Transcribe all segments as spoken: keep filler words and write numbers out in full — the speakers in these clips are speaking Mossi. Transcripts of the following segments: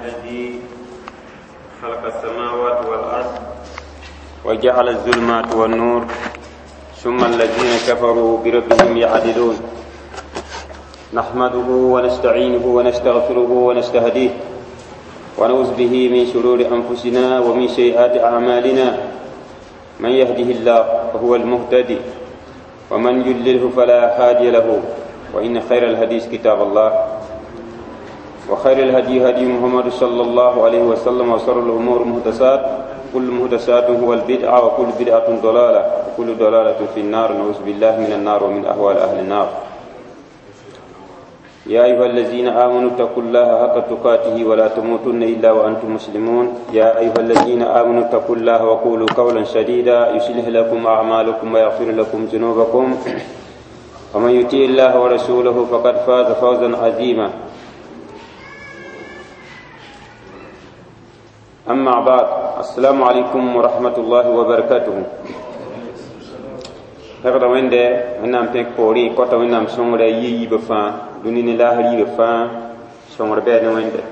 الذي خلق السماوات والأرض وجعل الظلمات والنور ثم الذين كفروا بربهم يعدلون. نحمده ونستعينه ونستغفره ونستهديه ونعوذ به من شرور أنفسنا ومن سيئات أعمالنا. من يهده الله فهو المهتدي ومن يضلله فلا هادي له. وإن خير الحديث كتاب الله وخير الهدي هدي محمد صلى الله عليه وسلم وشر الأمور محدثات، كل محدثات هو البدعة وكل بدعة ضلالة وكل ضلالة في النار، نعوذ بالله من النار ومن أهوال أهل النار. يا أيها الذين آمنوا اتقوا الله حق تقاته ولا تموتن إلا وأنتم مسلمون. يا أيها الذين آمنوا اتقوا الله وقولوا قولا سديدا يصلح لكم أعمالكم ويغفر لكم ذنوبكم ومن يطع الله ورسوله فقد فاز فوزا عظيما. أما بعد، السلام عليكم ورحمة الله وبركاته. هذا وين ده ونام تك بوري كتا ونام سونغ يي بفا دوني لا هري بفا سونغ بين وين ده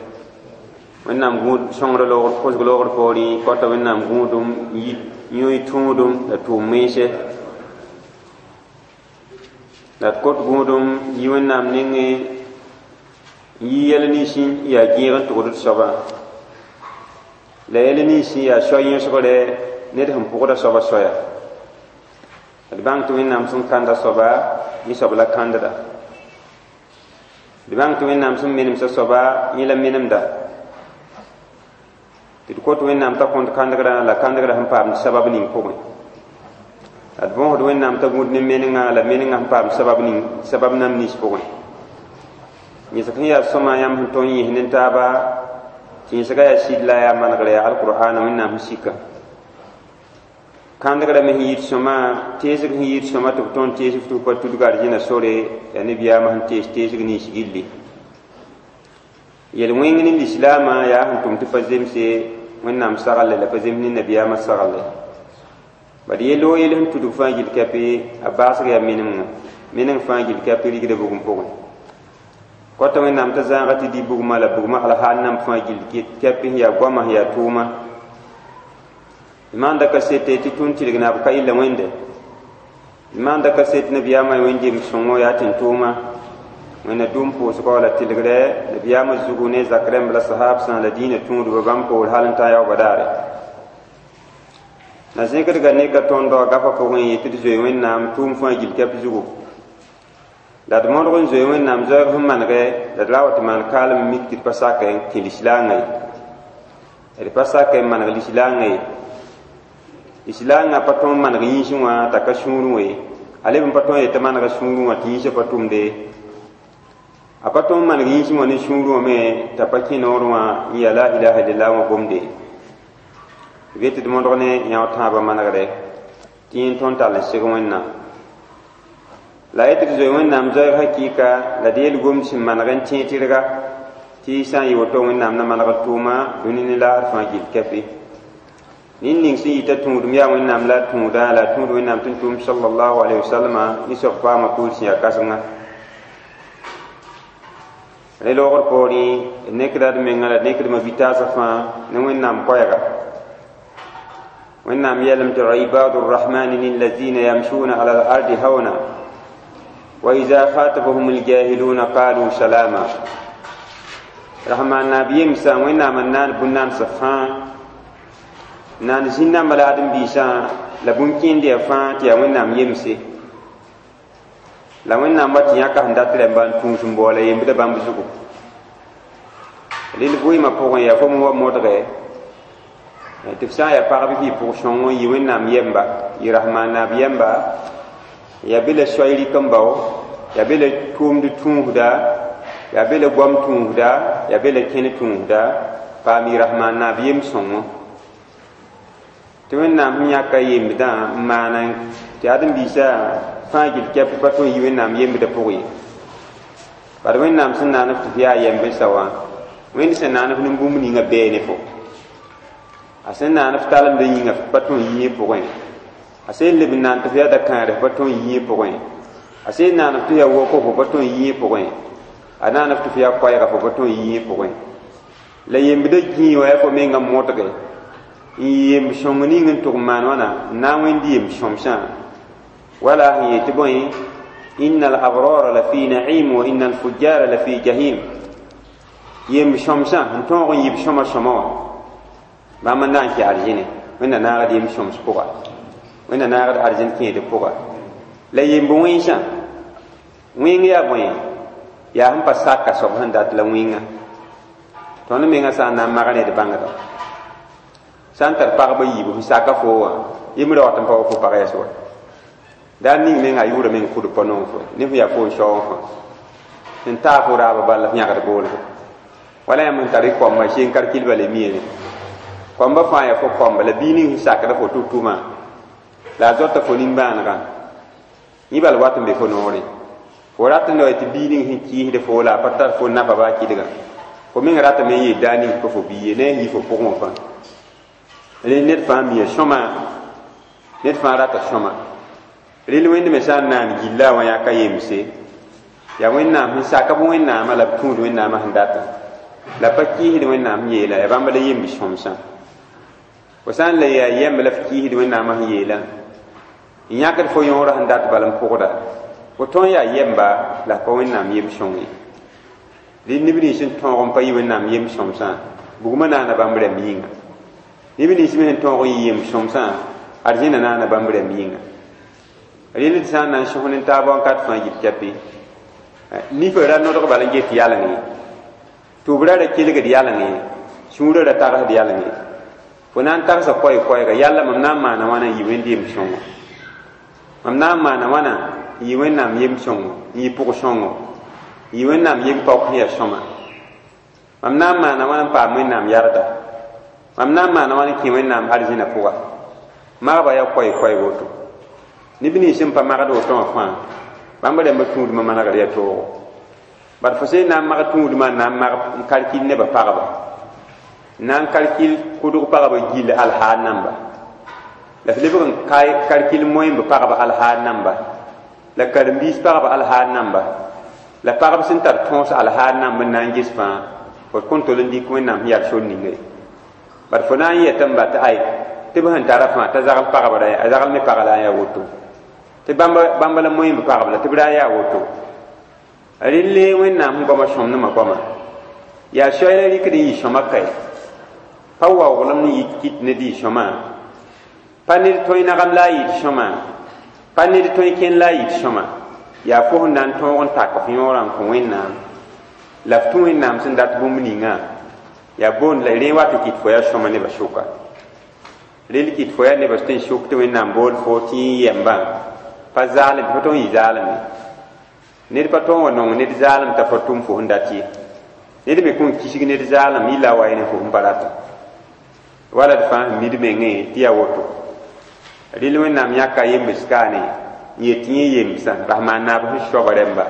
ونام غود سونغ لوغ كوز لوغ بوري كتا ونام غودum yi yoy tundum la tu mese la kot gudum yi ونام ninge yi yel ni sin ya giran to gudut soba la yel ni sin ya soyin sogore ned sẽn pʋgda soaba soya d bãng tɩ Wẽnnaam sẽn kãnda soaba yẽ soab la kãndda d bãng tɩ Wẽnnaam sẽn menemsa soaba yẽ la menemda tɩ d kot Wẽnnaam t'a kõnt kãndgrã la kãndgrã sẽn paamd sabab ning pʋgẽ la d bõosd Wẽnnaam t'a gũud ne menengã la menengã sẽn paam sabab ning sabab nam nins pʋgẽ yẽsg sẽn yaa sõma yãmb sẽn tõe n yẽs ne taaba tɩ yẽsga yaa sɩd la yaa manegre yaa alqur'ana Wẽnnaam sẽn sika kãndgrã me sẽn yit sõma teesg sẽn yit sõma tɩ b tõnd teesg tɩ b pa tudg arzẽna sore yaa nebiyaamã sẽn tees teesg nins gilli yel-wẽng ne lislaamã yaa sẽn tʋm tɩ pa zemse Wẽnnaam saglle la pa zems ne nabiyaamã saglle bad yel-o yel sẽn tudg fãa gill kɛpɩ a baasg yaa menemgã meneng fãa gill kɛpɩ rigda bugum pʋgẽ kɔta Wẽnnaam t'a zãaga tɩ dɩ bugmã la bugmã alhaal nam fãa gill kɛpɩ sẽn yaa goamã sẽn yaa tʋʋma maanda kasete tɩ tũn tɩlg naab ka illa wẽnde maanda kaset nabiyaamã wẽn-jem sõngo yaa tɩ n tʋʋma wẽnna dũm pʋʋsgɔ la tɩlgrɛ nabiyaamã zugu ne zak rãmb la sahaabsã la dĩinã tũudba bãmb poor hal n tã yaoobã daare na zẽkdga ne ka tõndg gafã pʋgẽ yetɩ d zoe Wẽnnaam tʋʋm fãa gill kɛp zugu la d modg n zoe Wẽnnaam zoɛɛg sẽn manegɛ la d ra wa tɩ maan kaalem mik tɩ d pa sak n kẽ lislaangã ye d pa sak n maneg lislaangã ye lislaangã pa tõe n maneg yĩnsẽ wã t'a ka sũurẽ we a leb n pa tõe n yetɩ manega sũurẽ wã tɩ yĩnsã pa tʋmde a pa tõe n maneg yĩnsẽ wã ne sũurẽ wã me t'a pa kẽ noorẽ wã n yaa la ilaha illallah wã gomde b yetɩ d modg ne yão tãabã manegre tɩ yẽ tõnd tall n seg Wẽnnaam la yetɩ d zoe Wẽnnaam zoɛɛg hakɩɩka la d yel-gomd sẽn maneg n tẽeg tɩrga tɩ sã n yɩ woto Wẽnnaam na maneg d tʋʋma dũni ne laasr fãa gill kɛpɩ nin ning sẽn yita tũudum yaa Wẽnnaam la tũuda la tũud Wẽnnaam tɩ n tʋm sallallahu alayhi wa sallama yẽ soab paama pʋʋl sẽn yaa kãsenga rẽ loogr poorẽ d nekda d menga la d nekdmã bi-taasã fãa ne Wẽnnaam koɛɛga Wẽnnaam yɛlem tɩ ibadu rrahmani lillazina yamshuna ala al-ardi hauna wa ida khatabahum aljahiluna qalu salama rahman naab yemsã Wẽnnaam n naan bũn-naamsã fãa naan zĩn-nambã la ãdem-biisã la bũn-kẽend yaa fãa tɩ yaa Wẽnnaam yemse la Wẽnnaam wa tɩ yãka sẽn dat rẽmba n tũus n baoola yembdã bãmb zugu rɩl vɩɩmã pʋgẽ yaa fo wa modge tɩ f sã n yaa pagb fɩ pʋg sõng n yɩ Wẽnnaam yɛmba yɩ rahmaan naab yɛmba yaa be la soay rɩk n bao yaa be la tʋʋmd tũusda yaa be la goam tũusda yaa be la kẽne tũusda paam yɩ rahmaan naab yem sõngo tɩ Wẽnnaam sẽn yãka yembdã n maana tɩ ãdem-biisã fãa gill kɛp pa tõe n yi Wẽnnaam yembdã pʋgẽ ye bad Wẽnnaam sẽn naan f tɩ f yaa yɛmb-sã wã Wẽnd sẽn naan f nin-bũmb ninga bɛɛ ne fo a sẽn naan f talemdã yĩnga f pa tõe n yi yẽ pʋgẽ a sẽn leb n naan tɩ f yaa da-kãadã f pa tõe n yi yẽ pʋgẽ a sẽn naan f tɩ yaa woko fo pa tõe n yi yẽ pʋgẽ a naan f tɩ f yaa koɛɛga fo pa tõe n yi yẽ pʋgẽ La yembdã gĩi wa yaa fo menga modge n yemb sõng ning n tʋg n maan wãna n na n wẽnd yemb sõmsã wala sẽn yet tɩ bõe inna al-abrara la fi na'im wa inna al-fujjara la fi jahim yemb sõmsã n tõog n yɩ b sõma sõma wã bãmb n na n kẽ arzẽne wẽnna naagd yemb sõms pʋga wẽnna naagd arzẽn kẽed pʋga la yemb wẽnsã wẽng yaa bõe yaa sẽn pa saka soab sẽn dat la wẽnga tõnd menga sã n na n mag ne d bãngda sã n tar pagba yiibu sẽn saka fo wã yembr ra wat n pa wa fo pag yɛs wa daar ning menga a yʋʋra meng kʋd pa nong fo ne fo yaa fo n shaoog fã sẽn taa fo raaba bal la f yãgd boolgo wala yãmb sẽn tar y koamba seen karkil bala miene koamba fãa yaa fo koamba la bii ning sẽn sakda fo tʋ-tʋmã la a zoata fo nimbãanegã yẽ bal wat n be fo noorẽ fo rat n wa tɩ bii ning sẽn kɩɩsd fo la a pa tar fo nafa baa kɩdgã fo meng ratame n yeel daa ning pa fo bii ye ne a yɩ fo pʋgẽ wã fãa rẽ ned fãa mia sõma ned fãa rata sõma rel wẽnd me sã n naan gilla wã yaa ka yemse yaa wẽnnaam sẽn saka b wẽnnaamã la b tũud wẽnnaamã sẽn datã la pa kɩɩsd wẽnnaam sẽn yeela yaa bãmb la yemb sõmsã fo sã n la yaa yɛmb la f kɩɩsd wẽnnaamã sẽn yeela n yãkd fo yõorã sẽn dat bal n pʋgda fo tõn yaa yɛmba la pa wẽnnaam yem sõng ye rɩ neb nins sẽn tõog n pa yɩ wẽnnaam yem sõmsã bugmã naana bãmb rãmb yĩnga neb nins me sẽn tõog n yɩ yem sõmsã arzẽna naana bãmb rãmb yĩnga rẽnd d sã n na n sõs ne taab wãnkat fãa yit kɛpɩ nifã ra nodg bal n get yaleng ye tʋʋbrã ra kelgd yaleng ye sũurã ra tagsd yaleng ye fo na n tagsa koɛɛ-koɛɛga yalla mam na n maana wãna n yɩ wẽnd yem sõngo mam na n maana wãna n yɩ wẽnnaam yem sõngo n yɩ pʋg sõngo n yɩ wẽnnaam yem paook sẽn yaa sõma mam na n maana wãna n paam wẽnnaam yarda mam na n maana wãna n kẽ wẽnnaam arzẽna pʋga magba yaa koɛɛ-koɛɛg woto neb nins sẽn pa magd woto wã fãa bãmb rãmbã tũudmã manegr yaa toogo bad fo sẽn na n mag tũudmã n na n mag n kalkil nebã pagba n na n kalkil kʋdg pagba gill alhaar namba la f lebg n kalkil moẽmb pagba alhaar namba la karen-biis pagba alhaar namba la pagb sẽn tar tõos alhaar namb n na n ges fãa fo kõn tol n dɩk wẽnnaam sẽn yaa sor ninga ye bad fo na n yetame ba tɩ ay tɩ b sẽn tara fãa t'a zagl pagbra a zagl me pag la n yaa woto tɩ bãmba la moẽmb pagb la tɩ b ra yaa woto relle wẽnnaam sẽn goama sõmdmã goama yaa soay la rɩkd n yɩ sõma kae pa waooglem n yɩ kɩt ned yɩ sõma pa ned tõe nagam la a yɩɩd sõma pa ned tõe kẽn la a yɩɩd sõma yaa fo sẽn na n tõog n tak f yõorã n kõ wẽnnaam la f tũ wẽnnaam sẽn dat bũmb ninga yaa boond la rẽ wat n kɩt fo yaa sõma nebã sʋka rel kɩt fo yaa nebã tɩ n sʋk tɩ wẽnnaam bool fo tɩ yẽ yɛmbã pa zaalem tɩ pa tõog n yɩ zaalem ye ned pa tõog wa nong ned zaalem t'a fa tʋm fo sẽn dat ye ned me kõn kisg ned zaalem yɩla wa ne fo sẽn pa rata wala d fãa sẽn mid mengẽ tɩ yaa woto rel wẽnnaam yãka yembs kaane n yet tɩ yẽ yemsã bas maan naab sẽn soaba rẽmba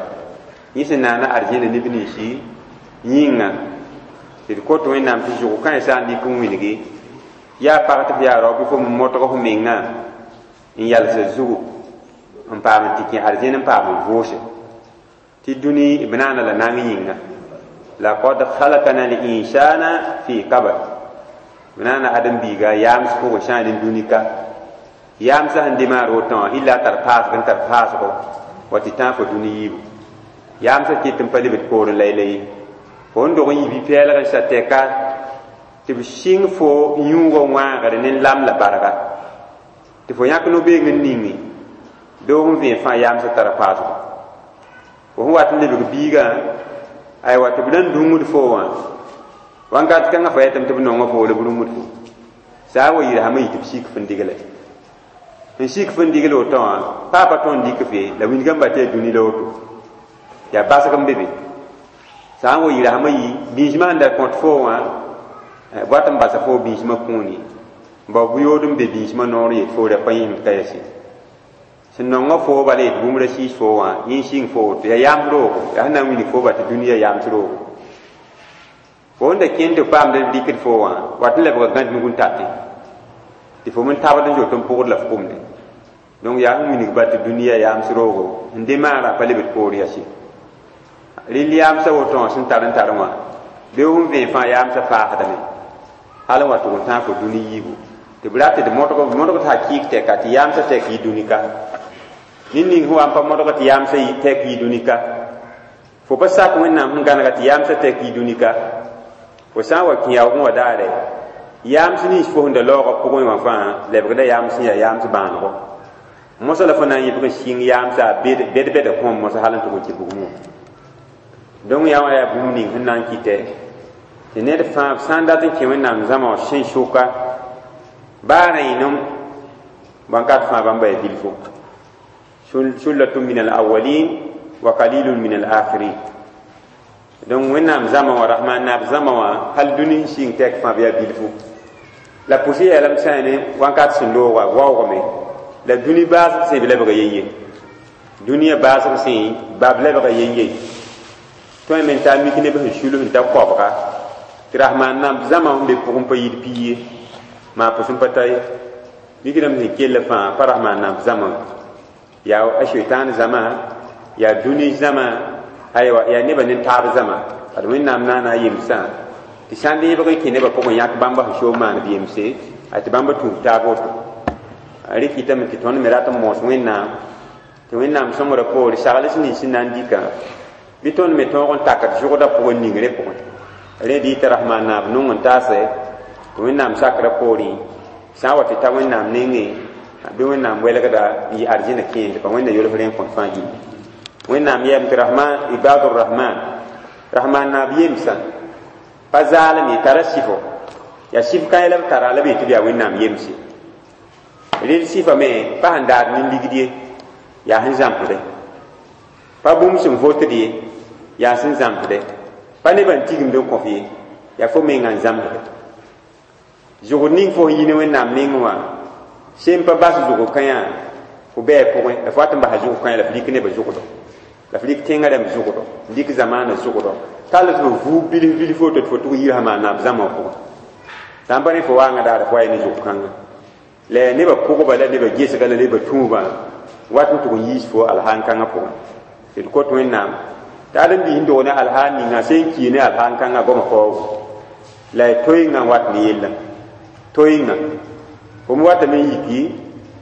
yẽ sẽn naana arzẽna neb ninsi yĩnga tɩ d kot wẽnnaam tɩ zʋg kãensã n dɩk n wilgi yaa pag tɩ f yaa rao bɩ fo modg f menga n yalsa zugu n paam n tɩ kẽ arzẽn n paam n vʋʋse tɩ dũni b naana la nang yĩnga laqad khalakna al-insana fi kabad b naana ãdem-biiga yaams pʋgẽ sã n dũni ka yaamsã sẽn demaar woto wã illa a tar paasg n tar paasgo wa tɩ tãag fo dũni yiibu yaamsã kɩt n pa lebd poorẽ laylay ye fo n dog n yi bi-pɛɛlg n sa tɛka tɩ b sɩng fo yũugã wãagre ne lam la barga tɩ fo yãk no-beeng n ningi doog n vẽe fãa yaamsã tara paasgo fo sẽn wat n lebg biigã aywa tɩ b na n dũngd fo wã wãnkat kãngã fa yetame tɩ b nonga fo la b rũngd fo saa wa yɩlsame yɩ tɩ b sik f n digle n sik f n digl woto wã paa pa tõnd dɩk fe la wilgã ba tɩ yaa dũni la woto yaa basg n be be sã n wa yɩlsame yɩ bĩsmã sẽn da kõt fo wã wat n basa fo bĩsmã kũuni n bao bʋ-yood n be bĩsmã noor yet fo ra pa yẽmd ka yɛse sẽn nonga fo bala yet bũmb ra siis fo wã yẽ sɩng fo woto yaa yams roogo yaa sẽn na n wilg fo ba tɩ dũniyã yams roogo fo n da kẽnd tɩ paamd b rɩkd fo wã wat n lebga gãd nug n tate tɩ fo men tabd n zoet n pʋgd la f kʋmde donc yaa sẽn wilg ba tɩ dũniyã yams roogo n demaarã pa lebd poor yase rɩl yaamsã woto wã sẽn tar n tar wã Bɩ f sẽn vẽeg fãa yaamsã paasdame hal n wa tʋg n tãag fo dũni yiibu tɩ b rat tɩ d modg modg t'a kɩɩk tɛka tɩ yaamsã tɛk yɩ dũni ka ned ning sẽn wa n pa modg tɩ yaamsã tɛk yɩ dũni ka fo pa sak wẽnnaam sẽn gãnega tɩ yaamsã tɛk yɩ dũni ka fo sã n wa kẽ yaoogẽ wã daare yaams nins fo sẽn da laoogã pʋgẽ wã fãa lebgda yaams sẽn yaa yaams bãanego mosã la fo na n yɩbg n sɩng yaamsa bed-bɛda kõom mosã hal n tʋg n kɩ bugmẽ wã donc yaa wã yaa bũmb ning sẽn na n kɩtɛ tɩ ned fãa b sã n dat n kẽ wẽnnaam zãma wã sẽn sʋka baa rẽenem bãnkat fãa bãmba yaa bilfo sullatun min alawalin wa qalilun min alakhirin donc wẽnnaam zãma wã rahman naab zãma wã hal dũni sɩng tɛk fãa b yaa bilfu la pʋsɩ yeelame sã ne wãnkat sẽn looga waoogame la dũni baasg sẽn b lebga yen-ye dũniyã baasg sẽn bab lebga yen-ye tõe me n taa mik neb sẽn sul sẽn ta koabga tɩ rahmaan naab zãma sẽn be pʋgẽ pa yid pii ye maa pʋs n pa ta ye mikdame sẽn kell fãa pa rahmaan naab zãma yaa a sheitan zãma yaa dũni zãma aywa yaa nebã ne taab zãma ad wẽnnaam naana a yemsã tɩ sã n deebg n kẽ nebã pʋgẽ yãk bãmba sẽn soog maan b yemse a tɩ bãmba tũub taab woto a rɩk kɩtame tɩ tõnd me rat n moos wẽnnaam tɩ wẽnnaam sõmbrã poore sagls nins sẽn na n dɩka bɩ tõnd me tõog n takd zʋgdã pʋgẽ ningrẽ pʋgẽ rẽ dɩ tɩ rahmaan naab nong n taase tɩ wẽnnaam sakrã poorẽ sã n wa tɩ ta wẽnnaam nengẽ bɩ wẽnnaam welgda n yɩ arzẽna kẽesd pa wẽnna yolf rẽ n kõt fãa gilli wẽnnaam yɛm tɩ rahman ibadur rahman rahman naab yemsã pa zaalem ye tara sɩfo yaa sɩf kãe la b tara la b yetɩ b yaa wẽnnaam yemse rel sɩfa me pa sẽn daad nin-ligd ye yaa sẽn zãmsde pa bũmb sẽn votd ye yaa sẽn zãmsde pa nebã n tigimd n kõf ye yaa fo menga n zãmsde zʋgd ning fo sẽn yi ne wẽnnaam nengẽ wã sem pa bas zʋg kãyã fo bɛɛ pʋgẽ la fo wat n basa zʋg kãyã la f lik nebã zʋgdo la f lik tẽngã rãmb zʋgdo n lik zamaanã zʋgdo tall tɩ f vuug bilf bilf woto tɩ fo tʋg yirsa maan naab zãma wã pʋgẽ sã n pa ne fo waangã daara fo wa ne zʋg kãnga la nebã pʋgba la nebã gesga la nebã tũubã wat n tʋg n yiis fo alhaan kãngã pʋgẽ tɩ d kot wẽnnaam tɩ ãdem-biis n dog ne alhaan ninga sẽn kii ne alhaan kãngã goamã faoogo la y toɩngã n wat ne yella toɩngã fo me watame n yiki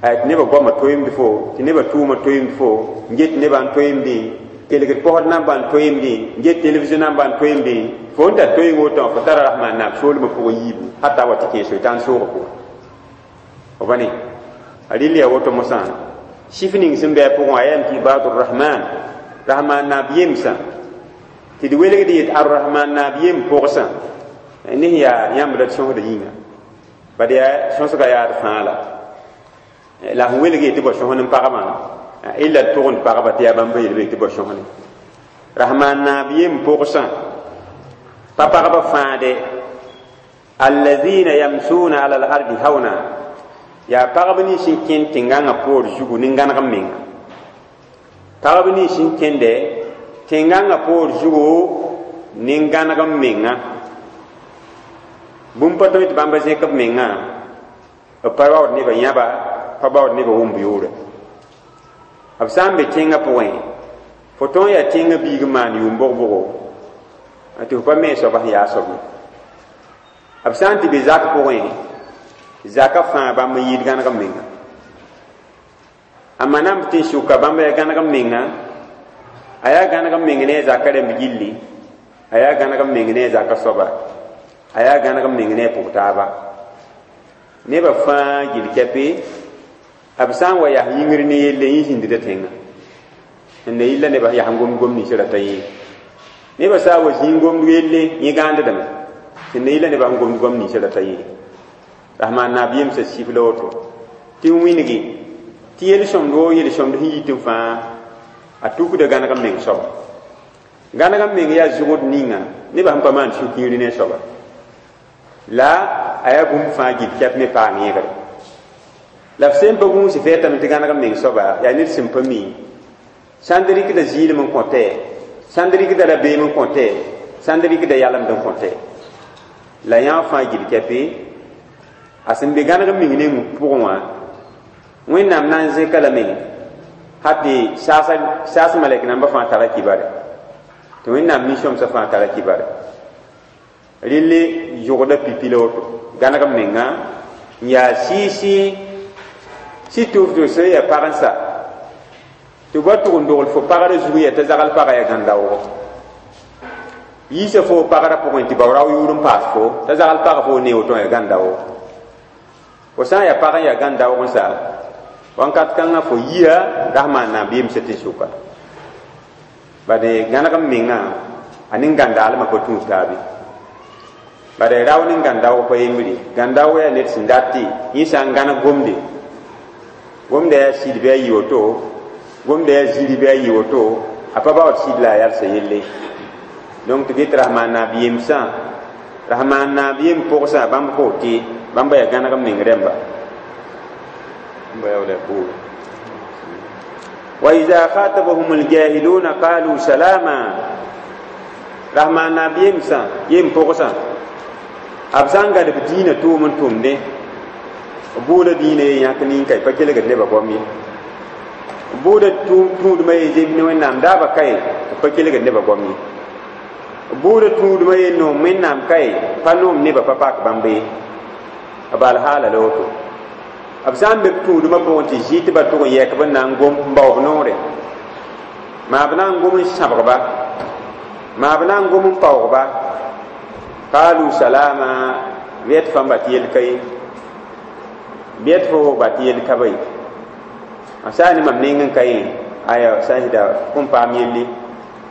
tɩ nebã goamã toeemd fo tɩ nebã tʋʋmã toeemd fo n get nebã n toeemdẽ kelgd posd nambã n toeemdẽ n get television nambã n toeemdẽ fo n tar toeeng woto wã fo tara rahmaan naab soolmã pʋgẽ yiibu hata wa tɩ kẽ soitan soogã pʋgẽ f ba ne a rɩl yaa woto mosã sɩf ning sẽn bɩ a pʋgẽ wã a yam tɩ ibadur rahman rahmaan naab yemsã tɩ d welgd yet arrahman naab yem pʋgsã ne sẽn yaa yãmb la d sõsda yĩnga bad yaa sõsga yaad fãa la la sẽn welg ye tɩ bao sõsn n pagmã illa d tʋgend pagba tɩ yaa bãmba yelbe tɩ bao sõsne rahmaan naab yem pʋgsã pa pagba fãade allazina yamsuna ala al-ardi hauna yaa pagb nins n kẽnd tẽngãngã poor zugu ne gãneg menga pagb nins n kẽnde tẽngãngã poor zugu ne gãneg menga bũmb pa tõe tɩ bãmba zẽk b mengã b pa baood nebã yãba pa baood nebã wʋmb yoore b sã n be tẽngã pʋgẽ fo tõe n yaa tẽngã biig n maan yʋʋm bʋg-bʋgo tɩ fo pa me soaba sẽn yaa soab ye b sã n tɩ be zak pʋgẽ zaka fãa bãmb n yɩɩd gãneg menga a manam tɩ n sʋka bãmb yaa gãneg menga a yaa gãneg meng ne a zaka rãmb gilli a yaa gãneg meng ne a zaka soaba a yaa gãneg meng ne a pʋg taaba nebã fãa gill kɛpe b sã n wa yaa yĩngr ne yelle yẽ zĩndda tẽngã n na yilla nebã yaa n gom gom nins rata yẽ nebã sã n wa zĩig gomd yelle yẽ gãandame tɩ na yilla nebã n gomd gom nins rata yẽ rahmaan naab yemsã sif la woto tɩ n wĩngi tɩ yel-sõmd woo yel-sõmd sẽn yit n fãa a tukda gãneg n meng soaba gãneg n meng yaa zʋgd ninga nebã sẽn pa maan sũ-kiiri ne soaba la a yaa bũmb fãa gill kɛp me paam yẽgre la f sẽn pa gũus fɛɛtame tɩ gãneg n meng soaba yaa ned sẽn pa mi sãn d rɩkda zɩɩlem n kõtɛ sãn d rɩkda rabeem n kõtɛ sãn d rɩkda yalemd n kõtɛ la yã fãa gill kɛpe a sẽn be gãneg n meng neng pʋgẽ wã wẽnnaam na n zẽka lame ha tɩ saas malɛk nambã fãa tara kibare tɩ wẽnnaam nin-sõmsã fãa tara kibare Rɩl zʋgda pipi la woto gãneg m menga n yaa sɩɩ-sɩɩ sɩ tʋf tɩ sẽn yaa pag n sa tɩ ba tʋg n dogl fo pagrã zug yaa t'a zagl pagã yaa gãn-daoogo yiisa fo pagrã pʋgẽ tɩ bao rao yʋʋr n paas fo t'a zagl pagã fo ne woto yaa gãn-daoogo fo sã n yaa pag n yaa gãn-daoog n sa wãnkat kãngã fo yia rasmaan naab yemsã tɩ sʋka bade gãneg m mengã a nin-gãndaalmã pa tũud taabe bade rao nin-gãn-daoog pa yembre gãn-daoog yaa ned sẽn dat tɩ yẽ sã n gãneg gomde gomda yaa sɩd bɩ a yɩ woto gomda yaa ziri bɩ a yɩ woto a pa baood sɩd la a yalsa yelle donc tɩ get rasmaan naab yemsã rasmaan naab yem pʋgsã bãmb fo tɩ bãmba yaa gãneg m meng rẽmba وإذا خاطبهم الجاهلون قالوا سلاما رحمان ناب يمسا يم پوغسا b sã n gad b dĩinã tʋʋm n tʋmdẽ b bʋʋda dĩinã ye yãk nin-ka pa kelgd nebã goam ye b bʋʋda tũudmã ye zemb ne wẽnnaam daabã ka ye tɩ pa kelgd nebã goam ye b bʋʋda tũudmã ye noom wẽnnaam ka ye pa noom nebã pa pak bãmb ye b alhaala la woto b sã n be b tũudmã pʋgẽ tɩ zĩ tɩ ba tʋg n yɛk b n na n gom n bao b noore maa b na n gom n sãbgba maa b na n gom n paoogba qalu salama bɩ tɩ fãmba tɩ yel ka ye bɩ tɩ fo ba tɩ yel ka ba ye a sã n ne mam neng n ka yẽ aya sã n sɩda kõn paam yelle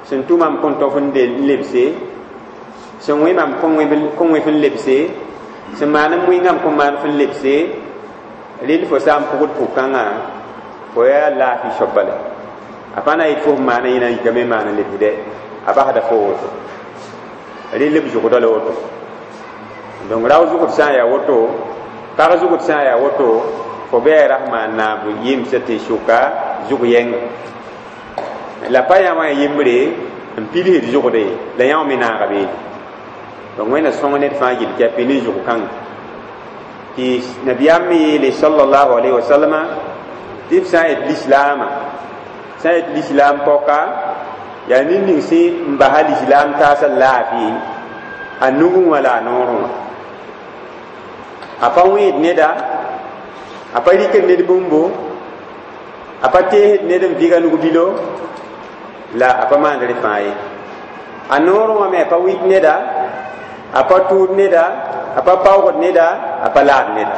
sẽn tʋ mam kõn tõf n lebse sẽn wẽ mam kõn wẽ f n lebse sẽn maan n wẽngame kõn maan f n lebse rɩl fo sã n pʋgd pʋg-kãngã fo yaa laafɩ soab bala a pa na yet fo f maana yẽna yikame maan n lebsdɛ a basda fo woto rɩl b zʋgda la woto donc rao zʋgd sã n yaa woto pag zʋgd sã n yaa woto fo bɩ rasmaan naab yemsã tɩ sʋka zʋg yɛnga la pa yã wã yembre n pilsd zʋgde la yã wã me naaga beene donc wẽnna sõng ned fãa gill kɛpɩ ne zʋg kãnga tɩ nabiyaam me yeele sallallahu alayhi wa sallama tɩ b sã n yet lislaamã sã n yet lislaam pɔka yaa ned ning sẽn n basa lislaam taasã laafɩ a nugẽ wã la a noorẽ wã a pa wẽed neda a pa rɩkd ned bũmbo a pa teesd ned n vɩga nug-bilo la a pa maand rẽ fãa ye a noorẽ wã me a pa wɩt neda a pa tʋʋd neda a pa paoogd neda a pa laad neda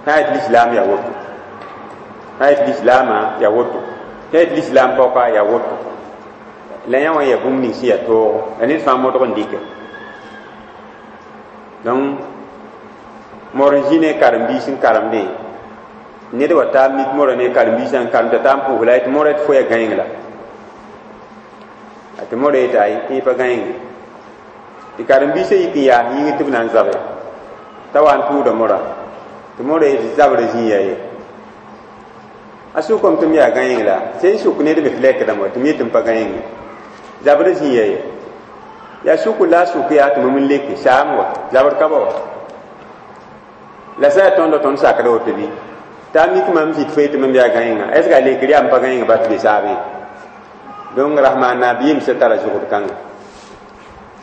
sã n yet lislaam yaa woto sã n yet lislaamã yaa woto sã n yet lislaam paoka yaa woto la yã wã yaa bũmb ning sẽn yaa toogo la ned fãa modg n dɩke donc mor n zĩ ne karen-biis n karemdẽ ned wa taa mik mora ne karen-biisã n karem t'a taa n pʋʋs la tɩ mora tɩ fo yaa gãeng la tɩ mora yeta ay tɩ pa gãenge tɩ karen-biisã yik n yaas yĩngr tɩ b na n zabe t'a wa n tʋʋda mora tɩ mora yetɩ zabrã zĩ yaa ye a sʋkame tɩ m yaa gãeng la sẽn sʋk ned me tɩ lɛkdame wa tɩ m yetɩ m pa gãenge zabrã zĩ yaa ye yaa sʋk la a sʋk yaa tɩ mam n leke saam wa zabr ka ba wa la sã yaa tõndo tõnd sakda woto bɩ t'a mik mam zĩt fo tɩ mam yaa gãenga est ce que a lekr yaa m pa gãenga ba tɩ be saabe donc rasmaan naab yemsã tara zʋgd kãnga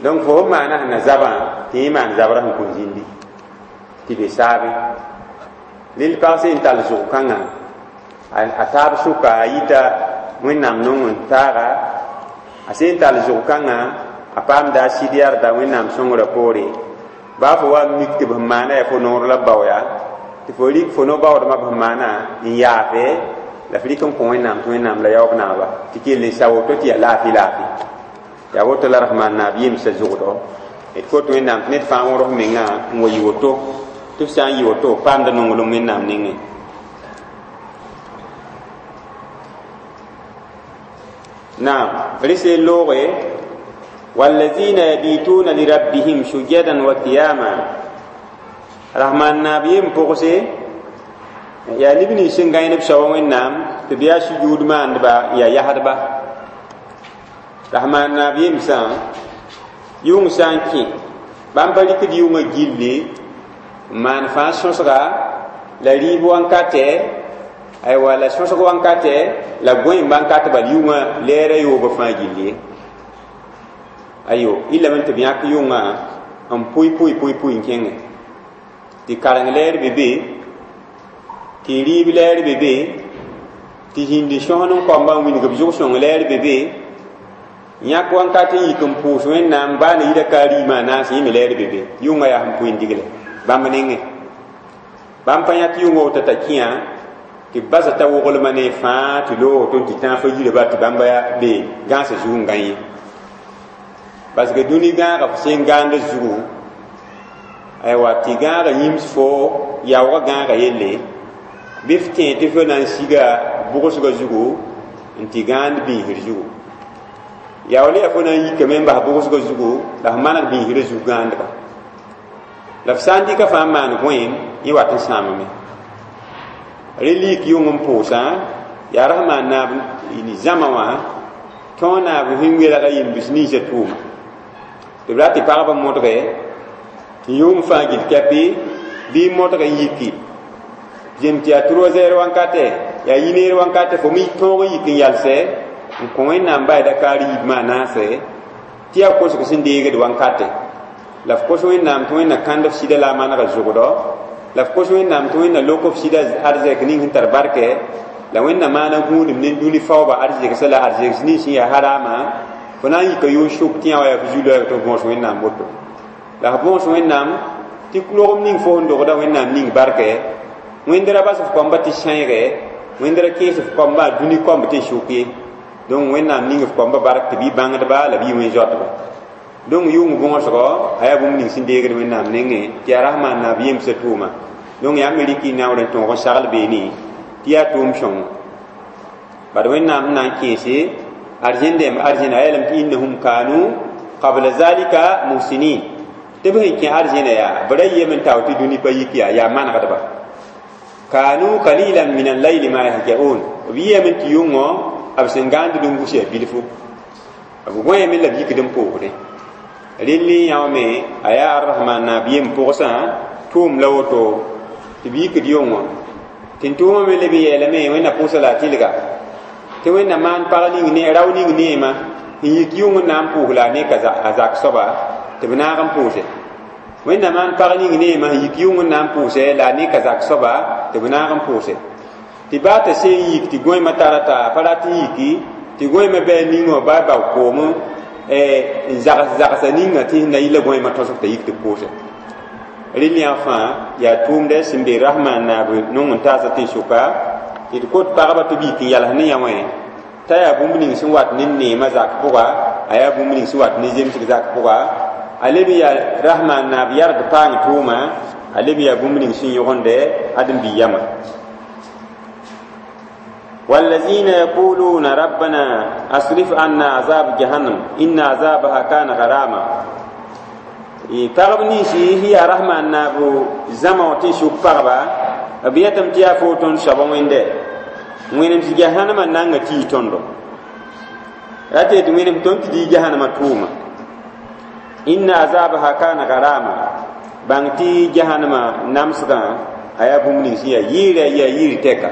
donc fo f maana sẽn na zabã tɩ yẽ maan zabrã sẽn kõn zĩndi tɩ be saabe lel pag sẽn tall zʋg kãngã a taab sʋka a yita wẽnnaam nong n taaga a sẽn tall zʋg kãngã a paamda a sɩd yarda wẽnnaam sõngrã poore baa fo wa mik tɩ b sẽn maana yaa fo noor la b bao yaa tɩ fo rɩk fo no-baoodmã b sẽn maana n yaafe la f rɩk n kõ wẽnnaam tɩ wẽnnaam la yaoob naaba tɩ kell n sa woto tɩ yaa laafɩ laafɩ yaa woto la rasmaan naab yemsã zʋgdɔ d kot wẽnnaam tɩ ned fãa wõrs mengã n wa yɩ woto tɩ f sã n yɩ woto paamda nonglem wẽnnaam nengẽ naam rɩs n looge والذين يبيتون لربهم سجدا وقياما رحمن نبيهم پوغسي يا نبني سنغاين بسوا وينام تبيا سجود ما عندبا يا يهدبا رحمن نبيهم سان يوم سان كي بام بالك ديوم جيلي مان فان سوسغا لا ريب وانكاتي ايوا لا سوسغ وانكاتي لا غوين بانكاتي بال يوم ليره يوب فان جيلي Ayo ila tɩ b yãk yʋngã n pʋɩ pʋɩ pʋɩ pʋɩ n kẽngẽ tɩ kareng lɛɛr be be tɩ rɩɩb lɛɛr be be tɩ zĩndi sõsd n koamba n wilg b zʋg sõng lɛɛr be be yãk wãnkat n yik n pʋʋs Wẽnnaam baa na yira ka riimã a naas yẽ me lɛɛr be be yʋngã yaa sẽn pʋɩ n digle bãmb nengẽ bãmb pa yãk yʋngã woto t'a kẽa tɩ b basa t'a woglma ne fãa tɩ loog woto tɩ tãag fa yirba tɩ bãmba be gãasã zug n gã ye parce que dũni gãagã f sẽn gãanda zugu aywa tɩ gãagã yĩms fo yaoogã gãagã yelle bɩ f tẽ tɩ fo na n siga bʋgsgã zugu n tɩ gãand biisr zugu yaool yaa fo na n yikame n bas bʋgsgã zugu la f maneg biisrã zug gãandga la f sã n dɩka fãa n maan gõeem yẽ wat n sãamame rẽ lik yʋng n pʋʋsã yaa rasmaan naab zãma wã tõog naab sẽn welga yembs ninsã tʋʋma tɩ b ra tɩ pagba modge tɩ yʋng fãa gil kɛpɩ bɩ modg n yiki zem tɩ yaa trois heures wankatɛ yaa yineer wankatɛ fo me tõog n yik n yalsɛ n kõ Wẽnnaam bayda kaar yiibmã a naase tɩ yaa kosg sẽn deegd wankatɛ la f kos Wẽnnaam tɩ Wẽnna kãnd f sɩda la a manega zʋgdɔ la f kos Wẽnnaam tɩ Wẽnna lok f sɩda arzɛk ning sẽn tar barkɛ la Wẽnna maana gũudum ne dũni faooba arzegsa la arzegs nins sẽn yaa harama fo na n yika yʋʋn sʋk tɩ yã wa yaa f zu-loɛɛg tɩ f bõos Wẽnnaam woto la f bõos Wẽnnaam tɩ logem ning fo sẽn dogda Wẽnnaam ning barkɛ Wẽnd ra bas f koamba tɩ sãeege Wẽnd ra kẽes f koamba dũni koamb tɩ sʋk ye donc Wẽnnaam ning f koamba bark tɩ bɩ bãngdba la bɩ wẽn-zoatba donc yʋng bõosgɔ a yaa bũmb ning sẽn deegd Wẽnnaam nengẽ tɩ yaa rasmaan naab yemsã tʋʋma donc yaa me rɩk y naoor n tõog n sagl beene tɩ yaa tʋʋm sõngo bad Wẽnnaam sẽn na n kẽese arzẽn dẽmb arzẽna a yeelame tɩ innahum kanu qabla zalika muhsinin tɩ b sẽn kẽ arzẽna yaa b ra yem n tao tɩ dũni pa yik yaa yaa manegdba kanu qalilan min al-layli ma yahja'un b yɩame tɩ yʋngõ b sẽn gãand n gus yaa bilfu b gõeeme la b yikd n pʋʋsdẽ rel yã me a yaa arrahman naab yem pʋgsã tʋʋm la woto tɩ b yikd yʋngõ tɩ n tʋʋmã me leb n yeelame Wẽnna pʋʋsa la a tɩlga tɩ Wẽnna maan pag ning ne rao ning neema n yik yʋng n na n pʋʋs la a neka a zak soaba tɩ b naag n pʋʋse Wẽnna maan pag ning neema n yik yʋng n na n pʋʋse la a neka zak soaba tɩ b naag n pʋʋse tɩ baa t'a seen yik tɩ gõeemã tara t'a pa rat n yiki tɩ gõeemã bɩ a ningã baa bao koom n zags zagsa ninga tɩ na yɩla gõeemã tõsg t'a yik tɩ pʋʋse rel yã fãa yaa tʋʋmdɛ sẽn be rasmaan naab nong n taasã tẽn-sʋka tɩ d kot pagba tɩ b yik n yals ne yã wẽ t'a yaa bũmb ning sẽn wat ne neemã zak pʋga a yaa bũmb ning sẽn wat ne zemsg zak pʋga a leb n yaa rasmaan naab yarg paang tʋʋma a leb n yaa bũmb ning sẽn yõgendɛ ãdem-bi yamã والذين يقولون ربنا أصرف عنا عذاب جهنم إن عذابها كان غراما pagb ninsi sẽn yaa rasmaan naab zãma wã tɩ n sʋk pagba b yetame tɩ yaa fo tõnd soaba wẽnde wẽnem sɩ jahanama nanga tii tõndo ra tɩ yetɩ wẽnem tõnd tɩ dɩ jahanama tʋʋma inna azabaha kana garama bãng tɩ jahanama namsgã a yaa bũmb ning sẽn yaa yɩɩrɛ yaa yɩɩr tɛka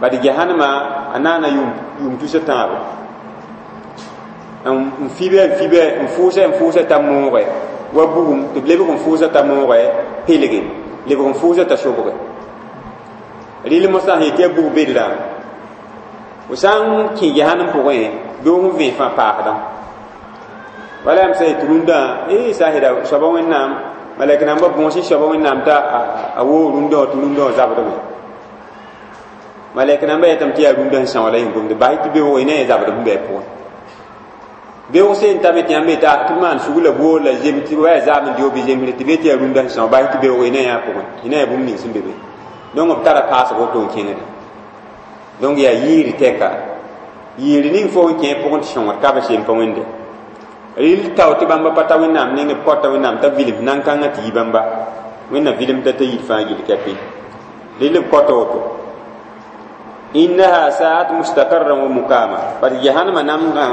bad jahanama a naana yʋʋm tusa tãabo n fibe n fibe n fʋʋsɛ n fʋʋsɛ t'a mooge wa bugum tɩ b lebg n fʋʋsɛ t'a mooge pelge lebg n fʋʋsɛ t'a sobge rɩl mosã sẽn yetɩ yaa bug bedrã fo sã n kẽ jahanem pʋgẽ bɩ fõ vẽ fãa paasdã wala yam sã yetɩ rũndã e sã n yeda soaba Wẽnnaam malɛk nambã bõos n soaba Wẽnnaam t'a a woog rũndã wã tɩ rũndã wã zabdme malɛk nambã yetame tɩ yaa rũndã sẽn são la yẽ gomde bas tɩ beoog y na yẽ zabd sẽn bɩ a pʋgẽ beoog seen tame tɩ yãmb t'a tɩ b maan sug la boor la zem tɩ wa yaa zaam n deo bɩ zemsre tɩ be tɩ yaa rũndã sẽn são bas tɩ beoog y na yã pʋgẽ y na yaa bũmb ning sẽn be be donc b tara paasg woto n kẽngde donc yaa yɩɩr tɛka yɩɩr ning fo n kẽ pʋgẽ tɩ sõngd ka b sem pa wẽnde rɩl tao tɩ bãmba pa ta Wẽnnaam neng b kɔta Wẽnnaam t'a vilem nan-kãngã tɩ yi bãmba Wẽnna vilemda t'a yid fãa gill kɛpɩ rɩl b kɔta woto innaha sa'at mustaqarran wa mukama bat jahannama namgã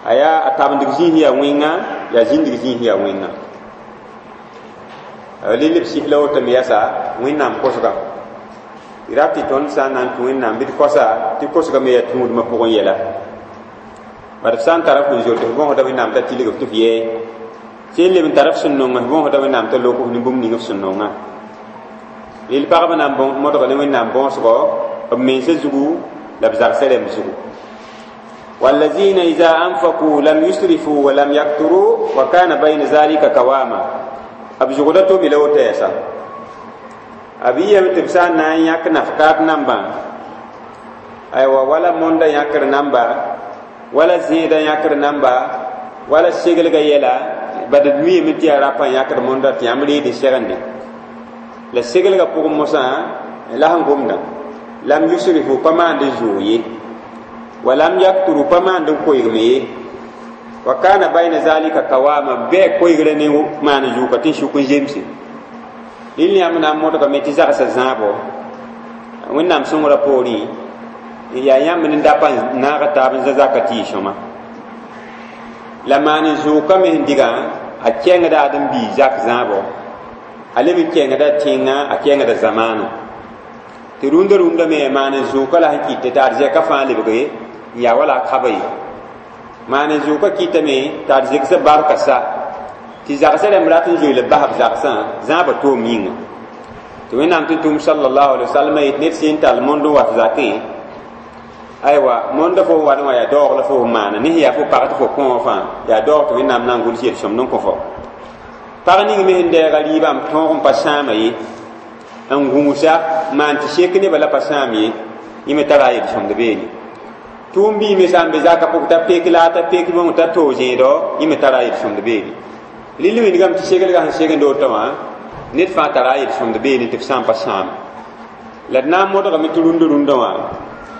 a yaa a tabendg zĩis yaa wẽnga yaa zĩndg zĩis yaa wẽnga rɩl b sɩs la woto me yasa Wẽnnaam kosga tɩ rat tɩ tõnd sã n na n tũ Wẽnnaam bɩ d kosa tɩ kosga me yaa tũudmã pʋgẽ yɛla Bad f sã n tara f n zoet f bõosda Wẽnnaam t'a tilg f tɩ f yɛɛ sẽn leb n tara f sẽn nong f bõosda Wẽnnaam t'a lok f ne bũmb ning f sẽn nongã. Rel pagba na n modga ne Wẽnnaam bõosgo b mensã zugu la b zagsã rãmb zugu. والذين إذا أنفقوا لم يسرفوا ولم يقتروا وكان بين ذلك قواما. B zugda to mi la woto yɛsa b yɩyame tɩ b sã n na n yãk nafkaat nambã, aywa, wala monda yãkr namba, wala zẽeda yãkr namba, wala seglga yɛla bad d miime tɩ yaa rapa n yãkd monda tɩ yãmb reed n segende la seglga pʋgẽ mosã la sẽn gomdã lam yusrifu pa maand n zoog ye, walam yakturu pa maand n koeegme ye, wa kana bayna zalika kawama bɩ koeegrã ne maan n zʋʋka tɩ n sʋk n zemse. Rẽnd yãmb na n modgame tɩ zagsã zãabo Wẽnnaam sõngrã poorẽ yaa yãmb ne dapa n naag taab n zã zaka tɩ yɩ sõma la maan n zʋʋka me sẽn diga a kẽngda ãdem-biig zak zãabo, a leb n kẽngda tẽngã, a kẽngda zamaana tɩ rũndã rũndã me maan n zʋʋka la sẽn kɩt tɩ arzɛka fãa lebge n yaa wala a kaba ye. Maan n zʋʋka kɩtame tɩ arzɩgsã barka sa tɩ zagsã rãmb rat n zoe la b bas b zagsã zãaba toom yĩnga tɩ Wẽnnaam tɩ tʋm sallallahu alaihi wasallam yet ned sẽn tall mond n wat zakẽ, aywa, monda fo wat wã yaa daoog la fo n maana ne sẽn yaa fo pag tɩ fo kõ wã fãa yaa daoog tɩ Wẽnnaam na n gʋls yel-sõmd n kõ fo. Pag ning me sẽn deega rɩɩbã n tõog n pa sãama ye, n gũusa maan tɩ sek nebã la pa sãam ye, yẽ me tara a yel-sõmd beene. Tʋʋm bii me sã n be zaka pʋg t'a pek la t'a pek bõng t'a toog zẽedɔ, yẽ me tara a yel-sõmd beene. Rɩl wingame tɩ seglga sẽn segend woto wã ned fãa tara a yel-sõmd beene tɩ f sã n pa sãam la d na n modgame tɩ rũndã rũndã wã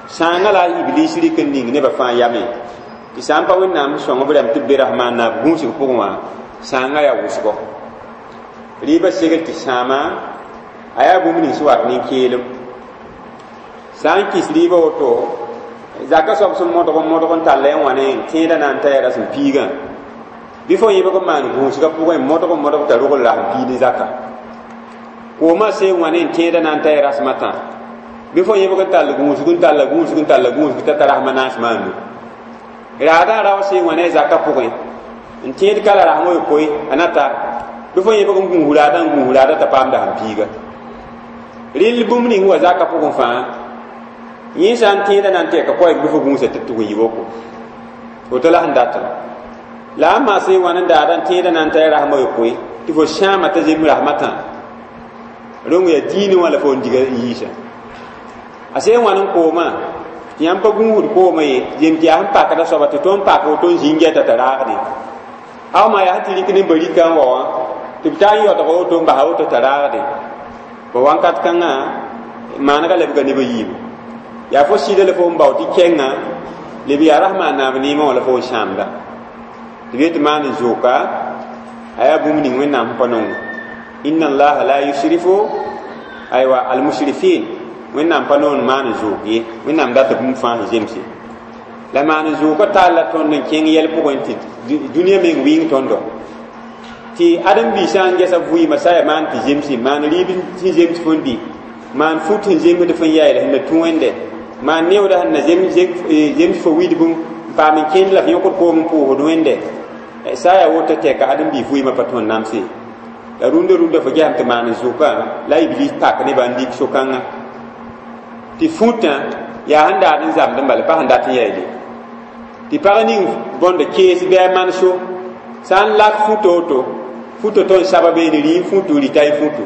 sãangã la a iblis rɩk n ning nebã fãa yame tɩ sã n pa Wẽnnaam sõng b rãmb tɩ b be rasmã n naab gũusg pʋgẽ wã sãangã yaa wʋsgo. Rɩɩbã segl tɩ sãama a yaa bũmb ning sẽn wat nin-keelem sã n kɩs rɩɩbã woto zaka soab sẽn modg n modg n tall n wa ne tẽedã na n ta yaa rasem piigã bɩ fo yẽbg n maan gũusgã pʋgẽ modg n modg t'a rogl rasem piig ne zaka koomã see n wa ne n tẽedã na n ta yaa rasem a tã bɩ fo yẽbg n tall gũusg n talla gũusg n talla gũusg t'a ta rasem a naas maanu raadã rao see n wa ne a zaka pʋgẽ n tẽed ka la rasem yopoe a na ta bɩ fo yẽbg n gũus raadã n gũus raadã t'a paam dasem piiga. Rɩl bũmb ning wa zaka pʋgẽ fãa yẽ sã n tẽedã na n tɛka koɛɛg bɩ fo gũusa tɩ tʋg n yi woko woto la sẽn datã la a maa sẽn wãn n daada n tẽedã na n ta rasem a yopoe tɩ fo sãama t'a zemb rasem a tã rong yaa diinẽ wã la fo n diga n yiisa a sẽn wãn n koomã tɩ yãmb pa gũusd koomã ye zem tɩ yaa sẽn pakda soaba tɩ tõnd pak woto n zĩng gɛta t'a raagde aw maa yaa sẽn tɩ rɩk ne barika n wa wã tɩ b taa n yaoodg woto n basa woto t'a raagde ba wãnkat kãngã maanega lebga nebã yiibu yaa fo sɩda la fo n bao tɩ kẽngã leb yaa rasma a naab neemã wã la fo n sãamda tɩ b yetɩ maan n zʋʋka a yaa bũmb ning Wẽnnaam sẽn pa nongo. Inna allaha la yusrifu aywa almusrifin Wẽnnaam pa noon maan n zʋʋk ye, Wẽnnaam data bũmb fãa sẽn zemse la maan n zʋʋka tall la tõnd n kẽng yɛl pʋgẽ tɩ dũniyã meng wɩng tõndo tɩ ãdem-biig sã n gɛsa vɩɩmã sa yaa maan tɩ zemse maan rɩɩb sẽn zems fõn dɩ maan fut sẽn zemsd fõn yaɛl sẽn na tũ wẽnde maan neooda sẽn na zems fo widb n paam n kẽnd la f yõkd koom n pʋʋsd wẽnde sã yaa woto tɛka ãdem-biig vɩɩmã pa tõnd namse la rũndã rũndã fo gesame tɩ maan n zʋka la iblis pak nebã n lik so-kãngã tɩ fũtã yaa sẽn daad n zamd n bala pa sẽn dat n yaeele tɩ pag ning bõnda kees bɩ a manso sã n lak futo woto futo tõnd saba beene rɩ n futu rɩta y futu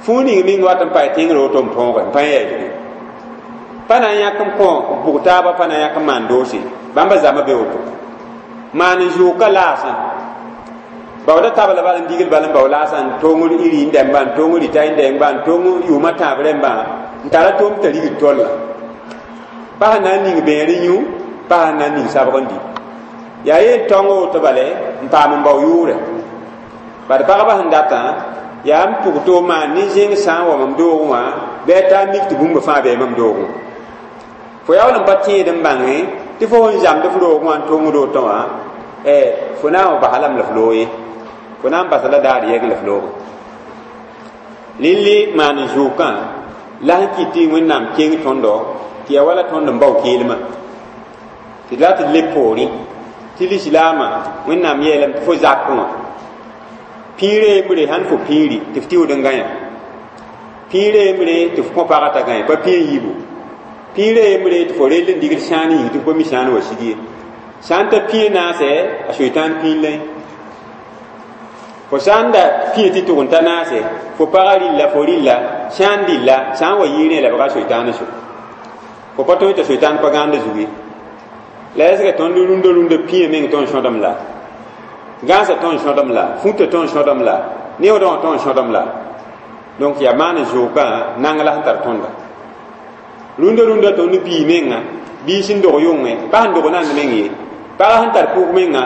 fũu ning meng wat n pae tẽngr woto n põoge n pa yaeelge pa na n yãk n kõ bʋg taaba pa na n yãk n maan doose bãmba zãma be woto maan n zʋʋka laasã baooda tabla bal n digl bal n bao laasã n tong iri n dɛmba n tong rɩta n dɛngba n tong yʋʋmã tãab rẽmbã n tara tom t'a rigd tolla pa sẽn na n ning bẽer n yũ pa sẽn na n ning sabg n dɩ yaa yen tõng woto bale n paam n bao yʋʋrɛ bad pagba sẽn datã yaa n pʋg tɩ maan ne zẽng sã n wa mam doogẽ wã bɩ a taa mik tɩ bũmba fãa bɩ mam doogẽ fo yaool n pa tẽed n bãnge tɩ fo sẽn zãmd f roogẽ wã n tongd woto wã fo na n wa basa lame la f loog ye fo na n basa la daar yɛgẽ la f looge lilli maan n zʋʋkã la sẽn kɩt tɩ Wẽnnaam keng tõndo tɩ yaa wala tõnd n bao keelmã tɩ d la tɩ d leb poorẽ. Tɩ lislaamã Wẽnnaam yeelame tɩ fo zakẽ wã pĩirã yembre sãn fo pĩiri tɩ f tɩʋd n gãyã pĩirã yembre tɩ f kõ pagã t'a gãe pa pĩ n yiibu pĩirã yembre tɩ fo rell n digd sãan yĩng tɩ f pa mi sãan wa sig ye sã n ta pĩ n naase a soitan pĩir la fo sã n da pĩ tɩ tʋg n ta naase fo pagã rɩlla fo rɩlla sã n dɩlla sã n wa yɩɩrẽ lebga soitaan so fo pa tõe t'a soitaan pa gãanda zug ye la ɛsga tõnd rũndã rũndã pĩyã meng tõnd sõdem la gãasã tõnd sõdem la fũtã tõnd sõdem la neoodã wã tõnd sõdem la donc yaa maan zʋʋkã nang la sẽn tar tõnda rũndã rũndã tõnd bii menga bii sẽn dog yʋngẽ pa sẽn dog nand meng ye pagã sẽn tar pʋg menga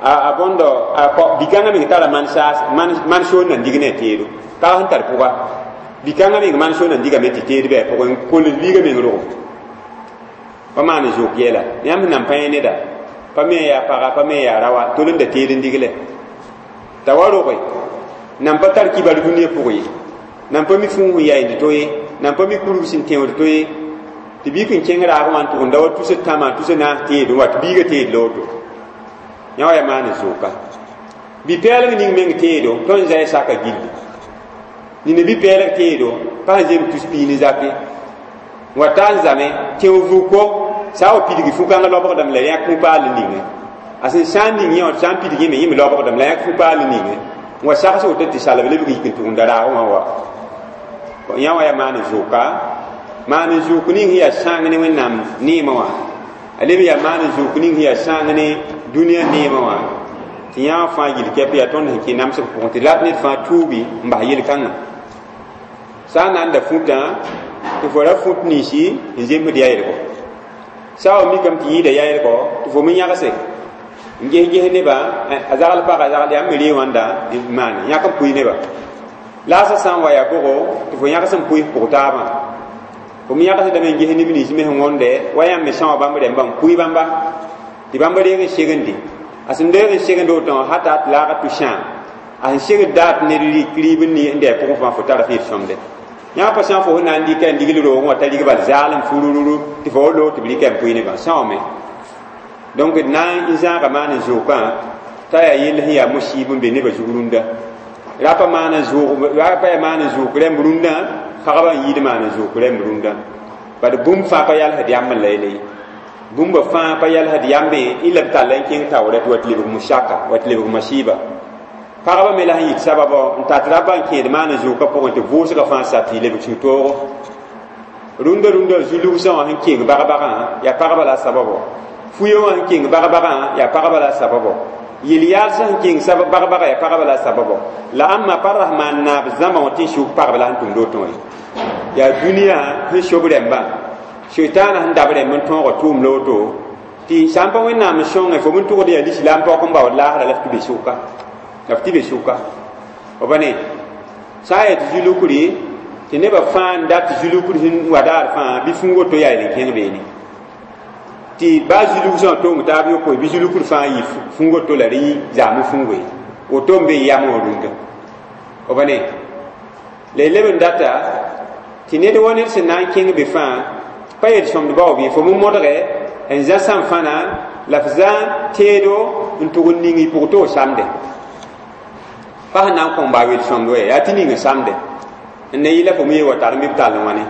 a bõndo a bi-kãngã meng tara man soor nan dig ne a teedo pagã sẽn tar pʋga bi-kãngã meng man soor nan digame tɩ teed bɩ a pʋgẽ kols biigã meng rogo pa maan zʋʋk yɛla yãmb sẽn nan pa yẽ neda pa me yaa paga pa me yaa rawa tol n da teed n digle t'a wa roge nan pa tar kibar dũniyã pʋg ye nan pa mi fũu sẽn yaa to ye nan pa mi kurg sẽn tẽod to ye tɩ biik n kẽng raag wã n tʋg n da wa tus tãmã tus naas teed n wa tɩ biigã teed la woto yã wa yaa maan zʋʋka bi-pɛɛlg ning meng teedo tõnd zaya saka gilli nina bi-pɛɛlg teedo pa sẽn zem tus piig ne zak ye wa ta n zame tẽo vuko sã n wa pidgi fu-kãngã lobgdame la yãk fu-paal n ninge a sẽn sã n ning yẽ wã sã n pidg yẽme yẽ me lobgdame la yãk fu-paal n ninge n wa sags woto tɩ salb lebg yik n tʋgenda raag wã wa yã wã yaa maan zʋʋka maan zʋʋk ning sẽn yaa sãang ne Wẽnnaam neemã wã a leb yaa maan zʋʋk ning sẽn yaa sãang ne dũniyã neemã wã tɩ yã fãa yil kɛp yaa tõnd sẽn kẽ namsg pʋgẽ tɩ rat ned fãa tuubi n bas yel-kãngã sã n na n da fũtã tɩ fo ra fũt ninsi n zemsd yaɩlgo sã wa mikame tɩ yĩida yaɩlgo tɩ fo me yãgse n ges ges nebã a zagl pagã zagl yaa me ree wãnda n maane yãk n pʋɩ nebã laasã sã n wa yaa bʋgo tɩ fo yãgs n pʋɩs pʋg taabã fo me yãgsdame n ges neb nins me sẽn wõnde wa yãmb me sã wa bãmb rẽmbã n pʋɩ bãmba tɩ bãmb reeg n segende a sẽn deeg n segend woto wã hata tɩ laaga tʋ sãam a sẽn segd daat ned rɩk rɩɩb n dɩ a pʋgẽ fãa fo tara fɩɩd sõmde yã pa sã fo sẽn na n dɩka n digl roogẽ wã t'a rig bal zaalem furururu tɩ fo wa loog tɩ b rɩka n pʋɩ nebã sãoome donc d na n zãaga maan n zʋʋkã t'a yaa yell sẽn yaa musiib n be nebã zug rũndã rapa maan n zʋʋg rapa yaa maan n zʋʋk rẽmb rũndã pagba n yiid maan n zʋʋk rẽmb rũndã bad bũmb fãa pa yalsd yamb n la yele ye bũmba fãa pa yalsd yambẽ y la b talla n kẽng taoorɛ tɩ wa tɩ lebg musaka wa tɩ lebg masiiba pagba me la sẽn yit sababɔ n tat raba n kẽed maan n zʋʋka pʋgẽ tɩ vʋʋsgã fãa sa tɩ lebg sũ-toogo rũndã rũndã zu-lugsã wã sẽn keng bag-bagã yaa pagba la a sababɔ fuyã wã sẽn keng bag-bagã yaa pagba la a sababɔ yel-yaalsã sẽn keng bag-bagã yaa pagba la a sababɔ la ãmba pa rasmaan naab zãma wã tɩ n sʋk pagb la sẽn tʋmd woto wã ye yaa dũniyã sẽn sob rẽmbã soitaanã sẽn dab rẽmb n tõoga tʋʋm la woto tɩ sã n pa Wẽnnaam n sõnge fo n tʋgd yaa lislaam paook n baood laasra la f tɩ be sʋka la f tɩ be sʋka b ne sã n yaa tɩ zu-lukri tɩ nebã fãa n dat zu-lukr sẽn wa daar fãa bɩ fũu woto yaa yel n kẽng beene tɩ baa zu-lugsã wã tong taab yopoe bɩ zu-lukr fãa yɩ fũu woto la rẽ zaam fũugo ye woto n be yam wã rũndã b ne la y leb n data tɩ ned wa ned sẽn na n kẽng be fãa pa yel sõmd baoob ye fo me modge n zã sãn-fãna la f zã teedo n tʋg n ning y pʋg tɩ f samde pa sẽn na n kõn baa wel sõmd wa yaa tɩ ning n samde n ne yɩla fo me ye wa tar n bɩ b tall n wãne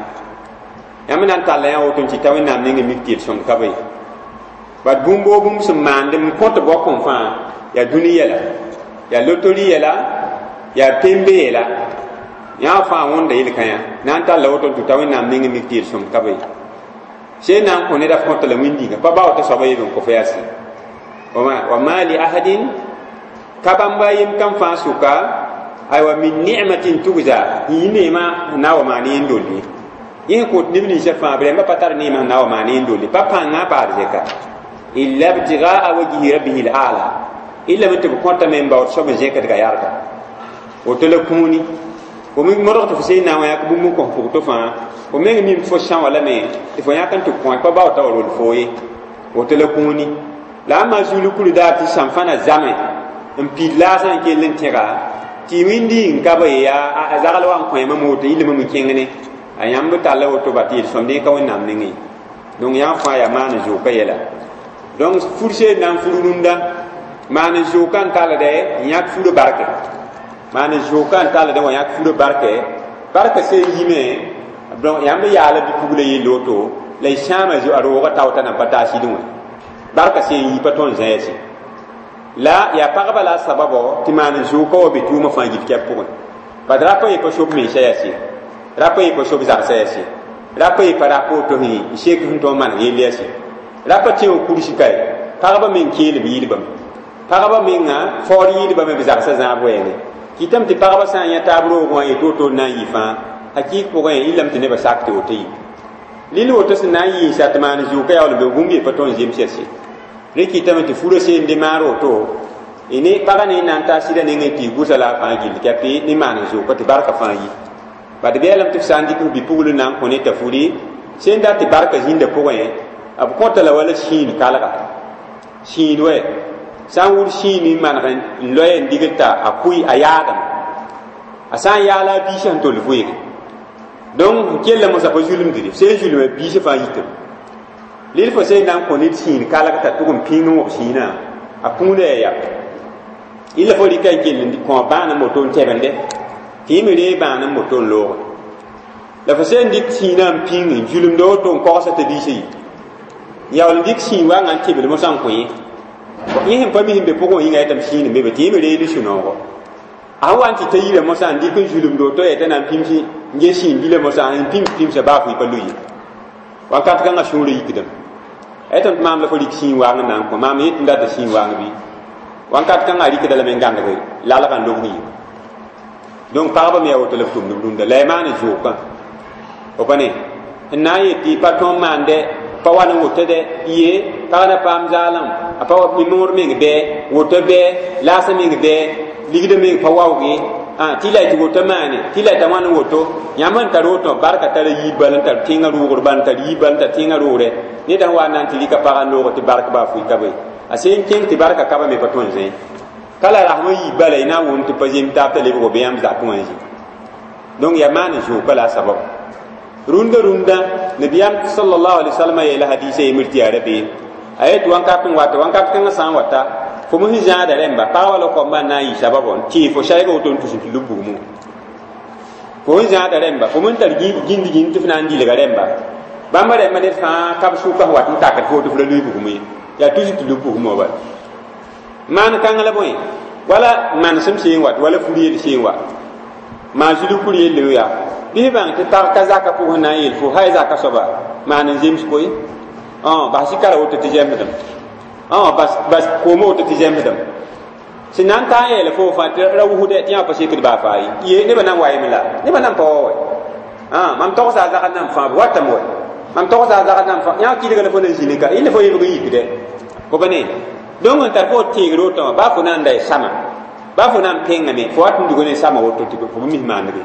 yãmb na n talla yã woto n tɩ ta Wẽnnaam neng n mik tɩ yel-sõmd ka be ye bat bũmb woo bũmb sẽn maand n kõt bɔk n fãa yaa dũni yɛla yaa lotori yɛla yaa pembe yɛla yã fãa wõnda yel-kãyã na n talla woto n tʋ t'a Wẽnnaam neng n mik tɩ yel-sõmd ka be ye sẽn na n kõ ned f kõta la wĩndĩnga pa bao t'a soaba yeb n kõ fo yaa sɩ wa ma li ahadin ka bãmba yem kam fãa sʋka aywa min ni'matin tugza yĩ neemã sẽn na n wa maan yẽn dolli yẽ sẽn kot neb ninsã fãa b rẽmbã pa tar neemã sẽn na n wa maan yẽn dolli pa pãngã paad zɛka illa ibtigaa wajhi rabbihi l-a'la illa me tɩ b kõtame n baood soab n zẽkdga yarga woto la kũuni fo me modg tɩ fo sẽn na n wa yãk bũmb n kõ pʋg to fãa fo meng mim fo sã wã lame tɩ fo yãk n tɩ kõ pa bao t'a wa rol foo ye woto la kũuni la ãmba zulukr daar tɩ sãn-fãna zame n pid laasã n kell n tẽga tɩ wĩndi n ka be yaa a zagl wa n kõ mam woto yɩlame me kẽng ne a yãmb talla woto ba tɩ yel-sõmd ka Wẽnnaam nengẽ donc yã fãa yaa maan zʋʋka yɛla Donc fur seen na n fur rũndã maan n zʋʋka n talde n yãk furã barke maan n zʋʋka n talde wa yãk furã barke barka seen yime donc yãmb yaala bi-pugla yell woto la y sãama a roogã tao t'a nan pa taa sɩdẽ wã barka seen yi pa tõnd zãyase la yaa pagba la a sababo tɩ maan n zʋʋka wa be tʋʋmã fãa gil kɛp pʋgẽ bad rapa ye pa sob mensã yaa se rapa ye pa sob zagsã yaa se rapa ye pa rap woto sẽn sek sẽn tõog n maneg yell yaa se rapa tẽ wã kursi kae pagba meng keelem yɩɩlbame pagba menga faoor yɩɩlbame b zagsã zãab wɛɛngẽ kɩtame tɩ pagba sã n yã taab roog wã yetɩ woto n na n yɩ fãa hakɩɩk pʋgẽ yɩlame tɩ nebã sak tɩ woto yɩ lil woto sẽn na n yɩ n sa tɩ maan zʋʋka yaool n be bũmb ye pa tõnd zems yaa se rẽ kɩtame tɩ furã seen dɩ maar woto ne pagã ne na n taa sɩda nengẽ tɩ y gʋsa la a fãa gill kɛpɩ ne maan n zʋʋka tɩ barka fãa yi bad beelame tɩ f sã n dɩk f bi-pugl na n kõ ne t'a furi sẽn dat tɩ barka zĩnda pʋgẽ b kõta la wala sĩin kalga sĩin wɛ sã n wʋd sĩin n maneg n loe n digl t'a a kʋɩ a yaadame a sã n yaala a biisã sẽn tol vʋɩge donc n kella mosã pa zulmdre sẽn zulma biisã fãa yitame lil fo sẽn na n kõ ned sĩin kalg t'a tʋg n pĩng n wõb sĩinã a kũudã yaa yap illa fo rɩka n kell n kõ bãan n woto n tɛbende tɩ y me reeg bãan n woto n looge la fo sẽn dɩk sĩinã n pĩng n zulmda woto n kogsa t'a biisã yi yaool n dɩk sĩin wanga n tɩbl mosã n kõ yẽ yẽ sẽn pa mi sẽn be pʋgẽ wã yĩnga yetame sĩin n be be tɩ yẽ me reeg ne sũ-noogo a sẽn wa n tɩ ta yira mosã n dɩk n zulmd woto yaa t'a na n pĩms n ges sĩin bila mosã n pĩms pĩmsa baa fʋɩ pa loe ye wakat kãngã sũurã yikdame yetame tɩ maam la fo rɩk sĩin waang n na n kõ maam yet n data sĩin waang bɩ wakat kãngã rɩkda lame n gãndg lalgã n lobg yɩ donc pagba me yaa woto la b tʋmd b rũndã la y maan n zʋʋkã fo pa ne n na n yet tɩ pa tõnd maande pa wa n woto dɛ ye pag na paam zaalem a pa moor meng bɛɛ woto bɛɛ laasã meng bɛɛ ligdã meng pa waoog ye tɩ la tɩ woto maane tɩ la t'a wãn n woto yãmb n tar woto barka tara yiib bal n tar tẽngã rʋʋgr bal n tar yiib bal n tar tẽngã roogre ned sẽn wa n na n tɩ rɩka pagã n loog tɩ bark baa fʋɩ ka be a sẽn kẽng tɩ barka kaba me pa tõnd zẽ ka la rasm n yiib bala y na n wʋm tɩ pa zem taab t'a lebg be yãmb zakẽ wã n zĩ donc yaa maan n zʋʋka la a sabab rũndã rũndã nabiyaam sallallahu alaihi wasallam yeela hadisa yembr tɩ yaa rabeem a yet wãnkat n wata wãnkat kãngã sã n wata fo mos n zãada rẽmba pagba la koambã n na n yɩ sababɔ n tɩ fo saɛga woto n tus n tɩ lub bugmẽ fo n zãada rẽmba fo n tar gĩnd gĩnd tɩ f na n dilga rẽmba bãmba rẽmba ned fãa kab sʋka sẽn wat n takd fo tɩ f ra lʋɩ bugmẽ ye yaa tus n tɩ lub bugmẽ wa bala maan kãng la bõe wala manesem seen wat wala fur yell seen wa maan zulug fur yelle yaa bɩ f bãng tɩ pag ka zaka pʋgẽ na n yel fo hay zaka soaba maan n zems koe bas sɩkara woto tɩ zemsdem bas bas kooma woto tɩ zemsdem sẽn na n taa n yeela fo fãa tɩ ra wusdɛ tɩ yã pa sekd baa faa ye ye nebã nan wayem la nebã nan pa wa wɛ mam togsa a zagd nan fãa b watame wɛ mam togsa a zagd nan fãa yã kɩdga la fo nan zĩne ka yẽnd fo yebg n yikdɛ fo pa ne donc n tar fo teegr woto wã baa fo na n da sama baa fo na n pẽngame fo wat n dug ne sama woto tɩ fo mis maandge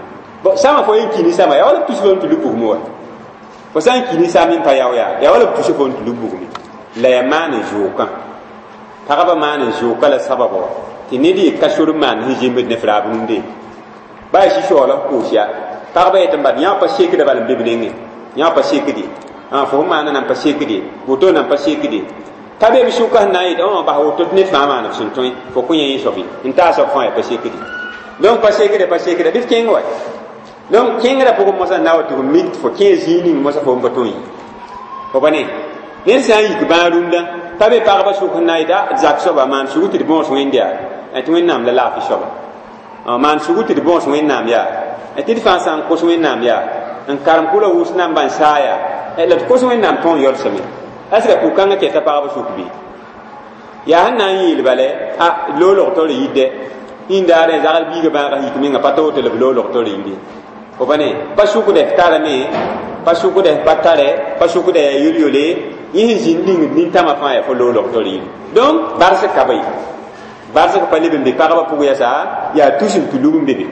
sama fo yen kini sama yaa wala b tus fo n tɩ lub bugmẽ wa fo sã n kini sam n pa yao yaa yaa wala b tus fo n tɩ lub bugmẽ la yaa maan n zʋʋkã pagba maan n zʋʋka la sababɔ tɩ ned yɩ ka sor n maan sẽn zembd ne f raab rũndẽ baa y sɩ-soaal f koos yaa pagba yetɩ bad yã pa sekda bal n be b nengẽ yã pa sekde fo sẽn maana nan pa sekde woto nan pa sekde ka be b sʋka sẽn na n yet bas woto tɩ ned fãa maan f sẽn tõe fo kõ yẽ yẽ soab n taa soab fãa yaa pa sekde donc pa sekde pa sekda bɩ f kẽng wa donc kẽngrã pʋgẽ mosã na wa tɩ f mik tɩ fo kẽ zĩig ning mosã fo n pa tõe fo pa ne ned sã n yik bãag rũndã pa be pagba sʋk sẽn na n yeta zak soaba maan sugu tɩ d bõos wẽnd yaa tɩ wẽnnaam la laafɩ soaba maan sugu tɩ d bõos wẽnnaam yaa tɩ d fãa sã n kos wẽnnaam yaa n karem kʋla wʋs namba n saa yaa la d kos wẽnnaam tõog n yɔlsame ɛsga pʋg-kãngã kɛta pagba sʋk bɩ yaa sẽn na n yeel bale a loolg taoor yidɛ yĩndaarẽ zagl biigã bãagã yik menga pa ta woto la b loolg taoor yire fo pa ne pa sʋkdɛ f tarame pa sʋkdɛ f pa tare pa sʋkdɛ yaa yol-yole yẽ sẽn zĩnd ning nintãmã fãa yaa fo loolg taoor yire donc barsg ka ba ye barsg pa leb n be pagba pʋg yɛsa yaa tus n tɩ lub n be be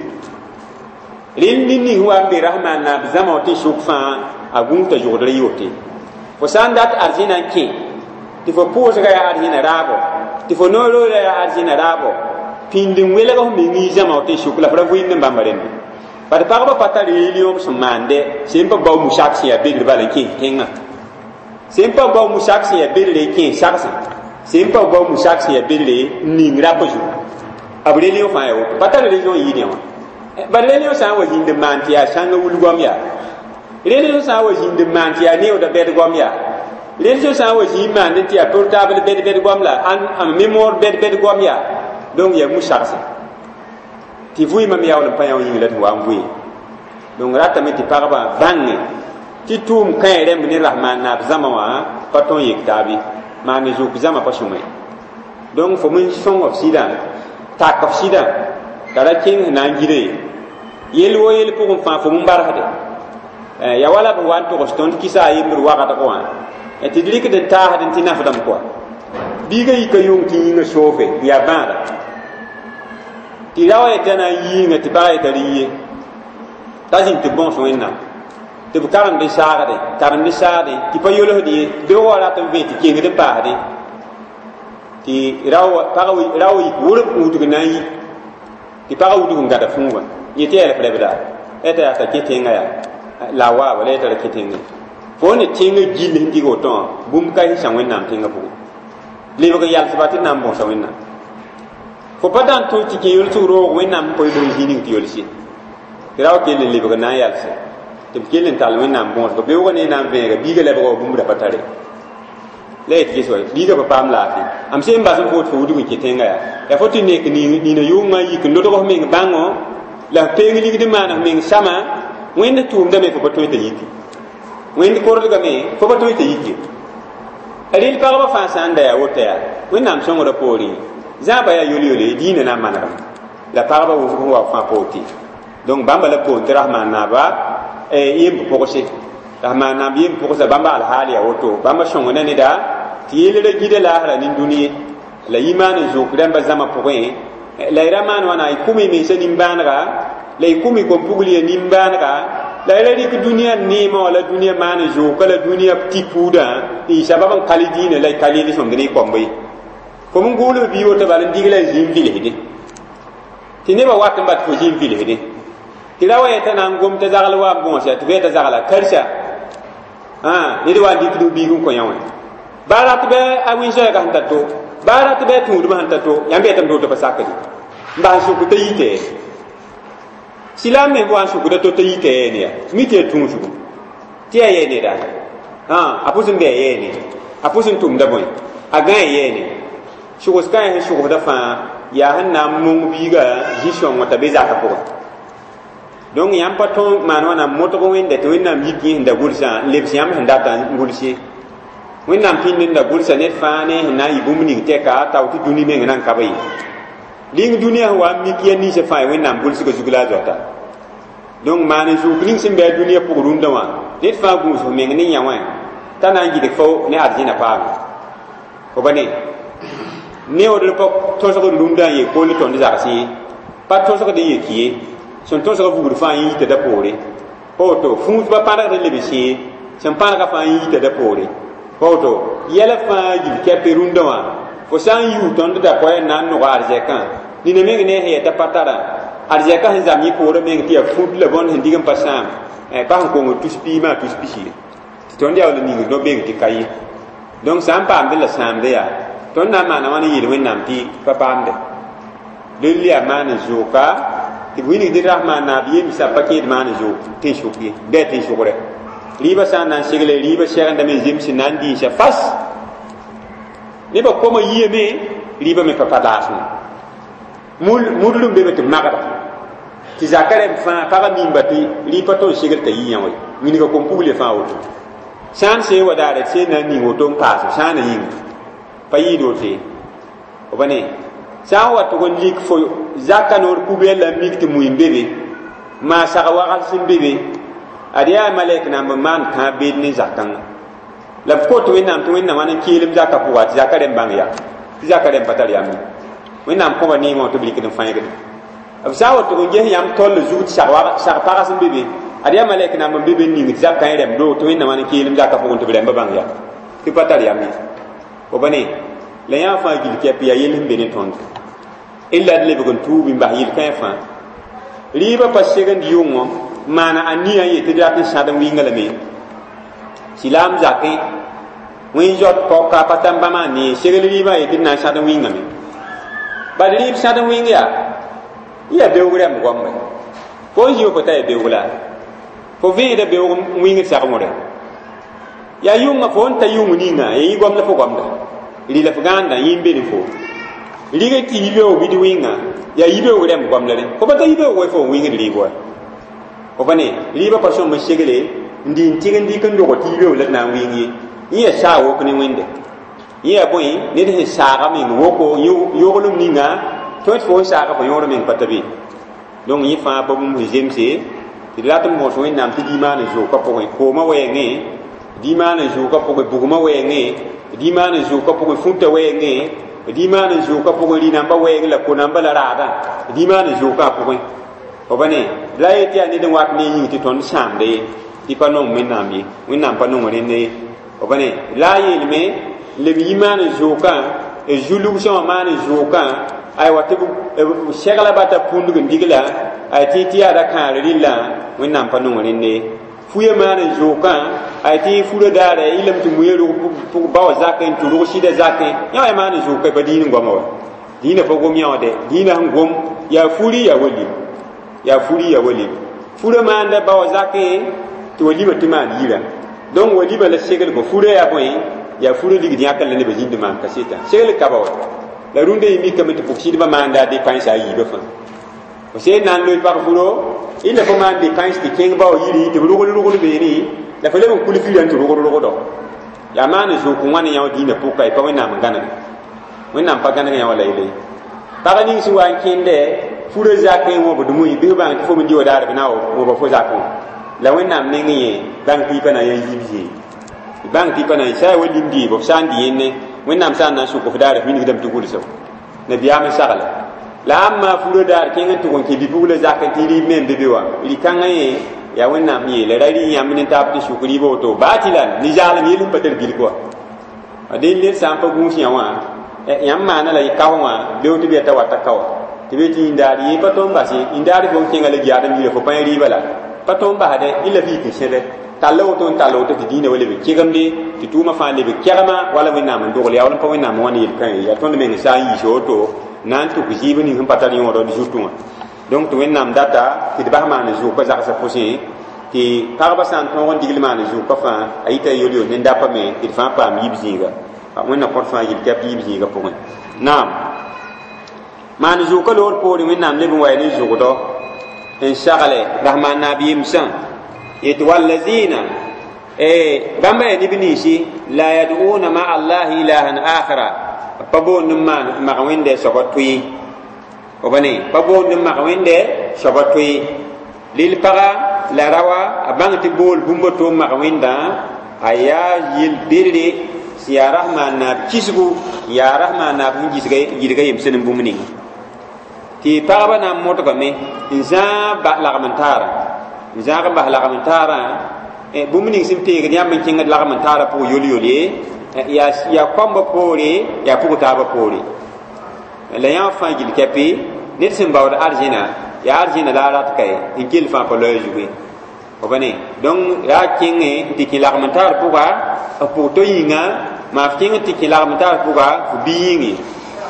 rẽnd ned ning sẽn wa n be rasmaan naab zãma wã tɩ sʋk fãa a gũudta zʋgdr y wote fo sã n dat arzẽna n kẽ tɩ fo pʋʋsga yaa arzẽna raabo tɩ fo noor-roorã yaa arzẽna raabo pĩnd n welg f meng y zãma wã tɩ sʋk la f ra vɩɩmd n bãmba rẽmbe bad pagba pa tar yel-yõom sẽn maande sẽn pa bao musak sẽn yaa bedr bala n kẽes tẽngã sẽn pa bao musak sẽn yaa bedr n kẽes sagsẽ Sẽn pa bao musak sẽn yaa bedre n ning rap zugu b religion fãa yaa woto pa tar religion yɩɩd wã bala religion sã n wa zĩnd n maan tɩ yaa sãnga wul goam yaa religion sã n wa zĩnd n maan tɩ yaa neooda bɛd goam yaa religion sã n wa zĩ n maand tɩ yaa portable bɛd bɛd goam la a mémoire bɛd bɛd goam yaa donc yaa musagse tɩ vʋɩɩmã me yaool n pa yã yĩng la tɩ wa n vʋɩ donc ratame tɩ pagba bãnge tɩ tʋʋm kãe rẽmb ne rahmaan naab zãma wã pa tõn yek taab ye maan zʋk zãma pa sõma ye donc fo min sõng f sɩdã tak f sɩdã t'a ra kẽng sẽn na n gire ye yel wo yel pʋgẽ fãa fo min barsde ya wala b wa n togs tõnd kɩsa a yembr wagdg wã tɩ d rɩkd n taasd n tɩ nafdame kɔa biiga yika yʋng tɩ yĩngã soofe n yaa bãada tɩ ra wa yetã na n yiingã tɩ pagã yeta rɩ ye t'a zĩnd tɩ bõos wẽnnaam tɩ b karemd n saagde karemd n saagde tɩ pa yolsd ye beoog wa rat n vẽ tɩ kengd n paasdẽ tɩ ra wa yik wʋrb n wudg na n yi tɩ pagã wudg n gãda fũuga yẽ tɩ yaa rebda t'a yaa t'a kẽ tẽngã yaa la a waaba la yetã ra kẽ tẽngã fo ne tẽngã gill sẽn dig woto wã bũmb ka sã wẽnnaam tẽngã pʋgẽ lebg n yalsba tɩ d na n bõosa wẽnnaam fo pa dãn tũ tɩ kẽ yolsg roog wẽnnaam n pa bũmb zĩ ning tɩ yolse tɩ ra wa kell n lebg n na n yalse tɩ b kell n tall wẽnnaam bõosgo beoogã ne na n vẽega biigã lebga wa bũmb ra pa tare la yet ges wa biigã pa paam laafɩ am sẽn bas n foot fo wudg n kẽ tẽngã yaa yaa fo tɩ nek nina yʋngã yik n lodg f meng bãngo la f peeng ligd n maan f meng sãma wẽnd tʋʋmdame fo pa tõe t'a yiki wẽnd kordgame fo pa tõe t'a yiki rɩl pagba fãa sã n da yaa woto yaa wẽnnaam sõngrã poorẽ zãaba yaa yol-yole diinã na n manegame la pagba wʋsg sẽn wa fãa poor tɩ donc bãmba la poor tɩ rasmaan naaba yemb pʋgse rasmaan naab yemb pʋgsa bãmba alhaal yaa woto bãmba sõngda neda tɩ yel ra gida laasra nin-dũni ye la yimaan n zʋk rãmba zãma pʋgẽ la y ra maan wãna y kʋm y mensã nimbãanega la y kʋm y kom-pugl ya nimbãanega la y ra rɩk dũniyã neemã wala dũniyã maan n zʋʋka la dũniyã tɩ puudã n yɩ sabab n kal diinã la y ka yel sõmd ne y koamb ye fo n gʋʋlb bii woto bala n dig la y zĩ n vilsdẽ tɩ nebã wat n bat fo zĩ n vilsdẽ tɩ ra wa yetã na n gom t'a zagl wa n bõosa tɩ f yeta zagla karsa ned wa n dɩkd biig n kõ yã wã baa rat bɩ a wẽn-zoɛɛgã sẽn ta to baa rat bɩ a tũudmã sẽn ta to yãmb yetame tɩ woto pa sakde n bas n sʋk t'a yitɛ silaam me wa n sʋkda to t'a yitɛ ne ya mi tɩ ya tũusgo tɩ yaa yɛ neda a pʋs n bɩ a yɛɛ ne a pʋs n tʋmda bõe a gã a yɛɛ ne sʋgs kãe sẽn sʋgsda fãa yaa sẽn na n mong biiga zĩ-sõngã t'a be zakã pʋgẽ donc yãmb pa tõe maan wãna modg wẽnda tɩ wẽnnaam yik yẽ sẽn da gʋlsã n lebs yãmb sẽn data n gʋls ye wẽnnaam pĩnd n da gʋlsa ned fãa ne sẽn na n yɩ bũmb ning tɛka tao tɩ dũni meng na n ka ba ye ling dũniyã sẽn wa n mik ya ninsã fãa wẽnnaam gʋlsgã zug la a zoata donc maan n zʋk ning sẽn bɩ a dũniyã pʋg rũndã wã ned fãa gũus f meng ne yã wã t'a na n gɩdg fo ne arzẽna paame fo ba ne neoodr pa tõsgd rũndã n yee koll tõnd zagsẽ ye pa tõsgd n yek ye sẽn tõsga vugr fãa yẽ yita da poore pa woto fũusba pãrgd n leb sẽe sẽn pãrga fãa yẽ yita da poore pa woto yɛla fãa yil kɛpɛ rũndã wã fo sã n yuu tõnd da koɛɛ n na n nog arzɛkã nina meng ne sẽn yɛta pa tara arzɛkã sẽn zam yẽ poorã meng tɩ yaa fũud la bõnd sẽn dig n pa sãam pa sẽn kong tus piimã tus pisi ye tɩ tõnd yaool n ningd no-beng tɩ ka ye donc sã n paamd la sãamde yaa tõnd na n maana wãn n yeel wẽnnaam tɩ pa paamde rel yaa maan n zʋʋka tɩ b wilgd rasmaan naab yemsã pa kẽed maan n zʋʋk tẽn-sʋk ye bɩ a tẽn-sʋgrɛ rɩɩbã sã n na n segle rɩɩbã sɛgendame zems n na n dĩinsa fas nebã koma yiyame rɩɩbã me pa pa laasmã mudl n be me tɩ b magda tɩ zaka rẽmb fãa pagã mimba tɩ rɩ pa tõe n segl t'a yi yã wa wilga kom-pugl fãa woto sã n see wa daare tɩ seen na n ning woto n paas sã n yĩnga pa yɩɩd woto ye f ba ne sã n wa tʋg n lik fo zaka noor poubelle la n mik tɩ mui n be be maa sag wagl sẽn be be ad yaa malɛk namb n maan kãab beed ne zakãngã la b kot wẽnnaam tɩ wẽnnaam wãn n keelem zakã pʋga tɩ zaka rẽmb bãng ya tɩ zaka rẽmb pa tar yam ye wẽnnaam kõba neemã tɩ b rɩkd n fãegde b sã n wa tʋg n ges yãmb tol zug tɩ sag pags n be be ad yaa malɛk namb n be be n ning tɩ zakã y rẽmb doog tɩ wẽnnaam wãn n keelem zakã pʋgẽ tɩ b rẽmba bãng ya tɩ pa tar yam ye fo ba ne la yã fãa gil kɛp yaa yell sẽn be ne tõnd illa d lebg n tuub n bas yel-kãe fãa rɩɩbã pa segend yʋngõ maana a nia n yetɩ d rat n sãd n wɩnga lame silaam zakẽ wẽn zot paoka pa tãmb bãmba ne segl rɩɩbã yetɩ d na n sãd n wĩngame bal rɩɩb sãd n wĩng yaa yaa beoog rɛmb goambe fo n zĩ fo ta yaa beoog la fo vẽeda beoog n wĩngd sagmore yaa yʋnga fo n ta yʋng ninga ya yĩ goam la fo goamda rɩ la f gãanda yẽ n be ne fo rɩg tɩ yibeoog bɩ d wĩnga yaa yibeoog rɛmb goam la rẽ fo pa ta yibeoog wa fo n wĩngd rɩɩb wa fo pa ne rɩɩbã pa sõm n segle n dɩ n tɩg n dɩk n dog tɩ yibeoog la d na n wĩng ye yẽ yaa saag wok ne wẽnde yẽ yaa bõe ned sẽn saaga meng woko yoglem ninga tõe tɩ fo n saaga fo yõor meng pa ta be donc yẽ fãa pa bũmb sẽn zemse tɩ d rat n bõos wẽnnaam tɩ diimaan n zʋʋka pʋgẽ koomã wɛɛngẽ diimaan n zʋʋka pʋgẽ bugmã wɛɛngẽ diimaan n zʋʋka pʋgẽ fũta wɛɛngẽ diimaan n zʋʋka pʋgẽ rɩ-nambã wɛɛng la ko-nambã la raadã diimaan n zʋʋka a pʋgẽ fo pa ne la yet tɩ yaa ned n wat ne yĩng tɩ tõnd sãamda ye tɩ pa nong wẽnnaam ye wẽnnaam pa nong rẽnd ye fo pa ne la a yeelme leb yi maan n zʋʋkã zu-lugsã wã maan n zʋʋkã aywa tɩ b segla bata pũndg n digla ay tɩ tɩ yaa ra kãar rɩllã wẽnnaam pa nong rẽnd ye fuya maan n zʋʋkã ay tɩ fura daara y lem tɩ muya rʋg pʋg bao zakẽ n tɩ rʋg sɩda zakẽ yã wa maan n zʋʋka pa diin n goama wa dĩinã pa gom yã wã dɛ dĩinã sẽn gom yaa furi yaa walim yaa furi yaa walim fura maanda bao zakẽ tɩ walima tɩ maan yirã donc walima la seglgo fura yaa bõe yaa fura ligd yãkr la nebã zĩnd maan kaseta segl kaba wa la rũndã yẽ mikame tɩ pʋg-sɩdbã maanda a depãns a yiibã fãa fo sẽn na n loe pag furo illa fo maan depãns tɩ kẽng bao yiri tɩ b rogl rogl beene la fo leb n kul firã tɩ rogl rogdo yaa maan n zʋʋk n wãn yã wã dĩinã pʋka y pa wẽnnaam n gãneg wẽnnaam pa gãneg yã wã la yele pag ning sẽn wa n kẽndɛ fura zakẽ wõbd mui bɩ f bãng tɩ fo me dɩ wa daar b na wõba fo zakẽ wã la wẽnnaam neng yẽ bãng tɩ y pa na n yaa yiib zĩig bãng tɩ pa na n sã wa lim dɩɩbo f sã n dɩ yẽnne wẽnnaam sã n na n sʋk f daar f wilgdame tɩ gʋlsa nabiyaam n sagla la ãmb fura daar kẽng n tʋg n kẽ bi-pugla zak tɩ rɩɩb me n be be wã rɩ-kãngã yẽ yaa wẽnnaam yeela ra rɩ yãmb ne taab tɩ sʋk rɩɩbã woto baa tɩ la ne zaalem yel sẽn pa tar bilk wa dẽ ned sã n pa gũus yã wã yãmb maana la kao wã beo tɩ b yata wata kaoa tɩ be tɩ yĩndaar yẽ pa tõnd bas ye yĩndaar fo n kẽnga la giaadem yira fo pa yẽ rɩɩbã la pa tõnd basdɛ illa f yik n sẽbe tall woto n tall woto tɩ dĩinã wa leb n kegemde tɩ tʋʋmã fãa leb n kɛgma wala wẽnnaam n dogl yaa wala n pa wẽnnaam wãn yel-kã ye yaa tõnd meng sã n yiis woto na n tʋk zɩɩb ning sẽn pa tar yõodɔ d zutẽ wã donc tɩ wẽnnaam data tɩ d bas maan zʋʋka zagsã pʋsẽ tɩ pagba sã n tõog n digl maan zʋʋka fãa a yita yol-yol ne dapa me tɩ d fãa paam yib zĩiga wẽnna kõt fãa yil kɛp yib zĩiga pʋgẽ naam maan zʋʋka loor poorẽ wẽnnaam leb n wa ne zʋgdɔ n sagle rasmaan naab yemsã yetɩ wallazina bãmba yaa neb ninsi la yad'una ma allahi ilahan akhara pa boond n maan mag wẽnde soaba tʋɩ f pa ne pa boond n mag wẽnde soaba tʋɩ lil paga la rawa a bãng tɩ bool bũmb to n mag wẽndã a yaa yel-bedre sẽn yaa rasmaan naab kisgu n yaa rasmaan naab sẽn gɩdga yemsẽ ne bũmb ninga tɩ pagba na n modgame n zãag lagm n taara n zãag n bas lagm n taarã bũmb ning sẽn peegd yãmb n kẽngd lagm n taarã pʋg yol-yol ye yaa koambã poore yaa pʋg taabã poore la yã fãa gil kɛpɩ ned sẽn baood arzẽna yaa arzẽna la a rat ka ye n kell fãa pa loa zugu ye f pa ne donc yaa kẽngẽ n tɩ kẽ lagm n taar pʋga f pʋg to yĩnga maa f kẽng n tɩ kẽ lagm n taar pʋga f bi yĩnge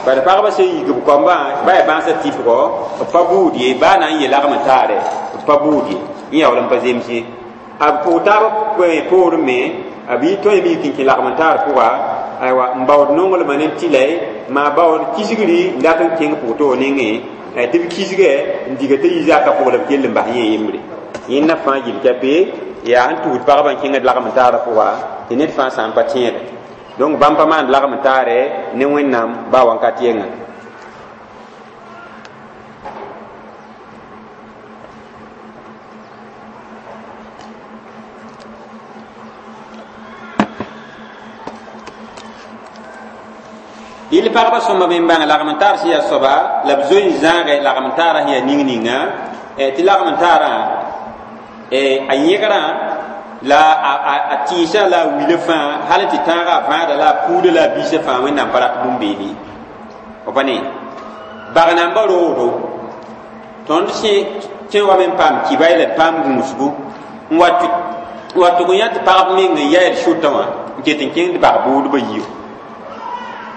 bala pagba sẽn yik b koambã ba yaa bãasã tɩpgɔ b pa buud ye baa na n ye lagm n taare b pa buud ye yẽ yaool n pa zems ye a pʋg taabã poorẽ me a b tõe me yik n kẽ lagm n taar pʋga aywa n baood nonglmã ne tɩla maa baood kisgri n dat n kẽng pʋg toog nengẽ tɩ b kisgɛ n diga t'a yi zaka pʋg la b kell n bas yẽ yembre yẽnda fãa gil kɛpɩ yaa sẽn tugd pagba n kẽngd lagm n taarã pʋga tɩ ned fãa sã n pa tẽede donc bãmb pa maand lagm n taare ne wẽnnaam baa wãnkat yɛnga yɩl pagba sõmba me n bãng lagm n taar sẽn yaa soaba la b zoe n zãagɛ lagm n taarã sẽn yaa ning ninga tɩ lagm n taarã a yẽgrã la a tĩisã la a wilã fãa hal tɩ tãagã a vãada la a puudã la a biisã fãa wẽnnaam pa rat bũmb-beene f pa ne bag namba roodo tõnd sẽ kẽ wa me n paam kibay la d paam gũusgu n wa tʋg n yã tɩ pagb meng n yayd sʋtã wã n ket n kẽngd bag-bʋʋdbã yio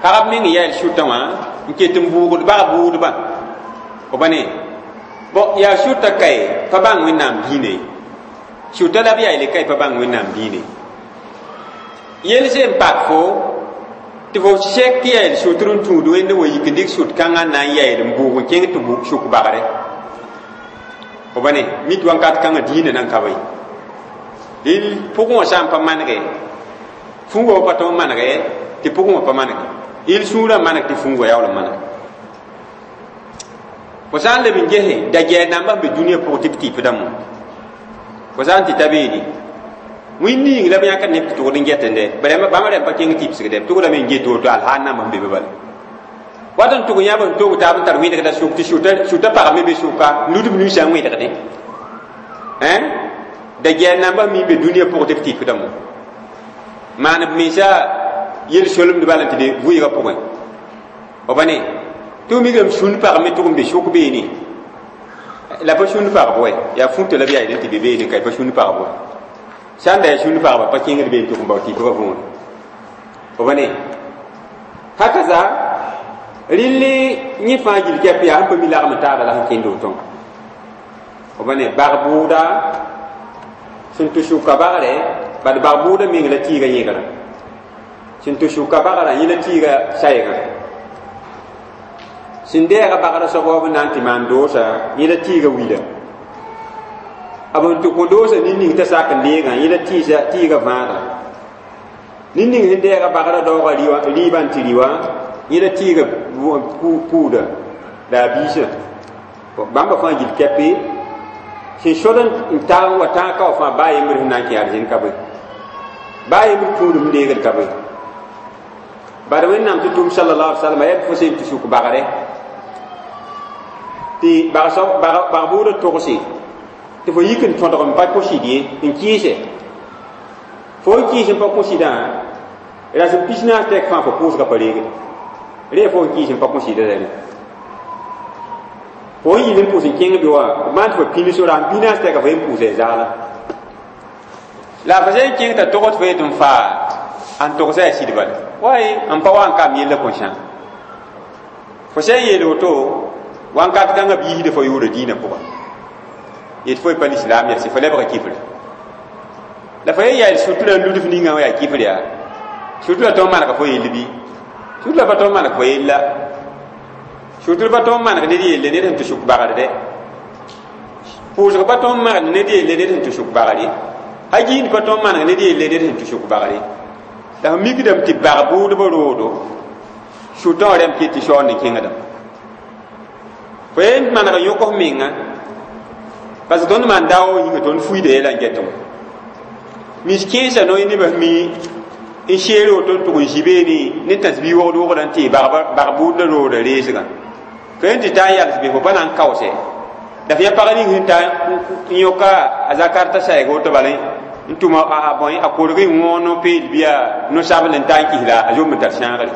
pagb meng yael sʋtã wã n ket n bʋʋgd bag-bʋʋdbã fo pa ne bon yaa sʋtã kae pa bãng wẽnnaam diine sʋtã la b yaeele kae pa bãng wẽnnaam diine yel sẽn pak fo tɩ fo sɛk yael sʋtr n tũud wẽnd wa yik n dɩk sʋt kãngã n na n yael n bʋʋg n kẽng tɩ sʋk bagre fo pa ne mit wãnkat kãngã diinã nan ka be dɩl pʋgẽ wã sã n pa manege fũngã wa pa tõe n manege tɩ pʋgẽ wã pa manege il sũurã maneg tɩ fũngã yaool n manege fo sã n leb n gese da-gɛɛr nambã sẽn be dũniyã pʋgẽ tɩ b tɩpdame fo sã n tɩ ta beene wĩnd ning la b yãkd neb tɩ tʋgd n getende bãmb rẽm pa kẽng tɩpsgde b tʋgdame n get woto alhaal nambã sẽn be be bala wat n tʋg yãb n tog taab n tar wẽdgda sʋk tɩ sʋta pagame be sʋka ludb nuisã n wẽdgdẽ da-gɛɛr nambã mi n be dũniyã pʋgẽ tɩ b tɩpdame maan b mensa yel-solemd bala tɩ de vʋɩɩgã pʋgẽ f pa ne tɩ f mikame sũnd pagme tʋg n be sʋk beene la pa sũnd pagb wɛ yaa fũta la b yaa tɩ be beene ka pa sũnd pagb wɛ sã n da yaa sũnd pagba pa kẽngd been tʋg n bao tɩpbã võore f pa ne hakaza rɩlli yẽ fãa gil kɛp yaa sẽn pa mi lagm taaba la sẽn kẽnd woto f pa ne bag-bʋʋda sẽn tɩ sʋka bagrɛ bad bag-bʋʋda meng la tɩɩga yẽgrã sẽn tɩ sʋka bagrã yẽ la tɩɩga saɛɛgã sẽn dɛɛga bagrã soab b na n tɩ maan doosa yẽ la tɩɩga wila b sẽn tɩ kõ doosa nin-ning t'a sak n deegã yẽ la tɩɩga vãada nin-ning sẽn dɛɛga bagrã daoogã rɩɩbã n tɩ rɩ wã yẽ la tɩɩga puuda la a biisã bãmba fãa gil kɛpe sẽn sod n tag n wa tãag ka wã fãa baa yembr sẽn na n kẽ arzẽn ka be baa yembr tũudum n deegd ka be bad wẽnnaam tɩ tʋm sallallahu alaihi wasallam yaa fo sẽn tɩ sʋk bagre tɩ bag-bʋʋdã togse tɩ fo yik n tõdg n pa kõ-sɩd ye n kɩɩse fo n kɩɩs n pa kõ-sɩdã rasem pis naas tɛk fãa fo pʋʋsgã pa reegde ree fo n kɩɩs n pa kõ-sɩdã rɛme fo n yɩl n pʋʋs n kẽng be wã b maan tɩ fo pĩns rasem pis naas tɛka fo yen pʋʋsa y zaala la fo sẽn kẽng t'a togd fo yet n faa n togsa yaa sɩd bala way n pa wa n kaam yella kõ sã fo sẽn yeel woto wãnkat kãngã b yiisda fo yʋʋra diinã pʋga yet fo y pa lislaam yaa sɩ fo lebga kifra la fo yen yaa sutura n ludf ninga wã yaa kifr yaa sutura tõe n manega fo yell bɩ sutura pa tõe n maneg fo yella sutura pa tõe n maneg ned yelle ned sẽn tɩ sʋk bagr dɛ pʋʋsg pa tõe n maneg ned yelle ned sẽn tɩ sʋk bagre ha giind pa tõe n maneg ned yelle ned sẽn tɩ sʋk bagre la f mikdame tɩ bag bʋʋdbã roodo sʋtã wã rẽmb ket tɩ saoond n kẽngdame fo yen maneg n yõk f menga parce que tõnd maan daoog yĩnga tõnd fuiida yɛla n get wã mis kẽesã no nebã mi n seer woto n tʋg n zĩ beene ne tãs-bi wogd wogda n tɩ bag-bʋʋdã rooda reesgã fo yen tɩ taa n yals be fo pa na n kaoose la f yã pag ning sẽn ta n yõka a zakar t'a saɛɛg woto bala n tʋma a bõe a korg n wõog no-peel bɩ yaa no-sabl n ta n kis la a zomb n tar sãagre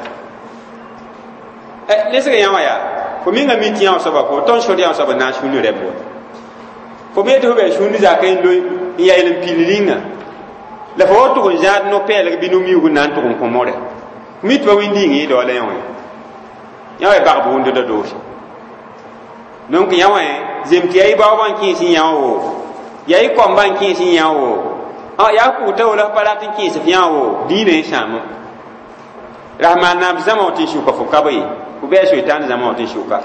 lesg yã wã yaa fo menga mi tɩ yã wã soaba fo tõnd sod yã wã soaba n na n sũnd rɛb wa fo me tɩ fo bɩ sũnd zaka n loe n yael n pil rĩnga la fo wa tʋg n zãad no-pɛɛlg bɩ no-miuug n na n tʋg n kõ more mi tɩ pa wĩnd yĩng yẽ daola yã wã yã wã bag bʋʋnd da doose donc yã wã zem tɩ yaa y baoobã n kẽes n yã wo yaa y koambã n kẽes n yã wo yaa kʋgta wala pa rat n kẽes f yã wo diinã n sãam rahmaan naam zãma wã tɩ n sʋka fo ka be fo bɩ a soitaan zãma wã tɩ n sʋka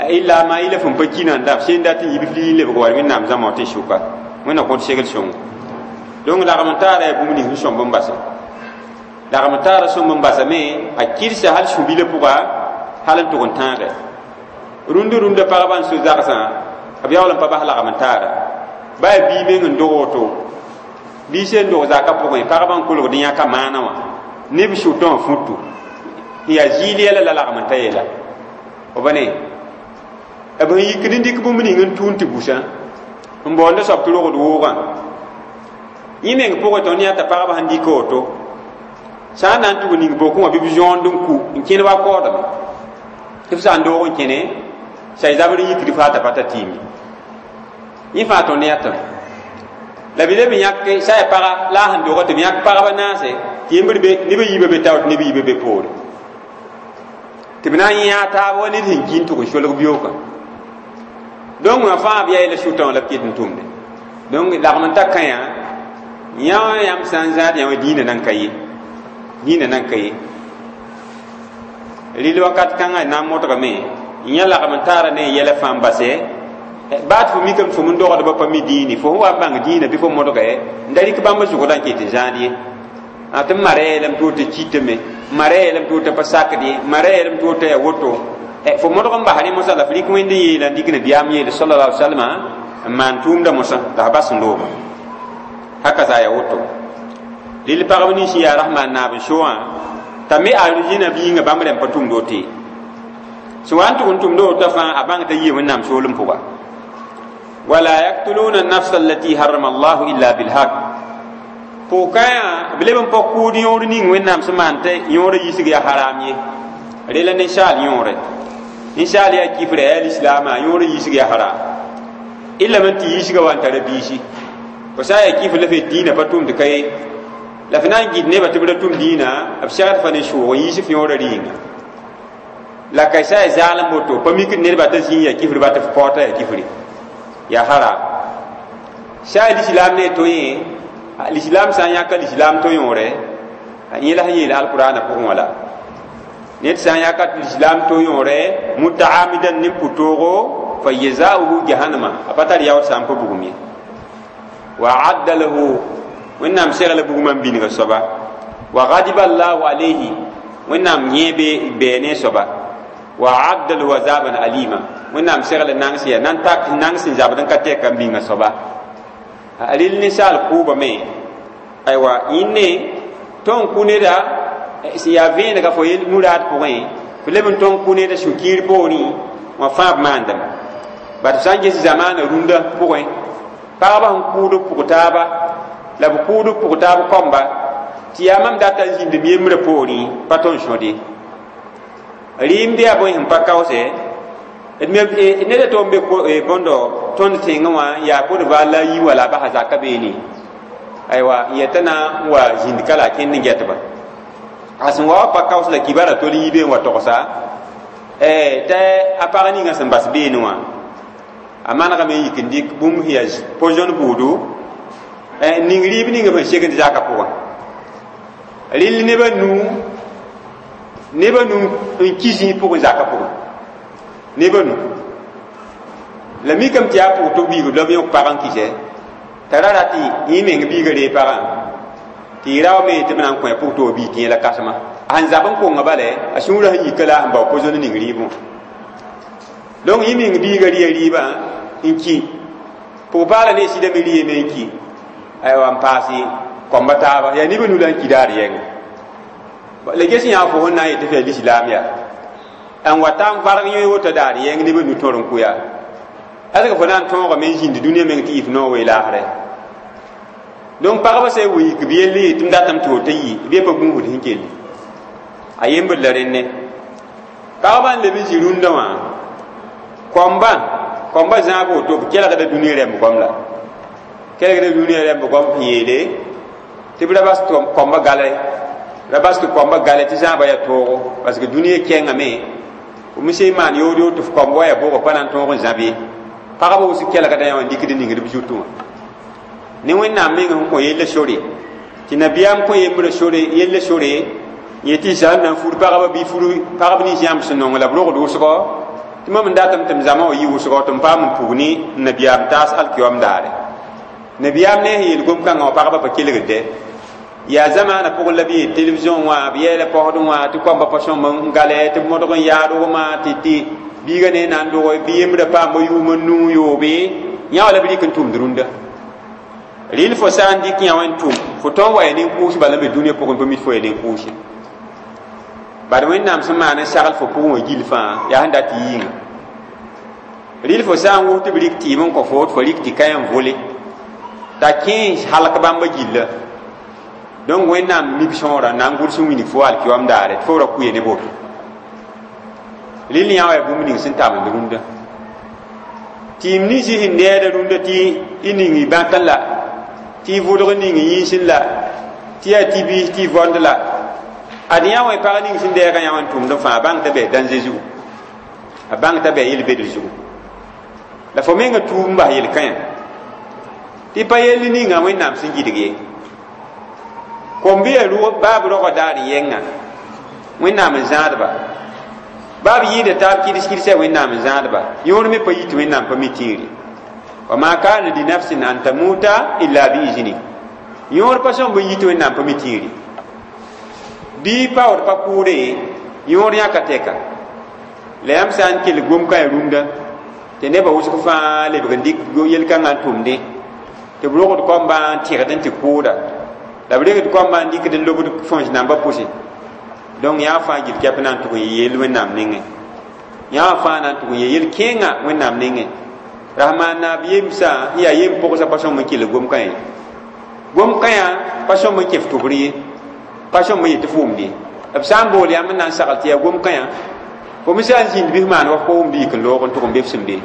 illa ma ila fõn pa kina n da sẽn dat n yib f lii n lebg wa wẽnnaam zãma wã tɩ n sʋka wẽnna kõt segl sõngo donc lagm n taara yaa bũmb nins sẽn sõmb n basa lagm n taara sõmb n basame a kɩrsa hal sũ-bilã pʋga hal n tʋg n tãage rũnd rũndã pagba n so zagsã b yaool n pa bas lagm n taara baa yaa bii meng n dog woto bii sẽn dog zaka pʋgẽ pagba n kolgd n yãka maana wã neb sʋtã wã futu n yaa zɩɩl yɛla la lagm n ta yeela f pa ne b sẽn yikd n dɩk bũmb ning n tũun tɩ busã n baoond soab tɩ rogd woogã yẽ meng pʋgẽ tõnd yãta pagba sẽn dɩk woto sã n na n tʋg ning bokẽ wã bɩ b zõond n ku n kẽne wa kaoodame tɩ f sã n doog n kẽne say zabr n yikd faa t'a pa ta tɩɩm yẽ fãa tõnd yãtame la bɩ leb n yãk sã ya paga la a sẽn doga tɩ b yãk pagba naase Tɩ yembr be neb a yiibã be tao tɩ neb a yiibã be poore tɩ b na n yãag taab wa ned sẽn ki n tʋg n solg beoogã donc wã fãa b yaa la sʋtã wã la b ket n tʋmde donc lagm n ta kãyã yã wã yãmb sã n zãad yã wã dĩinã nan ka ye dĩinã nan ka ye rɩl wakat kãngã na n modgame yã lagm n taara ne yɛla fãa n base baa tɩ fo mikame tɩ fo n dogdbã pa mi dĩini fo sẽn wa n bãng dĩinã bɩ fo modge n da rɩk bãmb zʋgdã n ket n zãad ye a tɩ m mara yeelame tɩ woto kɩtame mara yeelame tɩ woto pa sakd ye mara yeelame tɩ woto yaa woto fo modg n bas rẽ mosã la f rɩk wẽnd n yeela n dɩk nabiyaam yeele sallallahu alaihi wasallam n maan tʋʋmdã mosã la f bas n looga haka za yaa woto rɩl pagb nins n yaa rasmaan naab n so wã t'a me arjina biingã bãmb rẽmb pa tʋmd woto ye sẽn wa n tʋg n tʋmd woto fãa a bãng t'a yɩ wẽnnaam soolem pʋga wala yaktuluna nafsa allati harrama allahu illa bilhaq pʋgkãyã b leb n pa kʋʋd yõor ning wẽnnaam sẽn maan tɩ yõorã yisg yaa haram ye rela ninsaal yõore ninsaal yaa kifra yaa lislaamã yõorã yisg yaa haram illa man tɩ yisga wa n tara biisi fo sã n yaa kifr la f yet dĩinã pa tʋmd ka ye la f na n gɩd nebã tɩ b ra tʋm dĩinã b segd fa ne sʋʋg n yiis f yõorã rɩɩnga la ka sã n zaalem woto pa mikd nedbã t'a zĩig yaa kifr ba tɩ f paoota yaa kifri yaa haram sã n lislaam ne to yẽ lislaam sã n yãka lislaam to yõore yẽ la sẽn yeel alqurana pʋgẽ wã la ned sã n yãka lislaam to yõore mutaamidan ne pʋ-toogo fa jazauhu jahannama a pa tar yaood sã n pa bugum ye wa adda lahu wẽnnaam segla bugumã n bĩnga soaba wa gadiba allahu alayhi wẽnnaam yẽ bɛɛ ne soaba wa adda lahu azaban alima wẽnnaam segla nangs yaa nan tak nangs n zabd n ka tɛka n bĩnga soaba a rɩl ninsaal kʋʋbame aywa yĩnne tõnd kʋ neda sẽn yaa vẽenega fo yel muraad pʋgẽ fo leb n tõnd kʋ neda sũ-kiir poorẽ wã fãa b maandame bat sã n ges zamaana rũndã pʋgẽ pagba sẽn kʋʋd b pʋg taaba la b kʋʋd b pʋg taab kɔmba tɩ yaa mam data n zĩnd m yembrã poorẽ pa tõnd sõd ye rɩɩmd yaa bõe sẽn pa kaoosɛ neda tɩ n be bõndo tõnd tẽngã wã yaa kod val la a yi wala a basa zaka beene aywa n yeta na n wa zĩnd ka la a kẽnd n gɛtba a sẽn wa wa pa kaoos la kibara tol n yi be n wa togsa t'a a pag ninga sẽn bas beene wã a manegame n yik n dɩk bũmb sẽn yaa poison buudu n ning rɩɩb ninga sẽn segd zaka pʋgã rɩl neb a nu neb a nu n ki zĩig pʋgẽ zaka pʋgẽ neb a nu la mikame tɩ yaa pʋg tɩ biigd la b yõk pag n kɩsɛ t'a ra rat yẽ meng biiga ree pagã tɩ y raoome tɩ b na n kõ pʋg tɩ wa bii tɩ yẽ la kãsema a sẽn zab n konga bala a sũurã sẽn yika la a sẽn bao poison ning rɩɩbẽ wã donc yẽ meng biiga rɩya rɩɩbã n ki pʋg-paala ne sɩda me rɩyame n ki aywa n paase kɔmba taaba yaa neb a nu la n ki daar yɛnga la ges yã fo sẽn na n yet tɩ f yaa lislaam yaa n wa ta n varg yẽ woto daar yɛng neb a nu tõr n kʋ yaa ãsg fo na n tõogame n zĩnd dũniyã meng tɩ yɩ f noog weelaasrɛ donc pagba sã n yik b yell tɩ m datame tɩ woto yɩ b ye pa gũusd sẽn kelli a yembd la rẽnne pagba n leb n zĩ rũndã wã kɔmbã kɔmbã zãag woto b kelgda dũniyã rɛmb goam la kelgda dũniyã rɛmb goam sẽn yeele tɩ b ra bas kɔmbã gale ra bas tɩ kɔmbã gale tɩ zãabã yaa toogo parce que dũniyã kɛngame f me sẽn maan yood yood tɩ f kɔmb wa yaa bʋgɔ pa na n tõog n zãb ye pagba wʋsg kelgda yã wã n dɩkd ningd b zutẽ wã ne wẽnnaam meng sẽn kõ yella sore tɩ nabiyaam kõ yembrã sore yella sore yetɩ zãm na n fur pagba bɩ fur pagb nins yãmb sẽn nong la b rogd wʋsgɔ tɩ mam n datame tɩ m zãma wã yɩ wʋsgɔ tɩ m paam n pug ne nabiyaam taas alkiyoam daare nabiyaam ne sẽn yeel gom-kãngã wã pagba pa kelgde yaa zamaana pʋgẽ la b yeel television wã b yɛɛla paosdẽ wã tɩ koamba pa sõmb n gale tɩ b modg n yaadgmã tɩ tɩ biiga ne na n dog bɩ yembrã paamba yʋʋm n nuu yoobe yã wã la b rɩk n tʋmd rũndã rɩl fo sã n dɩk yã wã n tʋm fo tõn wa ya nin-kʋʋs bala n be dũniyã pʋgẽ pa mit fo ya nin-kʋʋse bad wẽnnaam sẽn maan n sagl fo pʋgẽ wã gill fãa yaa sẽn dat yɩɩngã rɩl fo sã n wʋs tɩ b rɩk tɩɩm n kõ fo tɩ fo rɩk tɩ ka n vole t'a kẽes halk bãmba gilla donc wẽnnaam mik sõora na n gʋls n wilg fo alkiyoam daare tɩ fo ra kuya ne boto rɩl yã wa yaa bũmb ning sẽn tamd rũndã tɩɩm ninsi sẽn needa rũndã tɩ y ning y bãkẽ la tɩ y vʋdg ning y yĩnsẽ la Tɩ yaa tɩ biis tɩ y võnd la ad yã wã pag ning sẽn dɛɛgã yã wã n tʋmd n fãa bãng t'a bɩ dãnze zugu a bãng t'a bɩ yel-bedr zugu la fo menga tuub n bas yel-kãyã tɩ pa yell ninga Wẽnnaam sẽn gɩdg ye kom-bɩ yaa rʋg baab roagã daar n yɛnga Wẽnnaam n zãadba baab yɩɩda taab kɩds kɩdsa Wẽnnaam n zãadba yõor me pa yit Wẽnnaam pa mi tĩiri wa ma kana li nafsin an tamuta illa biizni yõor pa sõmb n yit Wẽnnaam pa mi tĩiri bɩ paood pa kʋʋre yõor yãka tɛka la yãmb sã n kell gom-kãe rũndã tɩ nebã wʋsg fãa lebg n dɩk yel-kãngã n tʋmdẽ tɩ b rogd koambã n tɩgd n tɩ kʋʋda la b regd koambã n dɩkd n lobd fõs nambã pʋsẽ donc yã fãa gil kɛp na n tʋg n yeel Wẽnnaam nengẽ yã fãa na n tʋg n yeel yel-kẽengã Wẽnnaam nengẽ rasmaan naab yemsã n yaa yem pʋgsã pa sõm n kell gom-kã ye gom-kãyã pa sõm n kẽ f tʋbr ye pa sõm n yet tɩ f wʋmd ye b sã n bool yãmb n na n sagl tɩ yaa gom-kãyã fo me sã n zĩnd bɩ f maan wa f pa wʋmd yik n loog n tʋg n be f sẽn be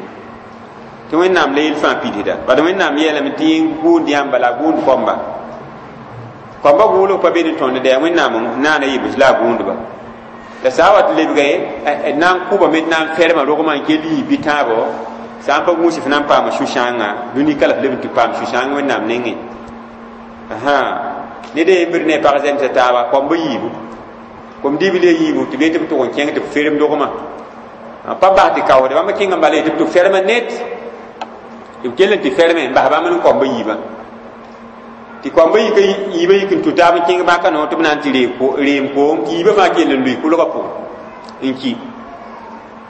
tɩ Wẽnnaam la yel fãa pidsda bad Wẽnnaam yeelame tɩ yẽ gʋʋnd yãmba la a gʋʋnd koamba koamba gʋʋlg pa be ne tõnd dɛ Wẽnnaam naana yebs la a gʋʋndba la sã n wa tɩ lebga d na n kʋbame d na n ferma rogmã n kell yɩ bɩ tãabo sã n pa gũus f na n paama sũ-sãangã dũni ka la f leb n tɩ paam sũ-sãang Wẽnnaam nengẽ ned a yembr ne pag zemsa taaba koamba yiibu kom dibl a yiibu tɩ be tɩ b tʋg n kẽng tɩ b ferem dogmã pa bas tɩ kaoode bãmb kẽng n bala tɩ b tɩ ferma net tɩ b kell n tɩ ferme n bas bãmb n koamba yiibã tɩ koamba yik yiibã yik n tũ taab n kẽng bãka noor tɩ b na n tɩ reem koom tɩ yiibã fãa kell n lʋɩ kʋlgã pʋgẽ n ki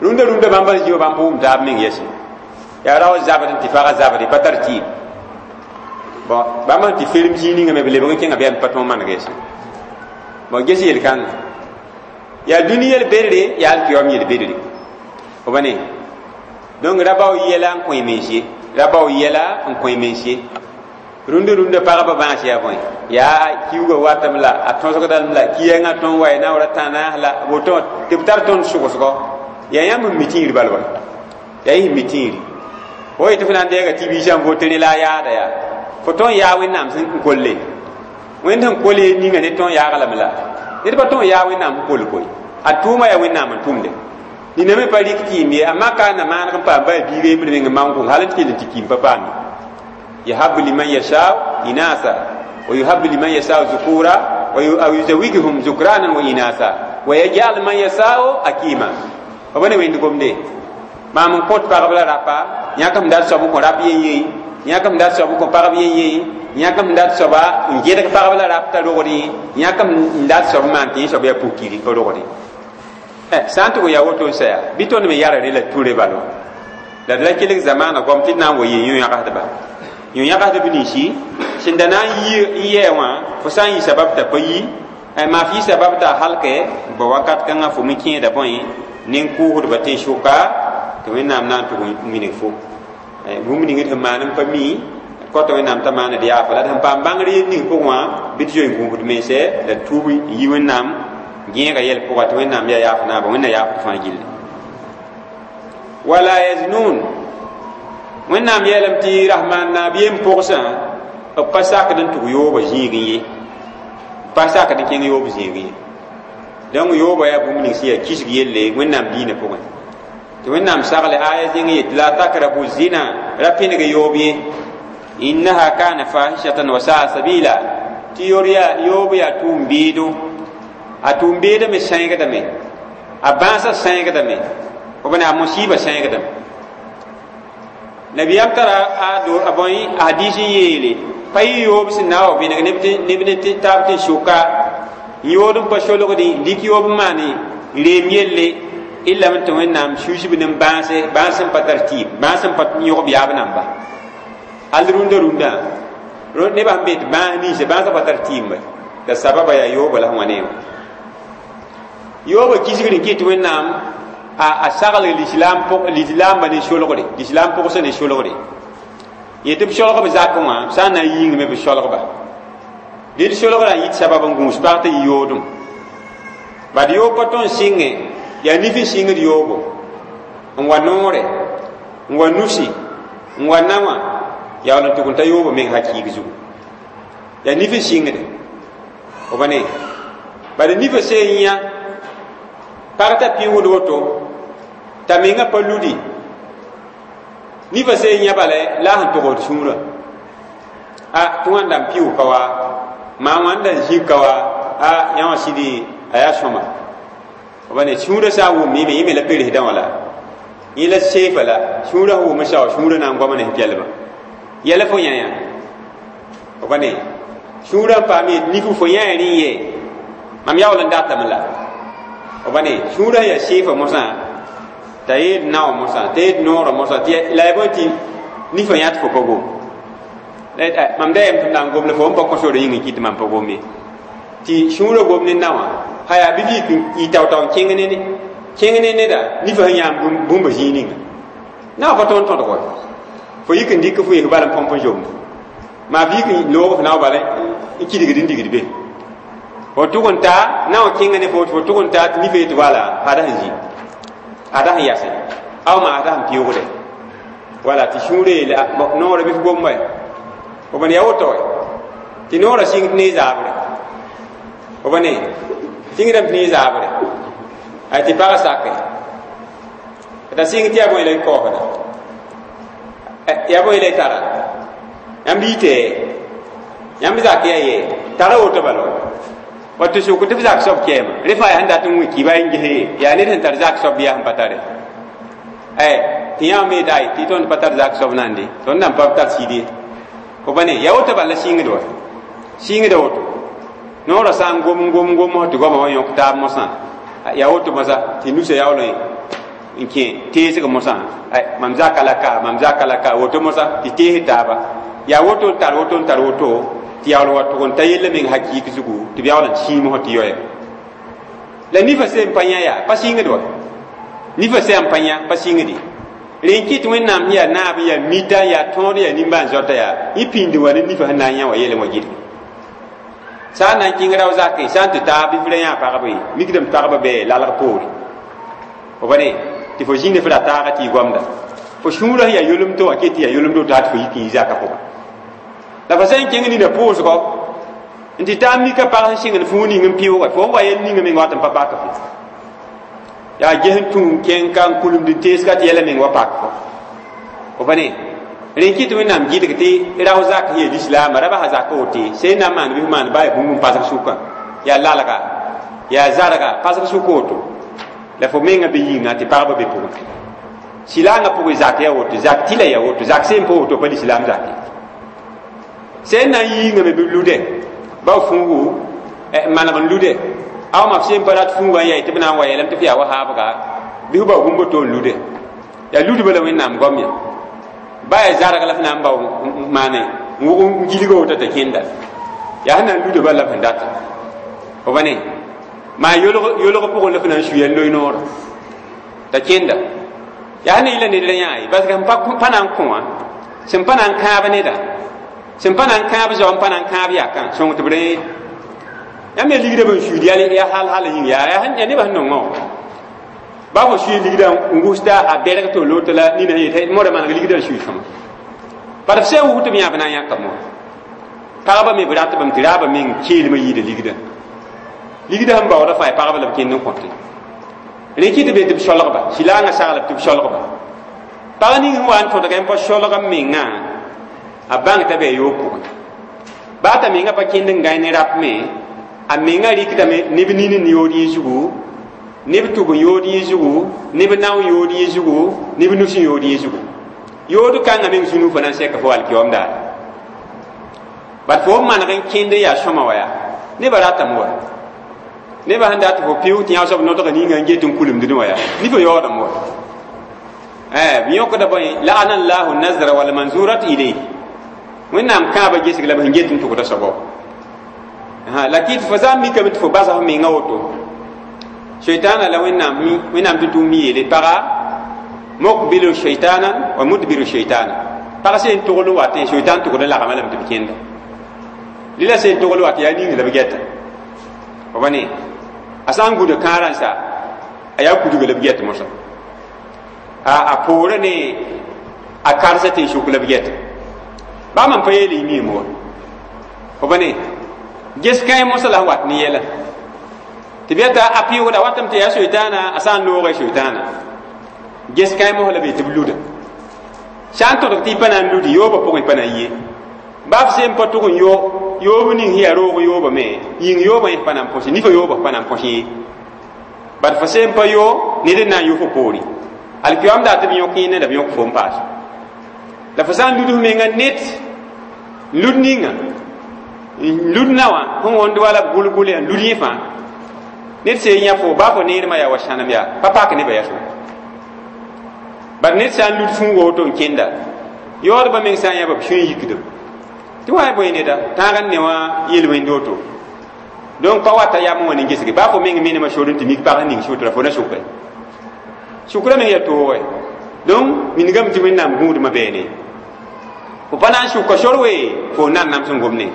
rũndã rũndã bãmb n zĩ wa bãmb pa wʋm taab meng yɛse yaa rao zabd n tɩ fagã zabde pa tar tɩɩm bon bãmb sẽn tɩ ferem zĩig ninga me b lebg n kẽnga bɩ pa tõog maneg yɛse bon ges yel-kãngã yaa dũni yel-bedre yaa alkiyom yel-bedre f ba ne donc ra bao yɛla n kõ y mens ye ra bao yɛla n kõ y mens ye rũndã rũndã pagba bãas yaa bõe yaa kiuugã watame la a tõsgdame la ki-yɛngã tõnd wa y naoora tãnaas la woto tɩ b tar tõnd sʋgsgɔ yaa yãmb n mi tĩir bal wa yaa y sẽn mi tĩiri fo yetɩ fo na n deega tɩ biisã n votere la a yaada yaa fo tõnd yaa Wẽnnaam sẽn kolle Wẽnd sẽn kol ye ninga ne tõnd yaaglame la ned pa tõnd yaa Wẽnnaam sẽn kol koe a tʋʋma yaa Wẽnnaam n tʋmde nina me pa rɩk kɩɩm ye amma ka na maaneg n paam baa biiga yembr meng n maan kʋng hal n tɩ kell n tɩ kĩim pa paam ye yahabu liman yasha inasa wa yuhabu liman yasha zukura wa yuzawijuhum zukranan wa inasa wa yaj'al man yasha akima fa bane wẽnd gomde maam n kõt pagb la rapa yãk m dat soab n kõ rap yen yẽ yãk m dat soab n kõ pagb yen yẽ yãk m dat soaba n gẽdg pagb la rap t'a rogdẽ yãk m dat soab n maan tɩ yẽ soab yaa pukiri pa rogdẽ sã n tʋg n yaa woto n saya bɩ tõnd me yara re la ture balo la d ra kelg zamaana goam tɩ d na n wa yee yõ-yãgsdba yõ-yãgsdb ninsi sẽn da na n yɛɛ wã fo sã n yɩ sabab t'a pa yi maaf yɩ sabab t'a halkɛ ba wakat kãngã fo me kẽeda bõe nen-kʋʋsdba tẽn-sʋka tɩ Wẽnnaam na n tʋg n wilg fo bũmb ning d sẽn maan n pa mi kota Wẽnnaam t'a maand yaafa la d sẽn paam bãngr yel ning pʋgẽ wã bɩ d zoe n gũusd mense la tuub n yi Wẽnnaam gẽega yɛl pʋga tɩ Wẽnnaam yaa yaaf naaba Wẽnna yaafd fãa gilli wala yaznun Wẽnnaam yeelame tɩ rasmaan naab yem pʋgsã b pa sakd n tʋg yoobã zĩigẽ ye b pa sakd n kẽng yoob zĩigẽ ye donc yoobã yaa bũmb ning sẽn yaa kisg yelle Wẽnnaam diinã pʋgẽ tɩ Wẽnnaam sagle aya zẽng yet la takrabu zina ra pẽneg yoob ye innaha kana fahishatan wa saa sabila tɩ yor yaa yoob yaa tʋʋm beedo a tʋʋm beedame sẽegdame a bãasã sẽegdame f b ne a musiba sẽegdame nabiyam tara a do a bõe a hadis n yeele pa yɩ yoob sẽn na n wa vẽneg neb ne taab tɩ sʋka n yood n pa solgdẽ dɩk yoob n maane reem yelle illa tɩ Wẽnnaam susb ne bãase bãas sẽn pa tar tɩɩm bãas sẽn pa yõgb yaab namba hal rũndã rũndã nebã sẽn be tɩ bãas ninsã bãasã pa tar tɩɩm la sababa yaa yooba la sẽn wa ne wã yooba kisgr n kɩt Wẽnnaam a sagl lislaam lislaambã ne solgre lislaam pʋgsã ne solgre yetɩ b solg b zakẽ wã sã n na n yĩngme b solgba dɩd solgrã n yit sabab n gũus pag tɩ yɩ yoodem bad yoob pa tõnd sɩngẽ yaa nif n sɩngd yoobo n wa noore n wa nusi n wa nawã yaool n tʋg n ta yoobo meng hakiig zugu yaa nif n sɩngde Fo pa ne bala nifã seen yã pag t'a pɩʋʋd woto t'a mengã pa ludi nifã seen yã bala la a sẽn togd sũurã a tɩ wãnda n pɩʋʋg ka wa maa wãnda n zĩig ka wa a yã wã sɩd a yaa sõma fo pa ne sũurã sã n wʋm yẽ me yẽ me la peresdã wã la yẽ la seefa la sũurã sẽn wʋm sao sũurã na n goama ne sẽn pɛlbã yɛla fo yã yã fo pa ne sũurã n paam yet nif fo yã rẽ ye mam yaool n datame la fo pa ne sũurã yaa seefa mosã t'a yeel nao mosã t'a yeel noorã mosã tɩ la ya bõe tɩ nifã yã tɩ fo pa gom mam da yɛm tɩ m na n gom la fo n pa kõ sore yĩng n kɩt tɩ mam pa gom ye tɩ sũurã gom ne naowã ha yaa bɩ yik n tao-tao n kẽng ne kẽng ne neda nifã sẽn yãam bũmba zĩig ninga naowã pa tõnd tõdg wa fo yik n dɩk fo yes bala n põmp n zomda maa f yik n loog f nao bala n kidgd n digd be fo tʋg n taa naowã kẽnga ne fo tɩ fo tʋg n taa tɩ nifã yetɩ wala ada sẽn zĩ ada sẽn yase aw maa ada sẽn pɩʋʋgde wala tɩ sũurã yeele noorã bɩ f gom wa fo pa ne yaa woto tɩ noorã sɩng tɩ ne zaabre fo pa ne sɩngdame tɩ ne zaabre ay tɩ pagã sake t'a sɩng tɩ yaa bõe la y kaoosda yaa bõe la y tara yãmb yite yãmb zak yaa ye tara woto bala wa tɩ sʋk tɩ f zak soab kɛɛma rẽ fãa yaa sẽn dat n wĩ kiba n ges yaa ned sẽn tar zak soab yaa sẽn pa tare tɩ yã me daay tɩ tõnd pa tar zak soab nande tõnd nan pa tar sɩd ye fo pa ne yaa woto bala sɩngd wa sɩngda woto noorã sã n gom n gom n gom tɩ goamã wa yõk taab mosã yaa woto mosã tɩ nusa yaool n kẽ teesg mosã mam zaka la ka mam zaka la ka woto mosã tɩ tees taaba yaa woto n tar woto n tar woto tɩ yaool wa tʋg n ta yella meng hakɩɩk zugu tɩ b yaool n sĩim tɩ yoɛɛ la nifã seen pa yã yaa pa sɩngd wa nifã sẽn pa yã pa sɩngde rẽ n kɩt wẽnnaam sẽn yaa naab n yaa mita n yaa tõod n yaa nimbãan-zoata yaa yẽ pĩnd wa ne nifã sẽn na n yã wa yɛl wã gɩdg sã n na n kẽng rao zake sã n tɩ taa bɩ f ra yã pagba ye mikdame pagba bɩ lalg poore fo pa ne tɩ fo zĩnd f ra taaga tɩ y goamda fo sũurã sẽn yaa yolemto wã ket tɩ yaa yolemdo tɩ fo yik n yi zakã pʋgã la fo sã n kẽng nina pʋʋsgɔ n tɩ taa mika pag sẽn sɩngd fũu ning n pɩʋʋga fo n wa yel ninga meng wat n pa pak fo yaa ges n tũ kẽng ka n kulemd n tees ka tɩ yɛla meng wa pak fo fo pa ne rẽ kɩt wẽnnaam gɩdg tɩ rao zak sẽn yaa lislaama ra basa zak wote sẽn na n maan bɩ f maan baa yaa bũmb n pasg sʋkã yaa lalga yaa zarga pasg sʋk woto la fo menga be yĩnga tɩ pagba be pʋgẽ silaangã pʋgẽ zak yaa woto zak tɩla yaa woto zak sẽn pa woto pa lislaam zak ye sẽn na n yiingame bɩ lude ba fũugu maneg n lude aw ma f sẽn pa rat fũugã n yaa tɩ b na n wa yeelame tɩ f yaa wa haabga bɩ f bao bũmb to n lude yaa ludba la wẽnnaam goam ya ba yaa zarg la f na n bao maane n wʋg n gilga woto t'a kẽnda yaa sẽn na n luda bala la f sẽn data fo pa ne maa yolg pʋgẽ la f na n suya n loe noorã t'a kẽnda yaa sẽn na yɩla ned ra yã ye parce que sẽn pa na n kõ wã sẽn pa na n kãab neda sẽn pa na n kãab zao n pa na n kãab yakã sõng tɩ b rẽ yãmb yaa ligdã bn suiid yaa hal hal yĩng yaa yaa nebã sẽn nongã wã ba fo sui ligdã n gʋsda a bɛrg tɩ loto la nina yetɩ modã maneg ligdã n sui sõma bad f sẽn wʋsg tɩ b yã b na n yãkame wã pagba me b ratbame tɩ raabã meng keelmã yɩɩda ligdã ligdã sẽn baoodã fãa pagba la b kẽnd n kõte rẽ kɩ tɩ be tɩ b solgba silaangã saglb tɩ b solgba pag ning sẽn wa n tõdg n pa solg n mengã a bãng t'a bɩ a yoog pʋgẽ baa t'a mengã pa kẽnd n gãe ne rap me a mengã rɩkdame neb nin n yood yẽ zugu neb tʋb n yood yẽ zugu neb nao n yood yẽ zugu neb nus n yood yẽ zugu yood kãngã meng zũnu fo na n sɛka fo alkiyoom daare bad fo n maneg n kẽnd n yaa sõma wa yaa nebã ratame wa nebã sẽn dat fo pɩʋʋg tɩ yã soab nodga ninga n get n kulemdẽ wã yaa nifã yaoodame wa b yõkda bõe la'ana llahu nazra walmanzurat ilayh wẽnnaam kãabã gesg la b sẽn get n tʋgda soabã la kɩt fo sã n mikame tɩ fo basa f menga woto shaitana la wẽnnaam wẽnnaam tɩ tʋʋm yeele paga mukbilu shaitanan wa mudbiru shaitana pag sẽn togl n wat shaitan tʋgd n lagma lame tɩ b kẽnda lila sẽn togl wat yaa ning la b gɛta fo pa ne a sã n gũda kãarã n sa a yaa kudga la b gɛt mosã a a poorã ne a karsa tɩ n sʋk la b gɛta baa mam pa yeele y miime wa fo pa ne Ges kãe mosã la sẽn wat ne yɛla tɩ b yeta a pɩʋʋgda watame tɩ yaa soitaana a sã n looga soitaana ges kãe mos la b yetɩ b luda sã n tõdg tɩ y pa na n ludi yoobã pʋgẽ pa na n ye baa f sem pa tʋg n yo yoob ning sẽn yaa roog yoobã me yĩng yoobã yẽ pa na n põse nifã yoobã pa na n põs yẽ bad fo sem pa yo ned n na n yo fo poore alkiyoam daa tɩ b yõk yẽnda la b yõk fo n paas la fo sã n lud f menga net n lud ninga n lud na wã sẽn wõnd wala b gʋlgʋl yaa n lud yẽ fãa ned sẽn yã fo baa fo neermã yaa wa sãnem yaa pa pak nebã yaa so bad ned sã n lud fũuga woto n kẽnda yaoodbã meng sã n yã b sũ n yikdem tɩ wa bõe neda tãag n ne wã yel-wẽnd woto donc pa wata yam wã ne gesge baa fo meng menema sor n tɩ mik pag ning sʋtra fo na sʋke sʋkrã meng yaa toogɛ donc wingame tɩ wẽnnaam gũudmã beene fo pa na n sʋka sor we fo nan nam sẽn gomne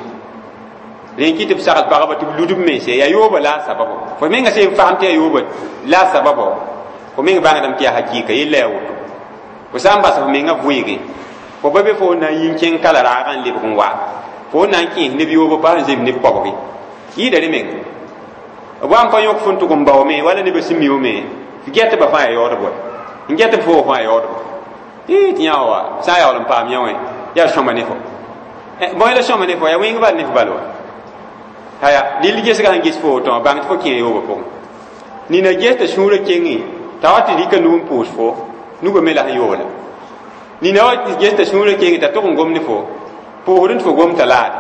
rẽn kɩ tɩ b sagl pagba tɩ b lud b mense yaa yooba la a sababo fo menga sẽn fasem tɩ yaa yooba la a sababo fo meng bãngdame tɩ yaa hakɩɩka yella yaa woto fo sã n bas f menga vʋɩɩge fo ba be fo na n yi n kẽng kala raagã n lebg n wa fo na n kẽes neb yooba pa sẽn zem neb koabge yɩɩda rẽ menga b wa n pa yõk fo n tʋg n baoome wala nebã sẽn miume f gɛtba fãa yaa yaoodb wa n gɛtb fo fãa yaa yaoodba tɩ yã wa sã n yaool n paam yã wã yaa sõma ne fo bõe la sõma ne fo yaa wĩng bal ne f bal wa haya dɩl gesga sẽn ges fo woto wã bãng tɩ fo kẽe yoobã pʋgẽ nina ges t'a sũurã kenge t'a wa tɩ rɩka nug n pʋʋs fo nugã me la sẽn yoola nina wa ges t'a sũurã kenge t'a tʋg n gom ne fo pʋʋsd n tɩ fo gom t'a laade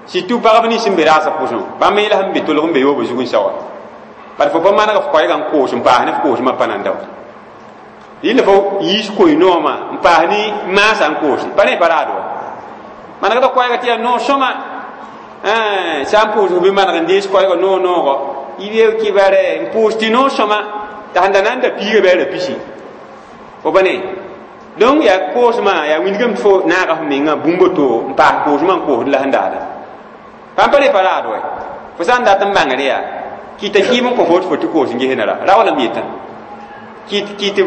surtout pagb nins sẽn be raasã pʋsẽ bãmb me la sẽn be tolg n be yoobã zug n sa wa bad fo pa maneg f koɛɛgã n koos n paas ne f koosmã pa nan daoã rɩla fo yiis koe-noomã n paas ne maasã n koose pa rẽ pa raad wa manegda koɛɛga tɩ yaa noor sõma sã n pʋʋs bɩ maneg n dees koɛɛga noor noogɔ yɩ kibare n pʋʋs tɩ noor sõma t'a sẽn da na n da piiga bɩ a ra pisi fo pa ne donc yaa koosmã yaa wingame tɩ fo naaga f mengã bũmb to n paas koosmã n koosd la sẽn daada pãn pa re pa raad wa fo sã n dat n bãngr yaa kɩta kɩɩm n kõ fo tɩ fo tɩ koos n ges ra ra wala m yetã kɩt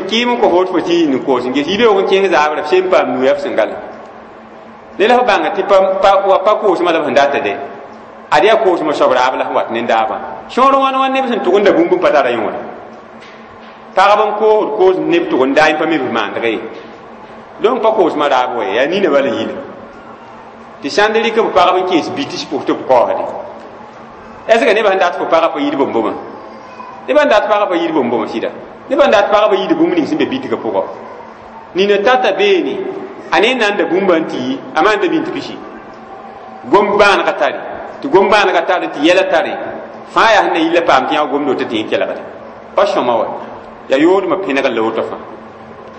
kɩɩm n kõ fo tɩ fo tɩ n koos n ges yibeoog n kẽng zaabrã f sem paam nu yaa f sẽn gala ne la f bãnga tɩ pa pa koosmã la b sẽn data de ad yaa koosmã soab raab la sẽn wat nendaabã sõor wãn wãn neb sẽn tʋg n da bũmb n pa tara yõoda pagb n koosd koos neb tʋg n daa pa me b maandg ye donc pa koosmã raab wa yaa nina bala yila tɩ sãnd rɩk b pagb n kees bitis pʋs tɩ b kaoosde est ce que nebã sẽn dat fo pagã pa yid bõm-bõmã nebã n dat pagã pa yid bõm-bõmã sɩda nebã n dat pagã pa yid bũmb ning sẽn be bitgã pʋgã nina tata beene a ne n na n da bũmba n tɩ yi a maan da bĩn tɩ pisi gom bãanegã tare tɩ gom bãanegã tare tɩ yɛla tare fãa yaa sẽn na yilla paam tɩ yã gomdo tɩ tɩ yẽ kelgde pa sõma wa yaa yoodmã pẽnegr la woto fãa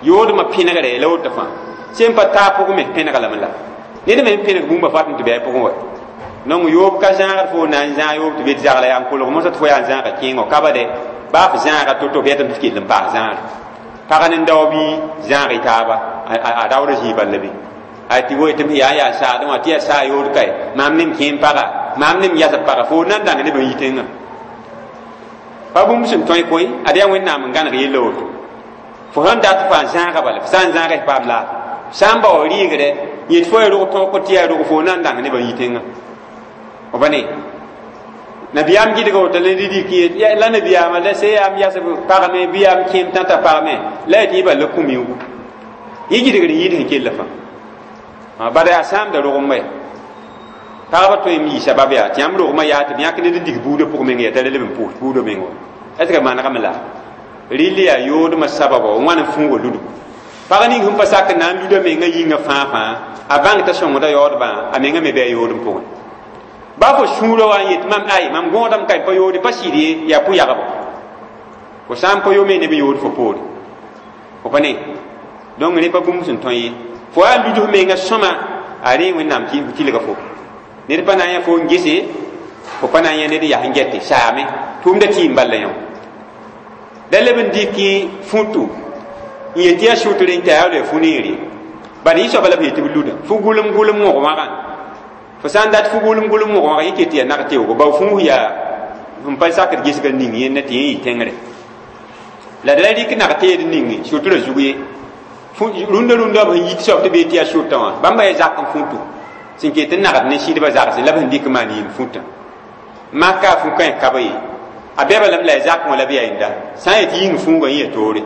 yoodmã pẽnegre la woto fãa sẽn pa taa pʋgẽ me pẽnega lame la ned me pẽneg bũmba fat n tɩ bɩ a pʋgẽ wa donc yoob ka zãagd fo na n zãag yoob tɩ be tɩ zagla yaa n kolg mosã tɩ fo yaa n zãaga kẽengo ka ba de baa f zãaga to-to b yetame tɩ kell n paas zãagre pag nin-dao bɩ zãag y taaba a raood zĩig bal la be a tɩ woe tɩ m yaa yaa saadẽ wã tɩ yaa saa yood kae maam nem kẽem paga maam nem yasb paga fo na n dãng neb n yi tẽngã pa bũmb sẽn tõe koe ad yaa wẽnnaam n gãneg yella woto fo sẽn dat fo a zãaga bala f sã n zãaga f paam laafɩ sã n bao rɩɩgdɛ yet fo ya rog tõog tɩ yaa rog fo na n dãng neb n yi tẽngã f pa ne nabiyaam gɩdga woto la rɩk yet la nabiyaamã la se yaam yasb pagme bɩ yaam kẽem tãta pagme la ya tɩ yẽ bal la kũ-miuugu yẽ gɩdgr n yɩɩd sẽn kella fãa bala yaa sãamda rogem wɛ pagba tõe n yɩ sabab yaa tɩ yãmb rogmã yaa tɩ b yãk ned n dig buudã pʋg meng yaa t'a leb n pʋʋs buudã meng wa est ce que manegame la rɩl yaa yoodmã sababa wãn n fũuga ludgo pag ning sẽn pa sak n na n luda menga yĩngã fãa fãa a bãng t'a sõngda yaoodbã a menga me bɩ a yoodem pʋgẽ ba fo sũurã wa n yet mam ay mam gõodame ka pa yoode pa sɩd ye yaa pʋ-yagbo fo sã n pa yo me neb n yood fo poore fo pa ne donc rẽ pa bũmb sẽn tõe ye fo yaa ludf menga sõma a rẽ wẽnnaam tilga fo ned pa na n yã fo n gese fo pa na n yã ned yaa sẽn gɛte saame tʋʋmda tɩɩm bal la yõ da leb n dɩk futu n yet yaa sʋtr n tɩ a yaa fu neere bad yẽ soaba la b yetɩ b luda fu gʋlem gʋlem wõg-wãgã fo sã n dat fu gʋlem gʋlem wõg-wãgã yẽ ket tɩ yaa nag teoogo bao fũus yaa n pa sakd gesgã ning yẽnna tɩ yẽ yɩ tẽngre la d la rɩk nag teed ninge sʋtrã zug ye rũndã rũndã b sẽn yit soab tɩ bee tɩ yaa sʋtã wã bãmba yaa zak n fũtu sẽn ket n nagd ne sɩdbã zagsẽ la b sẽn dɩk n maan yĩng fũtã maka a fu-kãe ka ye a bɛba lame la ya zakẽ wã la b yaa yẽnda sã n yet yĩng fuugã yẽ ya toore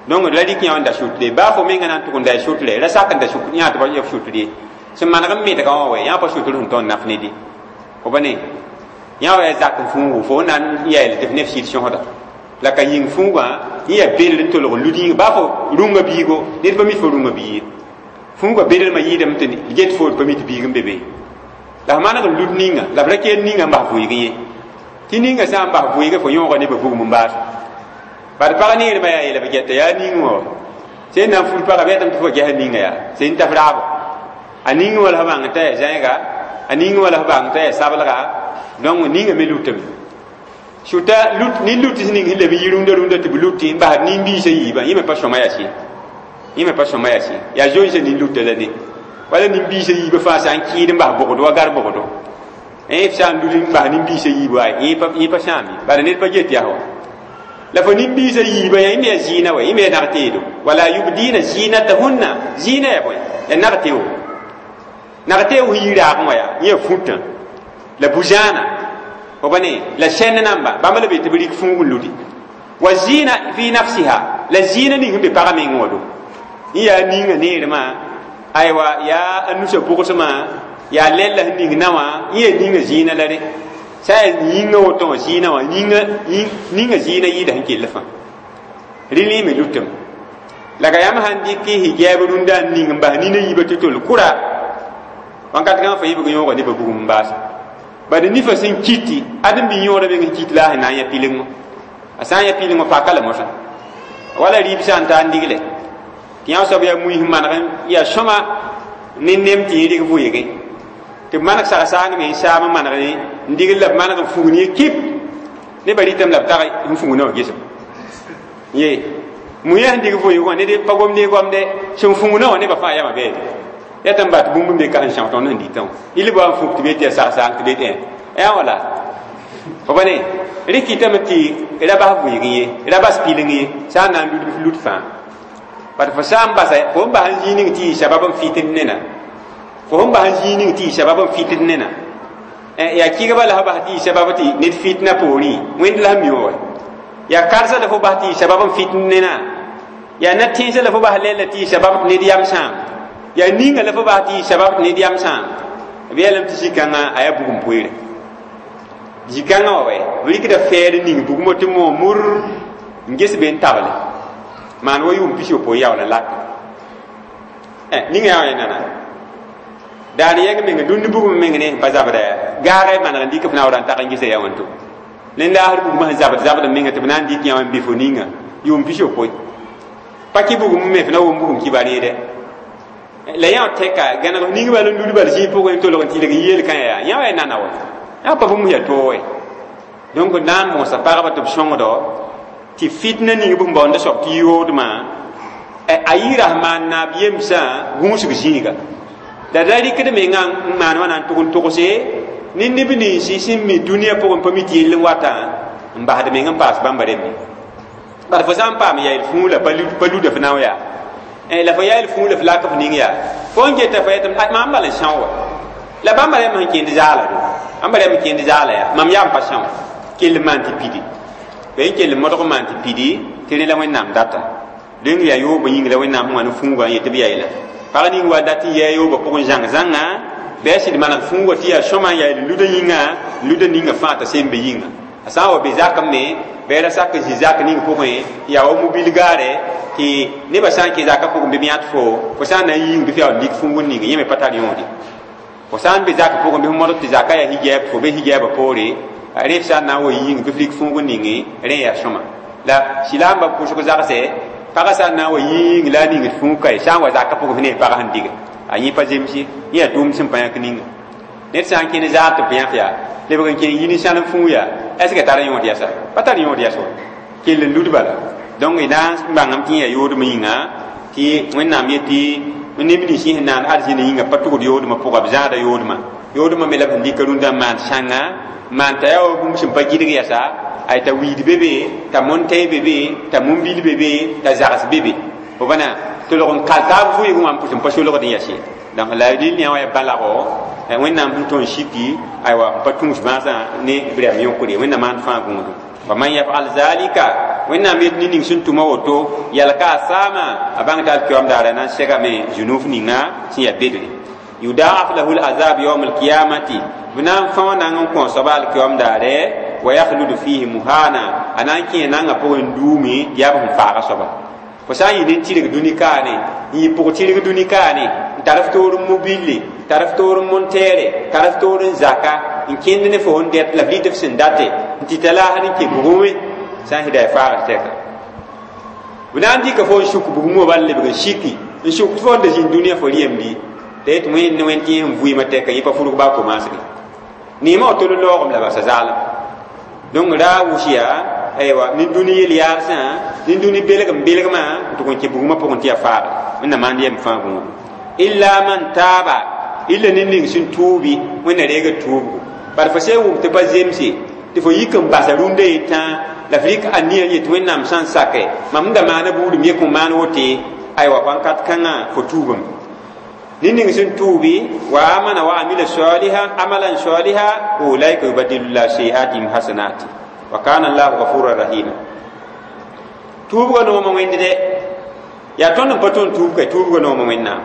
donc la rɩk yã n da sʋtre baa fo menga na n tʋg n da y sʋtre ra sak n da sʋk yã tɩ b sʋtr ye sẽn maneg n metga wã wɛ yã pa sʋtr sẽn tõnd naf ned ye fo pa ne yã wa yaa zak n fuugu fo na n yael tɩ f ne f sɩd sõsda la ka yĩng fuugã yẽ yaa belr n tolg n lud yĩnga baa fo rũngã biigo ned pa mi fo rũngã bii ye fuugã belrmã yɩɩdame tɩ get fo pa mi tɩ biig n be be la f maneg n lud ninga la f ra kell ninga n bas vʋɩg ye tɩ ninga sã n bas vʋɩge fo yõoga nebã bugum n baas bad pag neermã yaa yeela b gɛta yaa ning wã sẽn na n fur pagã b yetame tɩ fo gɛsa ninga yaa sẽn ta f raabo a ning wã la f bãng t'a yaa zãiga a ning wã la f bãng t'a yaa sablga donc ninga me lutame sʋta lut ne lut ning sẽn leb n yi rũndã rũndã tɩ b luti n basd nin-biisã yiibã yẽ me pa sõma yaa sɩ yẽ me pa sõma yaa sɩ yaa zoensã nin-luta la ne wala nin-biisã yiibã fãa sã n kɩɩd n bas bogdo wa gar bogdo f sã n lud n bas nin-biisã yiib wa yẽ pa sãam ye bala ned pa get yaa wa la fo nin-biisã yiibã yaa yẽ me yaa zɩɩna wa yẽ me yaa nag-teedo wala yubdina zinatahunna zɩɩna yaa bõe yaa nag-teo nag-teo sẽn yi raagẽ wã yaa yẽ yaa fũtã la bu-zãana fo pa ne la sẽnd namba bãmb la be tɩ b rɩk fuug n ludi wa zɩɩna fi nafsiha la zɩɩna ning sẽn be pagã meng wã do yẽ yaa ninga neermã aywa yaa a nusã pʋgsmã yaa lɛlla sẽn ning na wã yẽ yaa ninga zɩɩna la rẽ sã n yaa yĩngã woto wã zɩɩna wã ninga zɩɩna yɩɩda sẽn kell fãa rɩ me lutame la ka yãmb sãn dɩk hijab rũndã n ning n bas nina yiibã tɩ tol kʋra wãnkat kãngã fa yibg yõoga nebã bugum n baasa bad nifã sẽn kɩtɩ ad n bɩ yõoda meng sẽn kɩt la a sẽn na n yã pilengõ a sã n yã pilengõ paka la mosã wala rɩɩb sã n taa n digle tɩ yã soab yaa mui sẽn maneg yaa sõma ne nem tɩ yẽ rɩk vʋɩgẽ tɩ b maneg sag-saang me n saam n maneg n digl la b maneg n fugn ye kip nebã rɩtame la b tag n fugna wã gesem ye muya sẽn dig vʋɩg wã ned pa gomd ne goamde sẽn fugna wã nebã fãa yama bɛɛde ya tɩ n bat bũmb n be ka sẽn são tõnd sẽn dɩtã wã il ba n fuk tɩ be tɩ yaa sag-saang tɩ be tɩ yaa wala fo pa ne rɩk kɩtame tɩ ra bas vʋɩg ye ra bas pileng ye sã n na n lud lut fãa bat fo sã n basa fo n bas n zĩig ning tɩ yɩ sabab n fitd nena fo n bas n zĩig ning tɩ yɩ sabab n fitd nena yaa kɩgba la f bas tɩ yɩ sabab tɩ ned fitna poorẽ wẽnd la sẽn mi wã wa yaa karsa la fo bas tɩ yɩ sabab n fitd nena yaa na-tẽnsã la fo bas lɛɛla tɩ yɩ sabab tɩ ned yam sãam yaa ninga la fo bas tɩ yɩ sabab tɩ ned yam sãam b yeelame tɩ zĩ-kãngã a yaa bugum poeere zĩ-kãngã wã wɛ b rɩkda fɛɛr ning bugmã tɩ moog mur n ges be n table maan wa yʋʋm pis yopoe yaool n laka ninga yaa wã nana daan yɛng meng dũni bugum meng ne pa zabda yaa gaagã maneg n dɩk f naoora n tag n gesa yaa wãnto ne laasr bugmã sẽn zabd zabd menga tɩ b na n dɩk yã wã n bɩ fo ninga yʋʋm pis yopoe pa kɩ bugum me f na wʋm bugum kibar yẽde la yã tɛka gãneg ning bal n lud bal zĩig pʋgẽ n tolg n tɩlg n yeel kã yaa yã wa ya nana wa yã pa bũmb yaa toog donc na n mosa pagba tɩ b sõngdo tɩ fitna ning b sẽn baoonda soab tɩ yoodmã a yɩɩra sẽn maan naab yemsã gũusg zĩiga la ra rɩkd mengã n maan wã na n tʋg n togse ne neb ninsi sẽn mi dũniyã pʋgẽ pa mi tɩ yell n wata n basd meng n paas bãmba rẽmbe bad fo sã n paam yael fũu la pa luda f nao yaa la fo yael fũu la f lak f ning yaa fo n geta fo yetame mam bal n são wa la bãmba rẽmb sẽn kẽnd zaala do bãmba rẽmb kẽnd zaala yaa mam yaa n pa são kell n maan tɩ pidi b n kell modg n maan tɩ pidi tɩ rẽ la wẽnnaam data dẽng yaa yoobã yĩng la wẽnnaam sẽn wa ne fũugã n yet tɩ b yaeela pag ning wa dat n yɛa yoobã pʋgẽ zãng zãnga bɩ a sɩd maneg fũugã tɩ yaa sõma n yael luda yĩnga luda ninga fãa t'a sem be yĩnga a sã n wa be zakẽ me bɩ ra sak n zĩ zak ning pʋgẽ yaa wa mobil gaare tɩ nebã sã n kẽ zakã pʋgẽ bɩ b yãt fo fo sã n na n yĩng bɩ f yaa n lik fũug n ning yẽ me pa tar yõode fo sã n be zakã pʋgẽ bɩ f modg tɩ zakã yaa hijab fo be hijabã poore rẽ f sã n na n wa yĩng bɩ f lik fũug n ninge rẽ yaa sõma la silaambã pʋsg zagsɛ pagã sã n na n wa yĩng la a ningd fũug kae sã n wa zakã pʋgẽ f ne pagã sẽn diga a yẽ pa zemse yẽ yaa tʋʋm sẽn pa yãk ninga ned sã n kẽnd zaar tɩ b yãk yaa lebg n kẽng yi ninsãlem fũug yaa est ce que tar yõod yɛsa pa tar yõod yɛs wa kell n lud bala donc y na n bãngame tɩ yẽ yaa yoodmã yĩnga tɩ wẽnnaam yetɩ neb nins yẽ sẽn naan arzĩna yĩnga pa tʋgd yoodmã pʋga b zãada yoodmã yoodmã me la b sẽn dɩka rũndã n maan sãnga maan t'a yaa wa bũmb sẽn pa gɩdg yɛsa ay t'a wiid be be t'a montɛɛ be be t'a mumbil be be t'a zags be be fo bãna Tɩ log n kal taab vʋɩɩgẽ wã n pʋs n pa solgd n yaa sɩd donc la rɩl yã wã ya balago wẽnnaam sẽn tõe n siki aywa n pa tũus bãasã ne b rɛm yõkre wẽnnaam maan fãa gũudum wa man yafal zalika wẽnnaam yet ne ning sẽn tʋma woto yalka a saama a bãng t'a alkiyoam daara na n segame zunuf ninga sẽn yaa bedre yudaaf lahu lazab yaum alkiyamati b na n fão na n kõ soaba alkiyoam daare wa yakhludu fihi muhana a na n kẽ nanga pʋgẽ n duumi yaa b sẽn faaga soaba fo sã n yɩ nin-tɩrg dũni kaane n yɩ pʋg-tɩrg dũni kaane n tar f toor n mobile tar f toor n monteere tar f toor n zaka n kẽnd ne fo n dɛt la f rɩt f sẽn date n tɩ ta laasd n kẽ bugum sã n sɩda ya faagd tɛka b na n dɩka fo n suk bugum wã bal lebg n siki n suk tɩ fo n da zĩnd dũniyã fo rɩyemdi t'a yet wẽnd ne wẽnd tɩ yẽ sẽn vɩɩmã tɛka yẽ pa furg baa komaasge neemã wa tol n laoogem la basa zaalem donc ra wʋs yaa aywa nin-dũni yel-yaadsã nin-dũni belgem belgmã n tʋg n kẽ bugumã pʋgẽ tɩ yaa faagd wẽnnaam maand yɛm fãa gũudu illa man taaba illa ned ning sẽn tuubi wẽnna reega tuubgo bad fo sẽn wʋm tɩ pa zemse tɩ fo yik n basa rũndã yetã la f rɩk ania n yet wẽnnaam sã n sake mam sẽn da maana buudum ye kõ maan wote aywa wãnkat kãngã fo tuubame ned ning sẽn tuubi wa amana wa amila saliha amalan saliha ulaika yubadilu llahu sayiatihim hasanati wa kana allahu ghafuran rahima tuubga nooma wẽnd dɛ yaa tõnd n pa tõnd tuub ka tuubga nooma wẽnnaam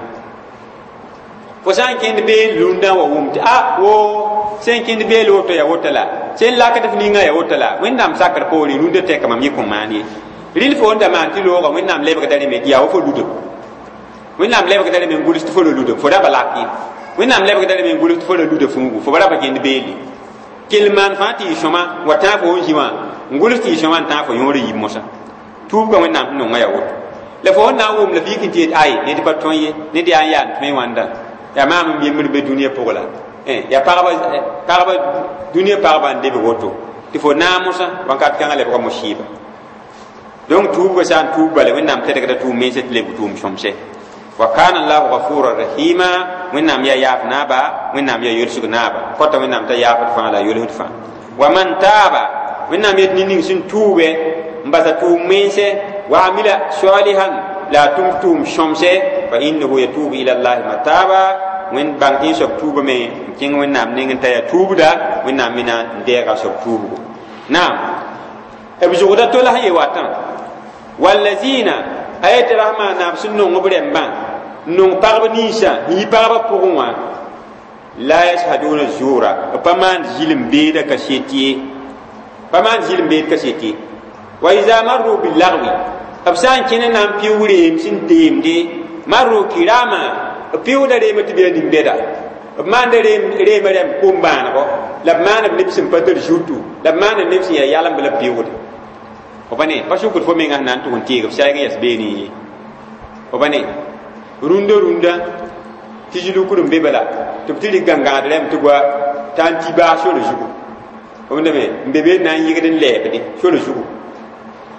fo sã n kẽnd beel rũndã wa wʋm tɩ a wo sẽn kẽnd beel woto ya woto la sẽn lakd f ninga ya woto la wẽnnaam sakr poore rũndã tɛka mam yẽ kõ maan ye rɩl fo n da maan tɩ looga wẽnnaam lebgda rẽme tɩ yaa wa fo ludem wẽnnaam lebgda rẽme n guls tɩ fo ra ludem fo ra ba lak ye wẽnnaam lebgda rẽme n guls tɩ fo ra luda fuugu fo ba ra pa kẽnd beelle kell maan fãa tɩ yɩ sõma wa tãag fo n zĩ wã n guls tɩ yɩ sõma n tãag fo yõor yib mosã tuubga wẽnnaam sẽn nonga yaa woto la fo sẽn na n wʋm la f yik n tɩ yet ay ned pa tõe ye ned yaa n yaa n tõe wãnda yaa maam n yembr be dũniyã pʋgã la yaa pagba pagba dũniyã pagba n lebg woto tɩ fo naag mosã wãnkat kãngã lebga mosiiba donc tuubga sã n tuub bala wẽnnaam tɛdgda tʋʋm mensã tɩ lebg tʋʋm sõmse wa kana allahu ghafuran rahima wẽnnaam yaa yaaf naaba wẽnnaam yaa yolsg naaba kota wẽnnaam t'a yaafd fãa la a yolsd fãa wa man taaba wẽnnaam yet nin ning sẽn tuube n basa tʋʋm mense wa amila salihan la a tʋm tʋʋm sõmse fa innahu yatubu ila llahi mataba wẽnd bãng tɩ soab tuubame n kẽng wẽnnaam neng n t'a yaa tuubda wẽnnaam me na n deega soab tuubgo naam b zʋgda to la sẽn ye watã wallazina a yetɩ rasma naab sẽn nong b rɛmbã n nong pagb ninsã n yi pagbã pʋgẽ wã la yashaduna zura b pa maand zɩlem beeda kaset ye pa maand zɩlem beed kaset ye wa iza marru bilagwi b sã n kẽne na n pɩʋg reem sẽn teemde marru kirama b pɩʋgda reemã tɩ b yaa nin-bɛda b maanda reemã rɛm kom-bãanego la b maana b neb sẽn pa tar zutu la b maana neb sẽn yaa yalemb la b pɩʋgde fo pa ne pa sʋkd fo menga sẽn na n tʋg n teeg b saɛg n yɛs beene ye fo pa ne rũndã rũndã tɩ zilukr n be bala tɩ b tɩ rɩk gãngãgd rɛm tɩ goa t'a n ti baas sore zugu b dame n be be na n yɩgd n lɛɛbde sore zugu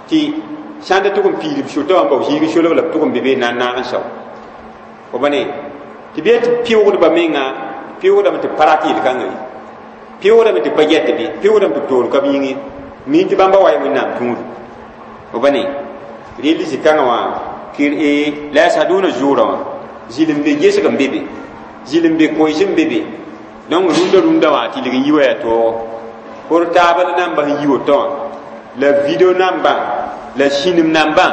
tɩ sãn da tʋg n piid b sotã wã n bao zĩig solg la b tʋg n be be na n naag n sao fo pa ne tɩ bee tɩ pɩʋgdba menga pɩʋgdame tɩ pa rat yel-kãngã ye pɩʋgdame tɩ pa gɛt be pɩʋgdame tɩ b toor ka b yĩng ye mi tɩ bãmba wa wẽnnaam tũudu fo pa ne rel zĩ-kãngã wã la yashaduna zuurã wã zɩlem be gesg n be be zɩlem be koees n be be donc rũndã rũndã wã tɩ lig n yi wa yaa toogo portable namba sẽn yi woto wã la video nambã la sĩnem nambã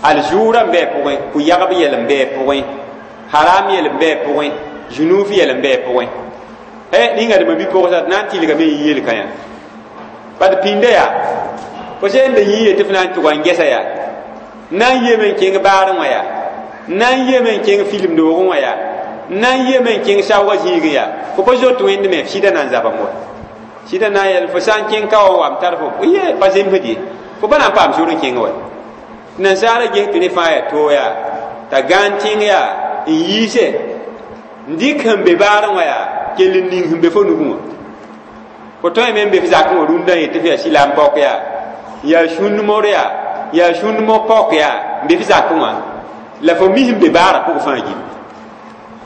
al-zuurã n bɩ a pʋgẽ pʋ-yagb yɛl n bɩ a pʋgẽ haram yɛl n bɩ a pʋgẽ zũnuuf yɛl n bɩ a pʋgẽ ɛ ningadmã bi-pʋgsa tɩ na n tɩlgame yɩ yel-kã yã bad pĩnda yaa fo sẽn da yĩi tɩ f na n tʋga n gɛsa yaa na n yeme n kẽng baarẽ wã yaa na n yeme n kẽng film doogẽ wã yaa na n yeme n kẽng saoogã zĩigẽ yaa fo pa zoet wẽnd me sɩda na n zabame wa sɩda na n yɛl fo sã n kẽng ka wa wam tar fo ye pa zemsd ye fo pa na n paam sor n kẽng wa nansaara ges tɩ rẽ fãa yaa too yaa t'a gãan tẽng yaa n yiise n dɩk sẽn be baarẽ wã yaa kell n ning sẽn be fo nugẽ wã fo tõe me n be f zakẽ wã rũndã yetɩ f yaa sɩlam paok yaa yaa sũnd-mor yaa yaa sũnd-mo paok yaa n be f zakẽ wã la fo mi sẽn be baarã pʋgẽ fãa gilli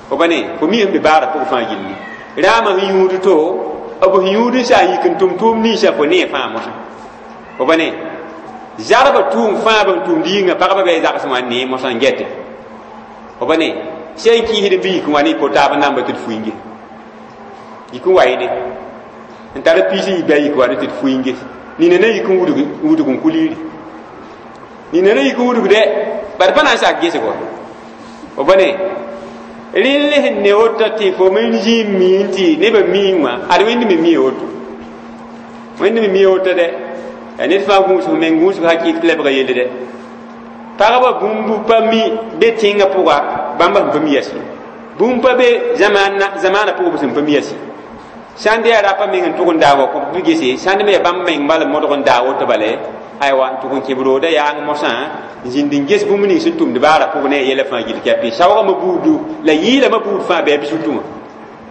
fo pa ne fo mi sẽn be baarã pʋgẽ fãa gilli rãamã sẽn yũud to b sẽn yũud n sa n yik n tʋm tʋʋm ninsã fo nee fãa mosã fo pa ne zarba tʋʋm fãa b sẽn tʋmd yĩnga pagba bɩ zags wã n nee mosã n gɛte Fo pa ne sẽn kiisd n bɩ yik n wa ne y portable namba tɩ d fuiinge yik n wa yẽ ne n tar piis n yi bɩ a yik wa ne tɩ d fuiinge nina na yik n wudg wudg n kuliiri nina na yik n wudg dɛ bad pa na n sak gesgo fo pa ne rẽnd sẽn ne woto tɩ fo me zĩ n mii tɩ nebã mii wã ad wẽnd me mii woto wẽnd me mii woto dɛ yaa ned fãa gũusg meng gũusg hakɩɩk tɩ lebga yelle dɛ pagba bũmb pa mi be tẽngã pʋga bãmba sẽn pa mi yasi bũmb pa be zamaanã pʋgã b sẽn pa mi yasi sãn yaa rapa meng n tʋg n daag wa kõ b gese sãnd me yaa bãmb meng bal modg n daag woto bale aywa n tʋg n kẽb rooda yaang mosã n zĩnd n ges bũmb ning sẽn tʋmd baara pʋg ne a yɛla fãa gill kɛpɩ saoogame buudu la yɩɩlame buud fãa bɩ b zutẽ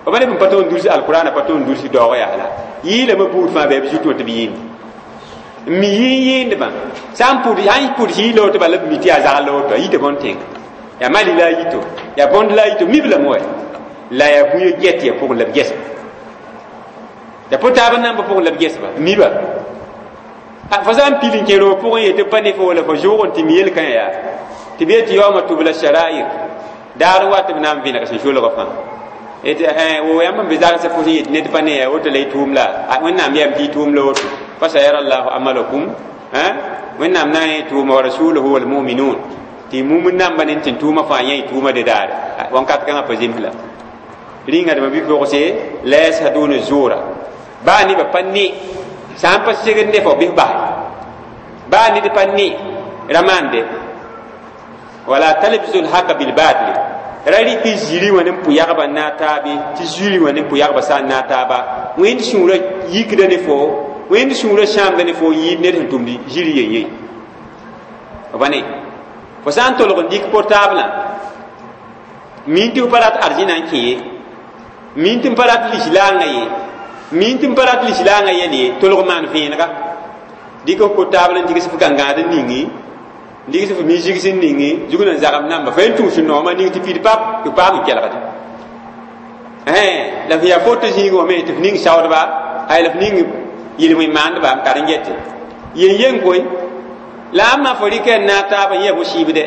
wã b neb n pa tõe n dulsi alkurana pa tõe n dulsi daoog yaa la yɩɩlame buud fãa bɩ b zutẽ wã tɩ b yɩɩnd n mi yɩ yɩɩndbã sã n pʋd sã n pʋd yɩɩla woto bala b mi tɩ yaa zagl la woto a yita bõn tẽnga yaa mali la a yito yaa bõnd la a yito mib lame wa la yaa bũye get ya pʋgẽ la b gɛsba ya portable namba pʋgẽ la b gɛsba miba fo sã n pil n kẽ roog pʋgẽ yetɩ pa ne fo wala fo zʋʋg n tɩ mi yel-kã yaa tɩ b yetɩ yaooma tʋbla sharair daar n wat b na n vẽneg sẽn solgã fãa tɩ wo yãmb n be zagsã fo sẽn yet ned pa ne yaa woto la y tʋʋm la wẽnnaam yam tɩ y tʋʋm la woto fa sayara llahu amalakum wẽnnaam na n yẽ tʋʋma wa rasuluhu walmuminun tɩ mumn namba ne tɩ tʋʋma fãa yẽ y tʋʋma de daare wãnkat kãngã pa zems la rĩnga dãmba bɩ pʋgse la yashaduna zuura baa nebã pa ne sã n pa segd ne fo bɩ f bas baa ned pa ne ra maande wala talbisu lhaqa bilbatili ra rɩk tɩ ziri wã ne n pʋ yagba n naag taabe tɩ ziri wã ne n pʋ yagba sã n naag taaba wẽnd sũurã yikda ne fo wẽnd sũurã sãamda ne fo yɩɩd ned sẽn tʋmd ziri yen ye b ne fo sã n tolg n dɩk portablã min tɩ f pa rat arzɩna n kẽ ye min tɩ n pa rat lislaangã ye min tɩ n pa rat lislaangã yɛl ye tolg maan vẽenega dɩk f portable n digs f gãngãad n ningi n digs f musique n ningi zug n zagem namba fa yen tũus noomã ning tɩ pid pap tɩ paam n kelgde la f yaa foto zĩig wã me tɩ f ning saoodba ay la f ning yel-wẽn maandba n kar n gete yen yen koe la a ma fo rɩka n naag taaba yẽ fo sɩɩbdɛ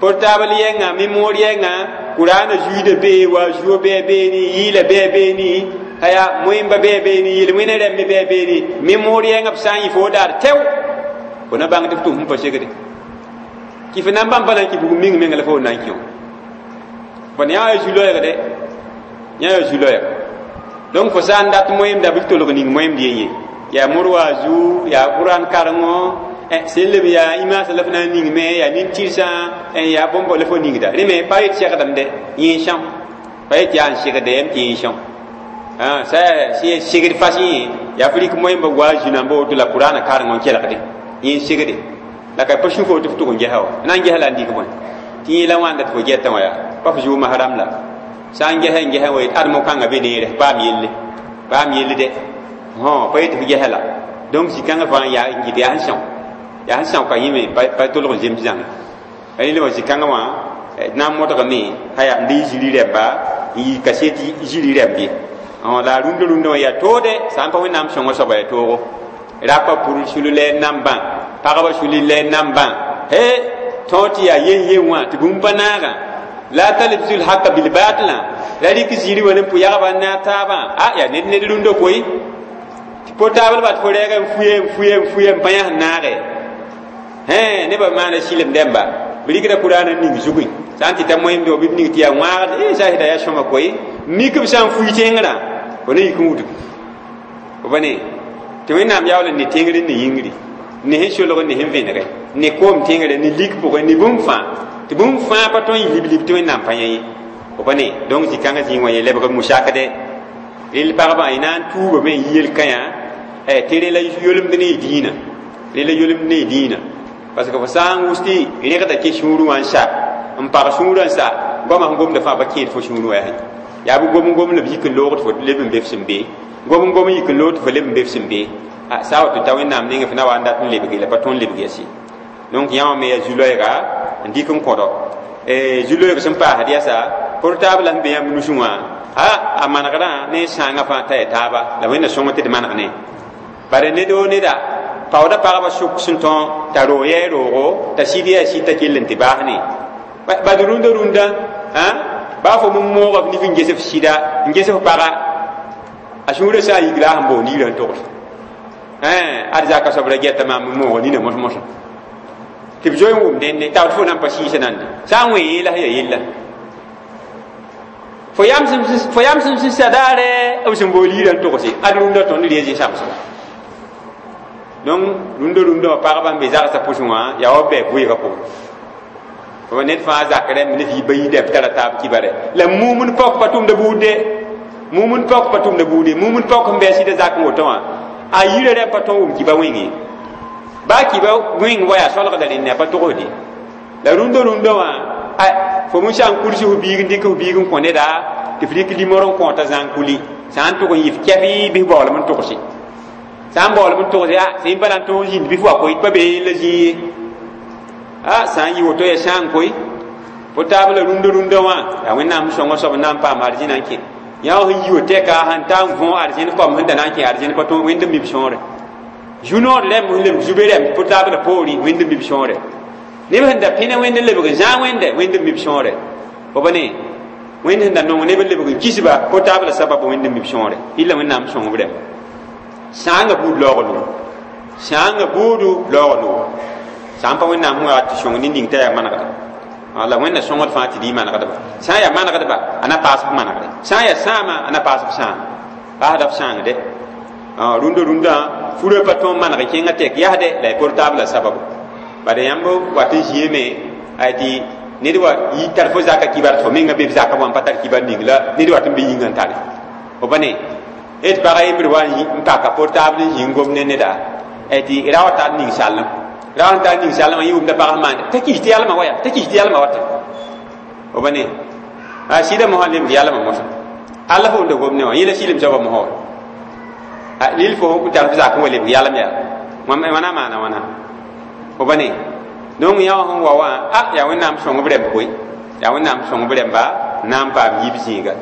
portable yɛnga mémoire yɛnga kuraana zuiida bee wa zuo bɩ beeni yɩɩla bɩ beeni aya moẽmba bɩ beeni yel-wẽna rãmbe bɩ beeni mémoire yɛnga b sã n yɩ fo daar tɛo fo na bãng tɩ f tʋm sẽn pa segde kɩ f na n bãmb pa na n kɩ bugum ming menga la fo na n kẽ fo ne yaa zu-loɛɛgdɛ yã yaa zu-loɛɛg donc fo sã n dat moẽmda bɩ f tolg ning moẽmd yen ye yaa mor wa zu yaa qur'an karengo sẽn leb yaa imaasã la f na n ningme yaa nin-tɩrsã yaa bõmb la fo ningda rẽ me pa yet segdame dɛ yẽ são pa yet yaa n segda yam tɩ yẽ são sã segd fas yẽ yaa f rɩk moẽmba wa zu namba woto la qur'ana karengõ n kelgde yẽ segde la ka pa sũ fo tɩ f tʋg n gesa wa na n gesa la n dɩk bõe tɩ yẽ la wãnda tɩ fo gɛtã wã yaa pa f zʋʋma haram la sã n gesa n gesa wa yet admo kãngã be neere paam yelle paam yelle dɛ pa yet f gesa la donc zĩ-kãngã fãa yaa n gɩd yaa sẽn são yaa sẽn são ka yẽ me pa tolg n zems zãnga rẽnd wã zĩ-kãngã wã d na n modgame aya n de ziri rɛmba n yi kaset ziri rɛmb ye la rũndã rũndã wã yaa toode sã n pa wẽnnaam sõngã soaba yaa toogo rapa pʋr sulu la nambã pagba suli la nambã he tõog tɩ yaa yen yen wã tɩ bũmb pa naagã la talbisu lhaqa bilbatlã ra rɩk ziri wã ne n pʋ yagba n naag taabã a yaa ned ned rũndã koe tɩ portable bat fo rɛɛga n fuye n fuye n fuye n pa yã sẽn naage hẽ nebã maana sɩlem dẽmba b rɩkda kuraana ning zugẽ sã n tɩ ta moẽmde wã bɩ b ning tɩ yaa wãagd e sã sɩda yaa sõma koe mik b sã n fui tẽngrã fo ne yik n wudg f pa ne tɩ wẽnnaam yaool n ne tẽngr n ne yĩngri ne sẽn solg ne sẽn vẽnegɛ ne koom tẽngre ne lik pʋgẽ ne bũmb fãa tɩ bũmb fãa pa tõe n yɩ lib-lib tɩ wẽnnaam pa yã ye f pa ne donc zĩ-kãngã zĩig wã ye lebg musakdɛ rel pagba y na n tuubame n yi yel-kã yã tɩ rẽ la yolemd ne y dĩinã rẽ la yolemd ne y dĩinã parce que fo sã n wʋs tɩ rẽgda kẽ sũurẽ wã n sa n pag sũurã n sa goamã sẽn gomda fãa pa kẽed fo sũurẽ wã yaa yaa bɩ gom n gom la b yik n loogd fo leb n be f sẽn be gom n gom n yik n loogd fo leb n be f sẽn be sã wa tɩ ta wẽnnaam nengẽ f na wa n dat n lebge la pa tõe n lebg yasi donc yã wã me yaa zu-loɛɛga n dɩk n kõdɔ zu-loɛɛg sẽn paasd yasa portable sẽn be yãmb nusẽ wã a a manegrã ne sãangã fãa t'a ya taaba la wẽnna sõng tɩ d maneg ne bare ned o neda paooda pagba sʋk sẽn tõo t'a roog yɛɛ roogo t'a sɩd yaa sɩd t'a kell n tɩ baas ne Bad rũndã rũndã baa fo m mooga f nif n ges f sɩda n ges f paga a sũurã sã n yik la a sẽn boond yirã n togs ad zaka soab ra gɛta maam n mooga nina mos-mosã tɩ b zoe n wʋm dẽnde t'a fo nan pa sɩɩsã nande sã n wẽ yẽ la sẽn yaa yella fo yam sẽn sɩsa daare b sẽn bool yirã n togse ad rũndã tõnd ree zĩ-sãmsga donc rũndã rũndã wã pagba n be zagsã pʋsẽ wã yaa wa bɛɛ vɩɩgã pʋgẽ fo ned fãa zak rẽmb ne f yi bayi dɛb tara taab kibare la mumn paok pa tʋmda buud de mumn paok pa tʋmda buud mumn paok sẽn bɩ a sɩda zak n woto wã a yirã rẽmb pa tõe n wʋm kiba wẽng ye baa kiba wẽng wa yaa solgda rẽnne a pa togsde la rũndã rũndã wã fo mẽ sã n kuls f biig n dɩk f biig n kõ neda tɩ f rɩk limor n kõota zãng kuli sã n tʋg n yɩ f kɛf bɩ f baoolem n togse sã n baoolem n togse a sẽn pa na n tõog zĩnd bɩ f wa koy pa bee la zĩ ye a sã n yɩ woto ya sã n koy fo taab la rũndã rũndã wã yaa wẽnnaam sõngã soab n na n paam arzẽna n kẽ yã wã sẽn yi wa tɛka sẽn ta n võ arzẽn kom sẽn da na n kẽ arzẽn pa tõog wẽnd n mib sõore zu-noor rẽmb sẽn lebg zube rẽmb fo taab la poorẽ wẽnd n mib sõore neb sẽn da pẽne wẽnd n lebg n zãag wẽnde wẽnd n mib sõore fo ba ne wẽnd sẽn da nong neb n lebg n kisba fo taab la sabab wẽnd n mib sõore illa wẽnnaam sõng b rẽmba sãangã buud laoog noor sãangã buudu laoog noor sã n pa wẽnnaam sẽn wa tɩ sõng nin-ning t'a yaa manegda la wẽnna sõngd fãa tɩ dɩ manegdba sã n yaa manegdba a na paas f manegre sã n yaa sãama a na paas f sãam paasda f sãangde rũndã rũndã furã pa tõog maneg kẽngã tɛk yasde la y portable la sababu bala yãmb wat n zĩame ay tɩ ned wa yi tar fo zaka kibar tɩ fo menga be b zaka wã n pa tar kibar ning la ned wat n be yĩngã n tare fo pa ne d pag yembr wa n paka portable n zĩ n gom ne neda tɩ ra wa tar ning sallem ra wa n tar ning sallem yɩ wʋmda pag maande t'a kis tɩ yalmã wa yaa t'a kis tɩ yalmã wata fo pa ne a sɩda mosã lebg yalmã mosã alla fo wʋmda gom ne wã yẽ la sɩlem soabã mosã wa lil fo n tar f zak n wa lebg yalem yaa wãna maana wãna fo pa ne donc yã wã sẽn wa wã a yaa wẽnnaam sõng b rẽmb koe yaa wẽnnaam sõng b rẽmba na n paam yib zĩiga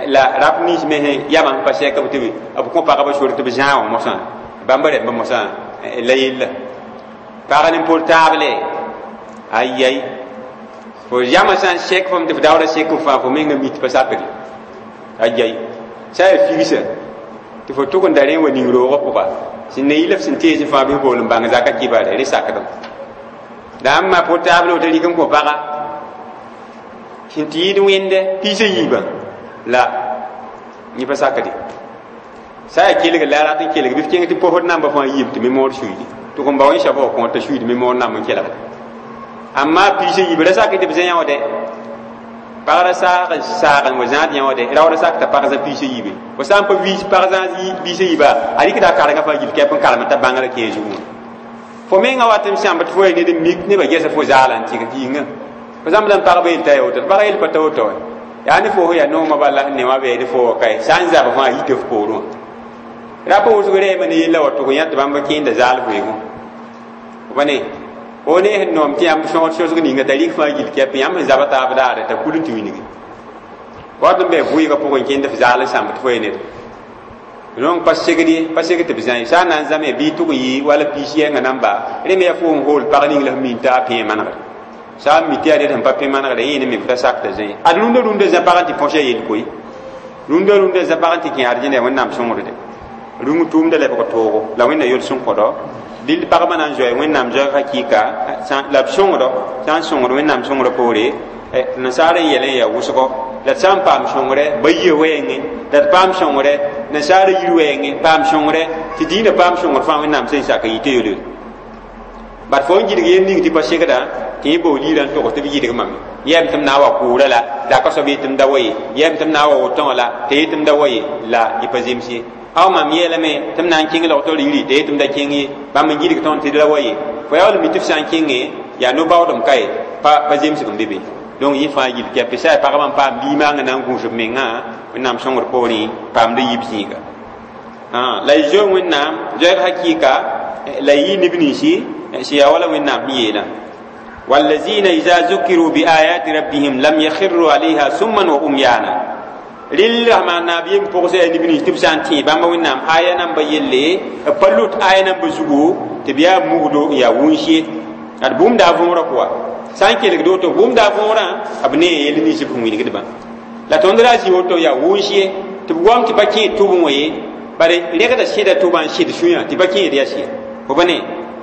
la rap nins me sẽn yamã sẽn pa sɛk b tɩ b kõ pagba sor tɩ b zãag wã mosã bãmba rẽmba mosã la yella pag ne portable ayay fo yamã sã n sɛk fom tɩ f daoora sek f fãa fo menga mi tɩ pa sakde ayay sã yaa figsa tɩ fo tʋg n da rẽ wa ning roogã pʋga sẽn ne yɩl f sẽn tees fãa bɩ f bool n bãng zaka kibare rẽ sakdem la ãmba portable woto rɩk n kõ paga sẽn tɩ yɩɩd wẽnde piisã yiibã la yẽ pa sakde sã yaa kelg la a rat n kelg bɩ f kẽng tɩ posd namba fãa yiib tɩ mémoire suiidi tɩ n ba wẽn soaba wã kõor t'a suiid mémoire namb n kelgda amma piisã yiib ra sak tɩ b zã yã de pagra saag n saag n wa zãad yã wã de raoora sak t'a pag zã piisã yiibe fo sã n pa viis pag zã piisã yiiba a rɩkda a karengã fãa gil kɛp n karem t'a bãngrã kẽe zugẽ fo menga wat n sãmb tɩ fo yaa ned n mik nebã gɛsa fo zaala n tɩg yĩnga fo zãmb la n pagba yel t'a yaa woto pag yel pa ta woto yaa ne fo yaa noomã bala sẽn ne wã bɩ ne fo wa kae sã n zab fãa yita f poorẽ wã rapa wʋsg rɛɛmã ne yella wa tʋg yã tɩ bãmb kẽenda zaal vɩɩgẽ fo pa ne fo ne sẽn noom tɩ yãmb sõsg sosg ninga t'a rɩk fãa gil kɛp yãmb sẽn zaba taab daare t'a kul n tɩ wilgi wat n bɩ vɩɩgã pʋgẽ kẽnd f zaal n sãmb tɩ fo yaa ned donc pa segd ye pa segd tɩ b zã ye sã n na n zãme bɩ tʋg n yɩ wala piis yɛngã namba rẽ me yaa fo n hool pag ning la f min t'a pẽ manegre sã n mi tɩ yaa ned sẽn pa pẽ manegre yẽ ne me f ra sakda zã ye ad rũndã rũndã zã pag n tɩ põsa yel koe rũndã rũndã zã pag n tɩ kẽ arjẽna wẽnnaam sõngde rũng tʋʋmda lebg toogo la wẽnna yol sẽn kõdɔ dɩl pagba na n zoe wẽnnaam zoɛg hakɩɩka la b sõngdɔ sã n sõngd wẽnnaam sõngrã poore nasaar n yɛl n yaa wʋsgɔ la d sã n paam sõngre ba yia wɛɛngẽ la d paam sõngre nasaara yir wɛɛngẽ paam sõngre tɩ dĩinã paam sõngr fãa wẽnnaam sẽn sak n yɩ tɩ yel bad fo n gɩdg yel ning tɩ pa segda tɩ yẽ bool yirã n togs tɩ b yɩdg mame yɛm tɩ m na n wa kʋʋra la zaka soab yetɩ m da wa ye yɛm tɩ m na n wa wotõ wã la tɩ yetɩ m da wa ye la yɩ pa zems ye aw mam yeelame tɩ m na n kẽng lagtɔ yiri tɩ yetɩ m da kẽng ye bãmb n gɩdg tõnd tɩ d ra wa ye fo yaa wall mi tɩ f sã n kẽnge yaa no-baoodem ka ye pa pa zemsg n be be donc yẽ fãa yil kɛpɩ sã yaa pagba n paam limaangã na n gũus b mengã wẽnnaam sõngr poorẽ paamd yib zĩiga la y zoe wẽnnaam zoɛg hakɩɩka la y yɩ neb ninsi sẽn yaa wala wẽnnaam sẽn yeelã والذين إذا ذكروا بآيات ربهم لم يخروا عليها سما وعميانا rɩl rasma naab yem pʋgsa yaa neb nins tɩ b sã n tẽ bãmba wẽnnaam aya namba yelle b pa lut aya namba zugu tɩ b yaa mugdo n yaa wũns ye ad bũmb da a võorã pʋga Sã n kelgd woto bũmda võorã b ne yell nins b sẽn wilgdbã la tõnd ra zĩ woto yaa wʋns ye tɩ b goam tɩ pa kẽed tʋbẽ wã ye bare rẽgda sẽda tʋbã n sɩd sũyã tɩ pa kẽed yaa sɩ fo pa ne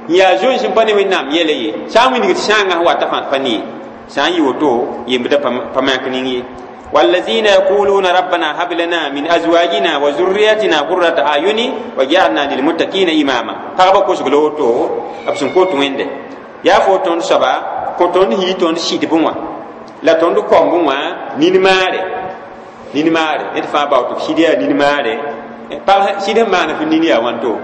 n yaa zoens n pa ne Wẽnnaam yɛla ye sã n wilgd sãangã sẽn wata fãa pa ne ye sã n yɩ woto yembdã pa mak ning ye. والذين يقولون ربنا هب لنا من ازواجنا وذرياتنا قرة اعين واجعلنا للمتقين اماما. Pagba kosg la woto b sẽn kot Wẽnde yaa fo tõnd soaba kõ tõnd yii tõnd sɩdbẽ wã la tõnd kombẽ wã nin-maare nin-maare ned fãa bao tɩ b sɩd yaa nin-maare pag sɩd sẽn maan f nin yaa wãnto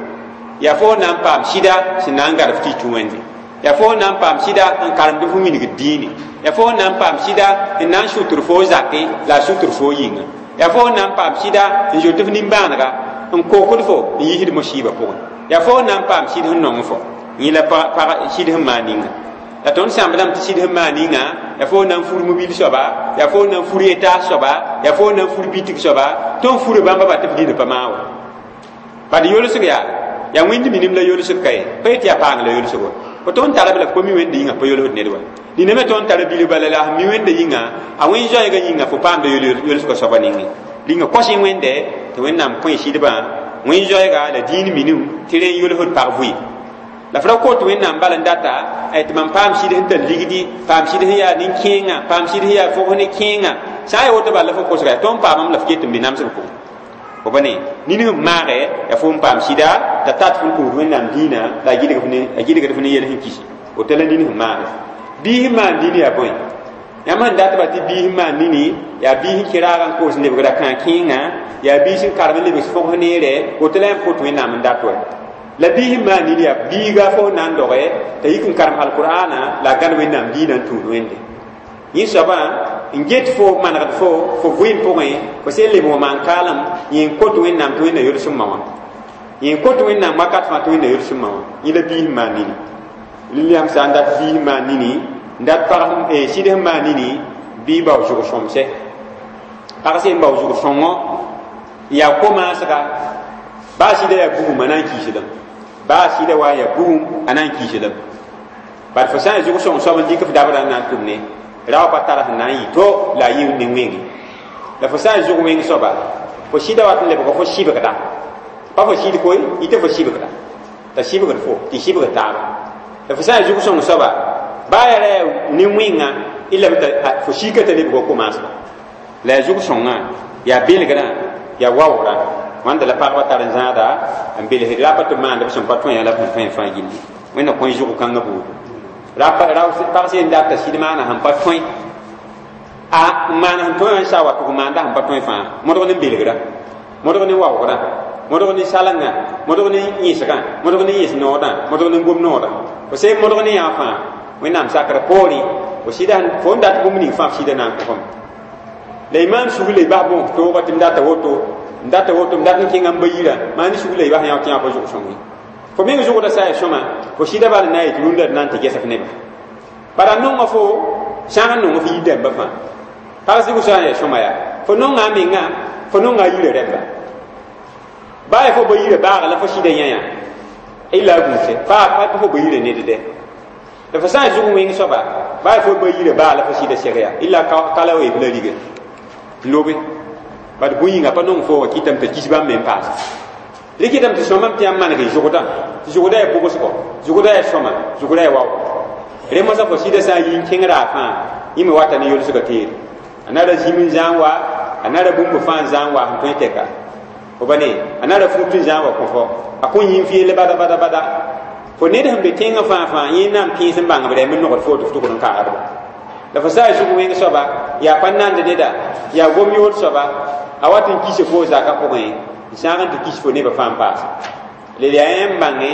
yaa fo na n paam sɩda sẽn na n gad f tɩ tũ Wẽnde yaa fo na n paam sɩda n karemd f wilgd dĩine yaa fo na n paam sɩda n na n sʋtr fo zake la a sʋtr fo yĩnga yaa fo na n paam sɩda n zoet f nimbãanega n kokd fo n yisd mosiibã pʋgẽ yaa fo na n paam sɩd sẽn nong fo yẽ la pag sɩd sẽn maan ninga la tõnd sãmbdame tɩ sɩd sẽn maan ninga yaa fo na n fur mobil soaba yaa fo na n fur étage soaba yaa fo na n fur bitig soaba tõnd fura bãmba ba tɩ f dĩnã pa maa wa bad yolsg yaa yaa wẽnd minim la yolsg ka ye pa yetɩ yaa paang la yolsg wa fo tõnd tara b la f pa mi Wẽnde yĩnga pa yolsd ned wa dĩnã me tõnd tara bilg bala la sẽn mi Wẽnde yĩnga a wẽn zoɛɛgã yĩnga fo paamda yolsgã soaba ninge rĩnga kos y Wẽnde tɩ Wẽnnaam kõ y sɩdbã wẽn zoɛɛga la dĩin minim tɩ rẽ n yolsd pag vʋɩ la f ra kot Wẽnnaam bal n data tɩ mam paam sɩd sẽn tar ligdi paam sɩd sẽn yaa nin-kẽengã paam sɩd sẽn yaa fog ne kẽengã sã n yaa woto bala la fo kosga yaa tõnd paamam la f ket n be namsg pʋgẽ fo pa ne nin sẽn maage yaa fo n paam sɩda t'a tat fõn kũus Wẽnnaam dĩinã la a gɩdgd f ne yel sẽn kisi woto la nin sẽn maage biis sẽn maan nini yaa bõe yãmb sẽn datba tɩ biis sẽn maan nini yaa biis sẽn kẽ raagã n koos n lebgra kãa-kẽengã yaa biis sẽn karem n lebs fog neere woto la yãmb kot Wẽnnaam n dat wa la biis sẽn maan nini yaa biiga fo na n doge t'a yik n karem alqur'ana la a gãd Wẽnnaam dĩinã n tũud Wẽnde yẽ soabã n get fo manegd fo fo vɩɩm pʋgẽ fo sẽn leb wã maan kaalem yẽ n kot Wẽnnaam tɩ Wẽnna yol sẽn ma wã yẽ n kot Wẽnnaam wakat fãa tɩ Wẽnna yol sẽn ma wã yẽ la biis sẽn maan nini yãmb sã n dat biis sẽn maan nini n dat pag sɩd sẽn maan nini bɩ bao zʋg sõmsɛ pag sẽn bao zʋg sõngo yaa ko-maasga baa sɩda yaa bugum a na n kiisdame baa sɩda wa yaa bugum a na n kiisdame bad fo sã n zʋg sõng soab n dɩk f dabra n na n tʋm ne rao pa tara sẽn na n yɩ to la a yɩ ne wẽnge la fo sã n zʋg wẽng soaba fo sɩda wat n lebg fo sɩbgda pa fo sɩd koe yɩ tɩ fo sɩbgda t'a sɩbgd fo tɩ sɩbgd taaba la fo sã n zʋg sõng soaba baa yaa ra yaa ne wẽnga y lame t'a fo siika t'a lebg ko-maasga la yaa zʋg sõngã yaa belgrã yaa waoogrã wãnda la pagba tar n zãada n belsd rapa tɩ b maand b sẽn pa tõe la b sẽn tõe fãa gilli Wẽnna kõ zʋg kãngã buudu pag sẽn data sɩd maana sẽn pa tõe a n maana sẽn tõe wã n sa wa tɩ f maanda sẽn pa tõe fãa modg ne belgrã modg ne waoogrã modg ne salenga modg ne yẽsgã modg ne yẽs noodã modg ne gom noodã fo sẽn modg ne yã fãa Wẽnnaam sakr poorẽ fo sɩda fo n dat bũmb ning fãa f sɩda na n kõ la y maan sug la y bas bõos toogã tɩ m data woto n data woto m dat n kẽnga n ba yirã maan sug la y bas yã tɩ yã pa zʋg sõng ye fo meng zʋgda sa ya sõma fo sɩda bal n na n yetɩ rũndã d na n tɩ ges f neba bara nonga fo sãag n nong f yir dãmba fãa pag zɩg sã n ya sõma yaa fo nonga a menga fo nonga a yirã rẽmba baa ya fo ba yirã baaga la fo sɩda yã illa a gũuse pa pa fo ba yirã nedde la fo sã n zʋg wẽng soaba baa ya fo ba yirã baa la fo sɩda seg yaa illa kala weeb la rige lobe bad bũn yĩnga pa nong fo wa kɩtame t'a kis bãmb me n paase rɩkɩtame tɩ sõmame tɩ yãmb maneg y zʋgdã tɩ zʋgda yaa bʋgsgɔ zʋgda yaa sõma zʋgda yaa wao re mosã fo sɩda sã n yi n kẽngra fãa yẽ me wata ne yolsgã teere a nara zĩm n zã n wa a nara bũmb fãa n zã n wa sẽn tõe tɛka fo ba ne a nara fut n zã n wa kõ fo a kõn yĩn fɩ bada bada bada fo ned sẽn be tẽngã fãa fãa yẽ na n pẽes n bãng b rɛm n nogd fo tɩ f tʋgd n kaagdba la fo sã n zʋg wẽng soaba yaa pa nand neda yaa gom yood soaba a wat n kis fo zaka pʋgẽ n sãag n tɩ kis fo nebã fãa n paase la yaa yãmb bãnge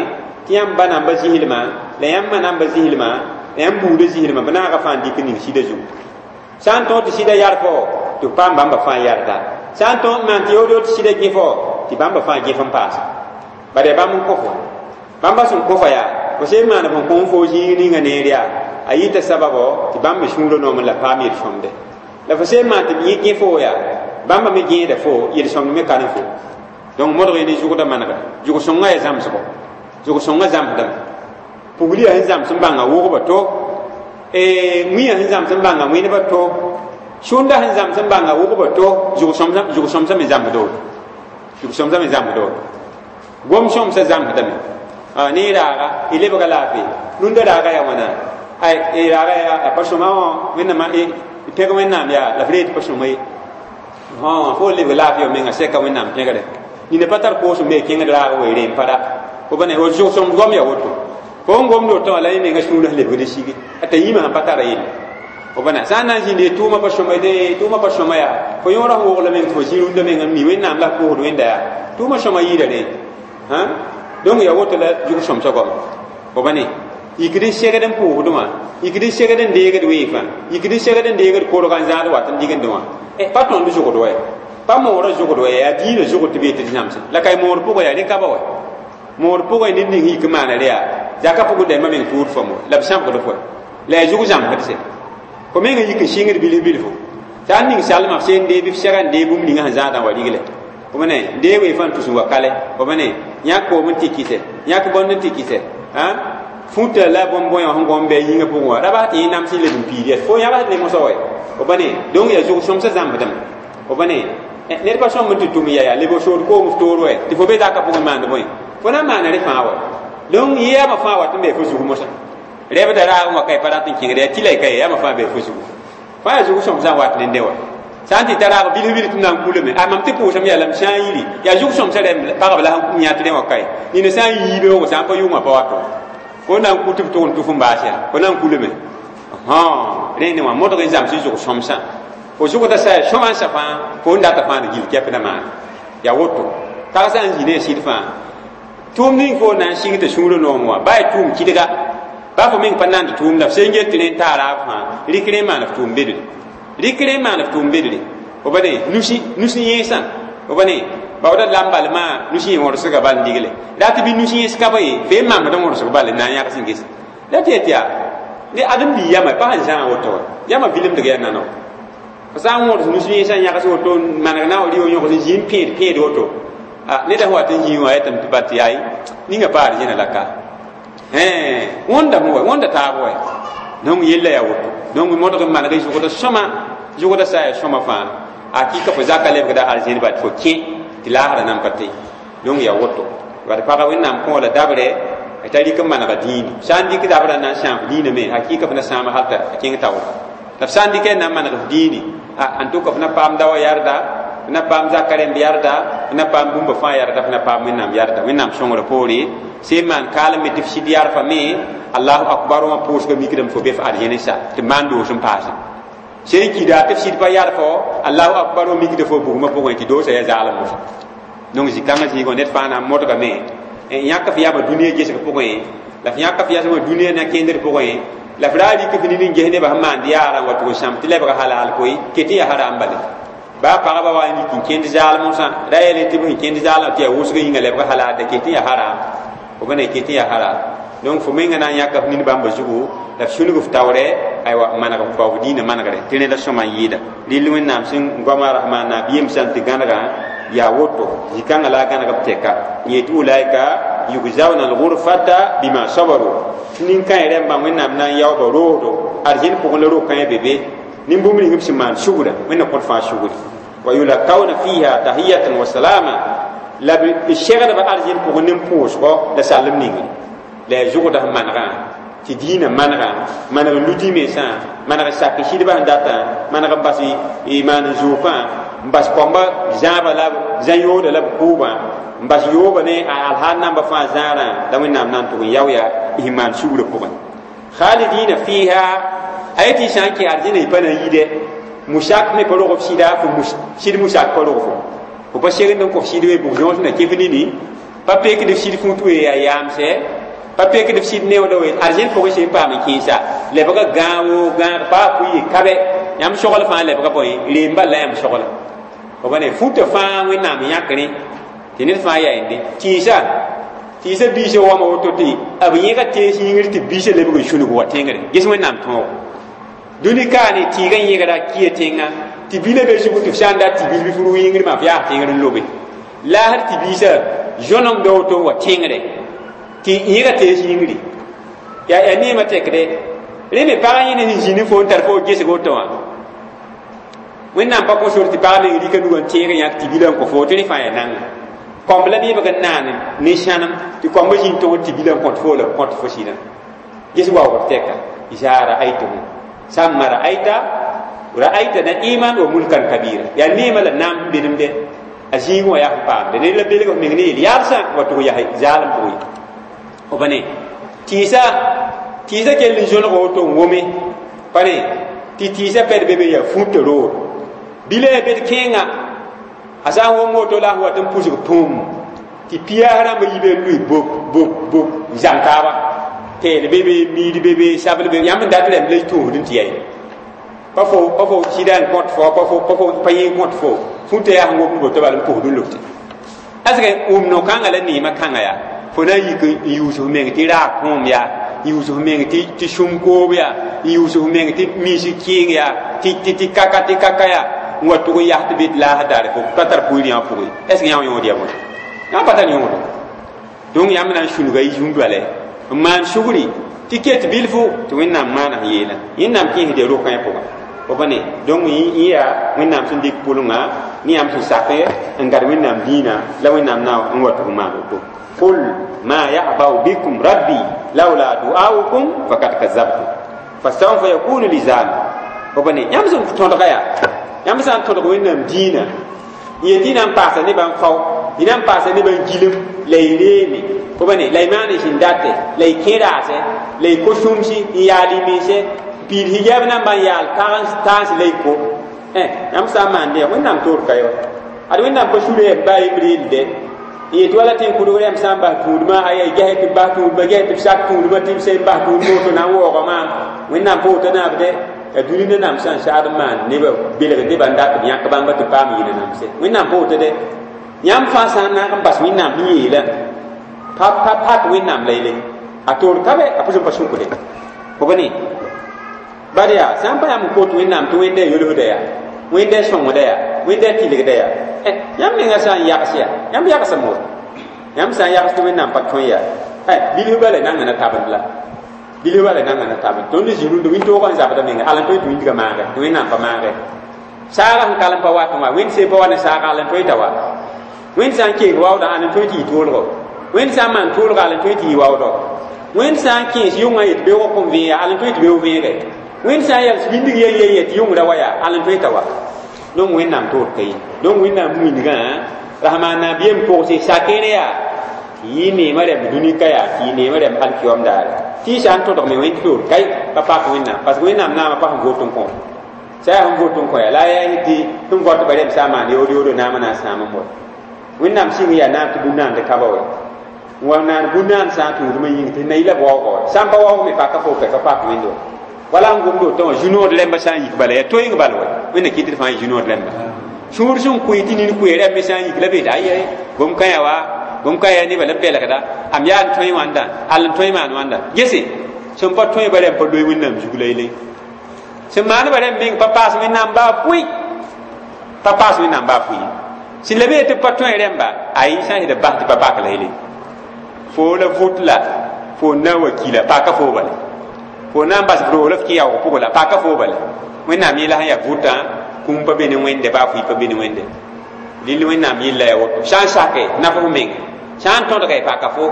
tɩ yãmb ba namba zĩslmã la yãmb ma namba zĩslmã la yãmb buudã zĩslmã b naaga fãa n dɩk ning sɩda zugu sã n tõog tɩ sɩda yar fo tɩ b paam bãmba fãa yarda sã n tõog n maan tɩ yood tɩ sɩda gẽ fo tɩ bãmba fãa gẽf n paasa bad yaa bãmb n kõ fo bãmba sẽn kõ fo yaa fo sẽn maan fõn kõ fo zĩig ninga neer yaa a yɩta sababo tɩ bãmb me sũurã noom la paam yel-sõmde la fo sẽn maan tɩ b yẽ gẽ fo yaa bãmba me gẽeda fo yel-sõmd me ka ne fo donc modg ne zʋgda manegda zʋg sõngã yaa zãmsgo zʋg sõngã zãmsdame pugl yaa sẽn zãms n bãnga wʋgba to wĩyã sẽn zãms n bãnga wẽnebã to sũnda sẽn zãms n bãnga wʋgbã to zʋg-sõmsã me zãmsda woto zʋg-sõmsã me zãmsda woto gom sõmsã zãmsdame ne raaga y lebga laafɩ rũndã raaga yaa wãna ay raaga yaa pa sõma wã wẽnnaam pẽg wẽnnaam yaa la f reet pa sõma ye fo lebg laafɩ wa menga sɛka wẽnnaam pẽgre nina pa tar koosem be kẽngd raag wa reem pa ra fo ba ne zʋg-sõms gom yaa woto fo n gomd woto wã la yẽ menga sũurã lebgd n sigi t'a yĩmã sẽn pa tara yelle fo ba na sã n na n zĩnd tʋʋmã pa sõma de tʋʋmã pa sõma yaa fo yõora sẽn wogla meng tɩ fo zĩ rũndã meng n mi wẽnnaam la f pʋʋsd wẽnda yaa tʋʋmã sõma yɩɩda rẽ donc yaa woto la zʋg-sõmsã goama fo ba ne yikd n segd n pʋʋsdẽ wã yikd n segd n deegd weefã yikd n segd n deegd korga n zãad wat n digendẽ wã pa tõnd zʋgd wa pa moorã zʋgd wa yaa diinã zʋgd tɩ bee tɩ d zãmsẽ la ka moor pʋgã yaa rẽ ka ba wa moor pʋgã ned ning yik n maana rẽ yaa zaka pʋgẽ dãmbã meng tʋʋd fam wa la b sãbgd fo la yaa zʋg zãmsd sɛ fo meng n yik n sɩngd bilf bilfo t'a n ning salmã f seen dee bɩ f sɛga n dee bũmb ninga sẽn zãadã wa rigle fo me ne dee weefã n tus n wa kale fo me ne yãk koom n tɩ kɩsɛ yãk bõnd n tɩ kɩsɛ fũta la bõn-bõe wã sẽn gõm bɩ a yĩngã pʋgẽ wã ra bas tɩ yẽ nams n leb n piid yaa fo yãbsd ne mosã wa fo ba ne donc yaa zʋg-sõmsã zãmsdame fo ba ne ned pa sõmb n tɩ tʋm ya yaa leb sood koom f toor wa tɩ fo be zaka pʋgẽ maand bõe fo na n maana rẽ fãa wa donc yɛɛmã fãa wat n bee fo zug mosã rɛbda raag n wa ka y pa rat n kẽngd yaa tɩ la y ka ye yãmã fãa bee fo zugu fãa yaa zʋg-sõmsã n wat nende wa sã n tɩ ta raag bilf bilf tɩ na n kulame a mam tɩ pʋʋsame yaa la m sã n yiri yaa zʋg-sõmsã rɛm pagb la sẽn yãt rẽ wã ka ye nina sã n yiibe wogo sã n pa yʋngã pa wato fo na n ku tɩ b tʋg n tʋf n baas yaa fo na n kulame rẽnd wã modg n zãms zʋg-sõmsã fo zʋgda sa yaa sõma n sa fãa fo n data fãa d gill kɛp na maan yaa woto tag sã n zĩ ne a sɩd fãa tʋʋm ning fo na n sɩng tɩ sũurã noom wã baa y tʋʋm kɩdga baa fo meng pa nand tʋʋm la f sẽn get tɩ rẽ n taa raab fãa rɩk rẽ n maan f tʋʋm bedre rɩk rẽ n maan f tʋʋm bedre fo ba ne nusi nusi yẽesã fo ba ne baooda lam bal maa nusi yẽ wõrsga bal n digle rat bɩ nusi yẽs ka ba ye fo n mamd wõrsg bal n na n yãgs n ges la tɩ yaa tɩ yaa ne ãdem bii yama pa sẽn zãag woto wa yama vilemdg yaa nano fo sã n wõrs nusi yẽsã yãgs woto n maneg na n wa rɩ yõgs n zĩ n pẽed pẽed woto ned sẽn wat n zĩ wã yetame tɩ bat tɩ yaay ninga paar zẽna la ka wõndame wa wõnda taab wa donc yella yaa woto donc modg n maneg zʋgda sõma zʋgda sa yaa sõma fãa hakɩka fo zaka lebgda arzẽn bat fo kẽ tɩ laasra nan pa tɩ donc yaa woto bad pagã wẽnnaam kõ la dabrɛ t'a rɩk n manega dĩini sã n dɩk dabrã na n sãam dĩinã me hakɩka f na sãama hal t'a kẽng taoor la f sã n dɩk n na n maneg f dĩini en tout cas f na paam daoã yarda f na paam zaka rẽmb yarda f na paam bũmba fãa yarda f na paam wẽnnaam yarda wẽnnaam sõngrã poore sẽn maan kaalem me tɩ f sɩd yarfa me allahu akbar wã pʋʋsga mikdame fo be f arzẽn sa tɩ maan doos n paase sẽn kida tɩ f sɩd pa yarfo allahu akbar wã mikda fo bugmã pʋgẽ tɩ doosa yaa zaalem mosã donc zĩ-kãngã zĩigã ned fãa na n modgame yãk f yama dũniyã gesg pʋgẽ la f yãk f yasmã dũniyã na kẽndr pʋgẽ la f ra rɩk f nin n ges nebã sẽn maand yaarã n wa tʋg n sãam tɩ lebga halal koe ket n yaa haram bale baa pagba wa n yik n kẽnd zaalmosã ra yɛl tɩ b sẽn kẽnd zaalmã tɩ yaa wʋsg yĩnga lebga halal da ket n yaa haram fo ba ne ket n yaa haram donc fo menga na n yãka f nin bãmba zugu la f sũnug f taoorɛ aywa maneg f bao f dĩinã manegre tɩ rẽda sõma n yɩɩda rɩl wẽnnaam sẽn goama rahman nabiyeem sã n tɩ gãnegã yaa woto zĩ-kãngã la a gãneg b tɛka yetɩ ulaika yugzauna alghurfata bima sabaru tɩ nin-kãe rẽmbã wẽnnaam na n yaooba roosdo arzẽn pʋgẽ la ro-kãe be be nin-bũmb ning b sẽn maan sugra wẽnna kõt fãa sugri wa yulakawna fiha tahiyatan wa salama la b segdba arzẽn pʋgẽ nin-pʋʋsgɔ la salem ningre la yaa zʋgda sẽn manegã tɩ dĩinã manegã maneg n ludĩ mensã maneg n sak sɩdbã sẽn datã maneg n bas maan n zookã n bas kɔmbã zãaba la zã-yooda la b kʋʋbã n bas yooba ne a alhaal namba fãa zãarã la wẽnnaam na n tʋg n yao yaa sẽn maan sugrã pʋgẽ khalidina fiha a yetɩ sã n kẽ arzẽna y pa na n yide musak me pa rog f sɩda fo sɩd musak pa rog fo fo pa segend n kõ f sɩd we bug yõos na kẽf nini pa pekd f sɩd fũut we yaa yaamsɛ pa pekd f sɩd neooda we arzẽn pʋgẽ sẽn paam n kẽesa lebga gãag-wo gãag paa pʋɩ kabe yãmb sogl fãa lebga bõe reem bal la yãmb sogla fo ba ne fũta fãa wẽnnaam yãk rẽ tɩ ned fãa yaa yende tĩisa tĩisa biisã wama woto tɩ b yẽga tees yĩngr tɩ biisã lebg n sũnug wa tẽngre ges wẽnnaam tõogo dũni kaane tɩɩgã yẽgra kia tẽnga tɩ bila be zugu tɩ f sã n dat tɩ bil bɩ f rʋ yĩngr maa f yaas tẽngr n lobe laasr tɩ biisã zõnemda woto n wa tẽngre tɩ yẽga tees yĩngri yaa yaa neemã tɛkde Rẽ me pagã yẽne sẽn zĩnd fo n tar fo gesg woto wã wẽnnaam pa kõ sor tɩ pag meng rɩka nugã n teeg n yãk tɩ bilã n kõ fo tɩ rẽ fãa yaa nanga kõmb la bɩ b n naan ne sãnem tɩ kõmb zĩnd tõgd tɩ bilã n kõt fo la kõt fo sɩdã ges waoogd tɛka iza ra'aytuhu samma ra'ayta ra'ayta na'iman wa mulkan kabira yaa neemã la naam sẽn be de a zĩigẽ wã yaa sẽn paamde ned la belg f meng ne yel-yaalsã wa tʋg yaa zaalem pʋgẽ f pa ne tɩɩsa tɩɩsa kell n zõneg woto n wome pa ne tɩ tɩɩsã pɛd be be yaa fũta roor bila ya bed kẽenga a sã n wom woto la a sẽn wat n pʋsg pũm tɩ piyaas rãmba yi be n lʋɩ bop bop bop n zãng taaba teel be be miid be be sabl be yãmb n dat rẽmb la y tũusd n tɩ yɛi pa fo pa fo sɩda n kõt fo pa fo pa fo pa yẽ kõt fo fũta yaa sẽn womd woto bala n pʋsd n lote asg wʋm no-kãngã la neemã kãngã yaa fo na n yik n yuus f meng tɩ raag kõom yaa n yuus f meng tɩ sũm koob yaa n yuus f meng tɩ miis kɩɩng yaa tɩ kaka tɩ kaka yaa n wa tʋg n yas tɩ be tɩ laasã daare fo pa tar pʋɩɩr yã pʋgẽ est ce que yã wã yõod yaa bõe yã pa tar yõodo donc yãmb na n sũnga y zũn-doalɛ n maan sugri tɩ ket bilfu tɩ wẽnnaam maana sẽn yeela yẽnnaam kẽesd rokã pʋgã fo pa ne donc yẽ yaa wẽnnaam sẽn dɩk pʋlengã ne yãmb sẽn sak n gad wẽnnaam dĩinã la wẽnnaam na n wa tʋg n maan woto qul ma ya'ba'u bikum rabbi laula du'aukum faqad kazabtum fasawfa yakunu lizama fo pa ne yãmb sẽn tõdga yaa yãmb sã n tõdg wẽnnaam dĩinã n yet y na n paasa nebã n fao y na n paasa nebã n gilem la y reeme fo pa ne la y maan y sẽn date la y kẽ raase la y ko-sũmsi n yaal y mense piid hijab namba n yaal tãns la y ko yãmb sã n maan dẽ wẽnnaam toor ka ye wa ad wẽnnaam pa sura yam baa yembr yelde n yet wala tɩ n kʋdg rãmb sã n bas tũudmã aya ges tɩ b bas tũudmã ges tɩ b sak tũudmã tɩ b sẽn bas tũudmã woto na n waooga maam wẽnnaam pa woto naabde ya dũni nanam sã n sagd n maan nebã belg nebã n dat b yãk bãmba tɩ paam yɩ nanamse wẽnnaam pa woto de yãmb fãa sã n naag n bas wẽnnaam sẽn yeelã pa pa pak wẽnnaam la yele a toor ka be a pʋsẽ pa sũkde fo pa ne bad yaa sã n pa yãmb n kot wẽnnaam tɩ wẽnda yolsda yaa wẽnda sõngda yaa wẽnda tɩlgda yaa yãmb mengã sã n yags yaa yãmb yagsem wa yãmb sã n yags tɩ wẽnnaam pa tõe yaa bilf bala nanga na tabend la bilf bala nanga na tabend tõnd zĩ rũndã wĩntoogã n zabda menga al n tõe tɩ wĩndgã maage tɩ wẽnnaam pa maage saaga sẽn kalem pa wat wã wẽnd sẽn pa wa ne saaga al n tõe t'a wa wẽnd sã n keeg waoodã al n tõe tɩ yɩ toolgo wẽnd sã n maan toolga al n tõe tɩ yɩ waoodɔ wẽnd sã n kẽes yʋngã yet beoog kõn vẽega al n tõe tɩ beoog vẽege wẽnd sã n yals wĩndg yen yen yet yʋngrã wa yaa al n tõe t'a wa donc wẽnnaam toor ka ye donc wẽnnaam wĩndgã rasmaan nabiyeem pʋgse sakẽere yaa tɩ yɩ neemã rɛmb dũni ka yaa tɩ yɩ neemã rɛmb alkiyom daare tɩ sã n tõdg me wẽnd toor kai pa pak wẽnnaam parce que wẽnnaam naamã pa sẽn vot n kõ sã yaa sẽn vot n kõ yaa la a yaa tɩ sẽn vɔt ba rɛmb sã n maan yood yoodo naamã na n sãam n wa wẽnnaam sɩng yaa naam tɩ bũn-naand ka ba wa n wa naan bũn-naand sã n tũudmã yĩng tɩ na yɩla waoogã wa sã n pa waoog me paka fo ka pak wẽnd wa wala n gomd woto wã zu-nood rẽmba sã n yik bala yaa toeeng bal wa wẽnna kɩt d fãa yɩ zu-nood rẽmba sũur sẽn kʋɩ tɩ nin kʋɩ rẽmb me sã n yik la be tɩ aye bũmb kã yaa wa bũmb kã yaa nebã la belgda am yaa n tõe wãnda al n tõe maan wãnda gese sẽn pa tõe ba rẽmb pa loe wẽnnaam zug la yele sẽn maan ba rẽmb meng pa paas wẽnnaam baa pʋɩ pa paas wẽnnaam baa pʋɩ sẽn la be tɩ pa tõe rẽmba ayi sã n yetɩ bas tɩ pa pak la yele fo la vʋt la fo na wa kila paka fo bala fo na n bas roog la f kẽ yaoog pʋgã la paka fo bala wẽnnaam yẽla sẽn yaa vʋtã kũum pa be ne wẽnde baa fʋɩ pa be ne wẽnde lill wẽnnaam yella yaa woto sã n sake naf f meng sã n tõdga y paka fo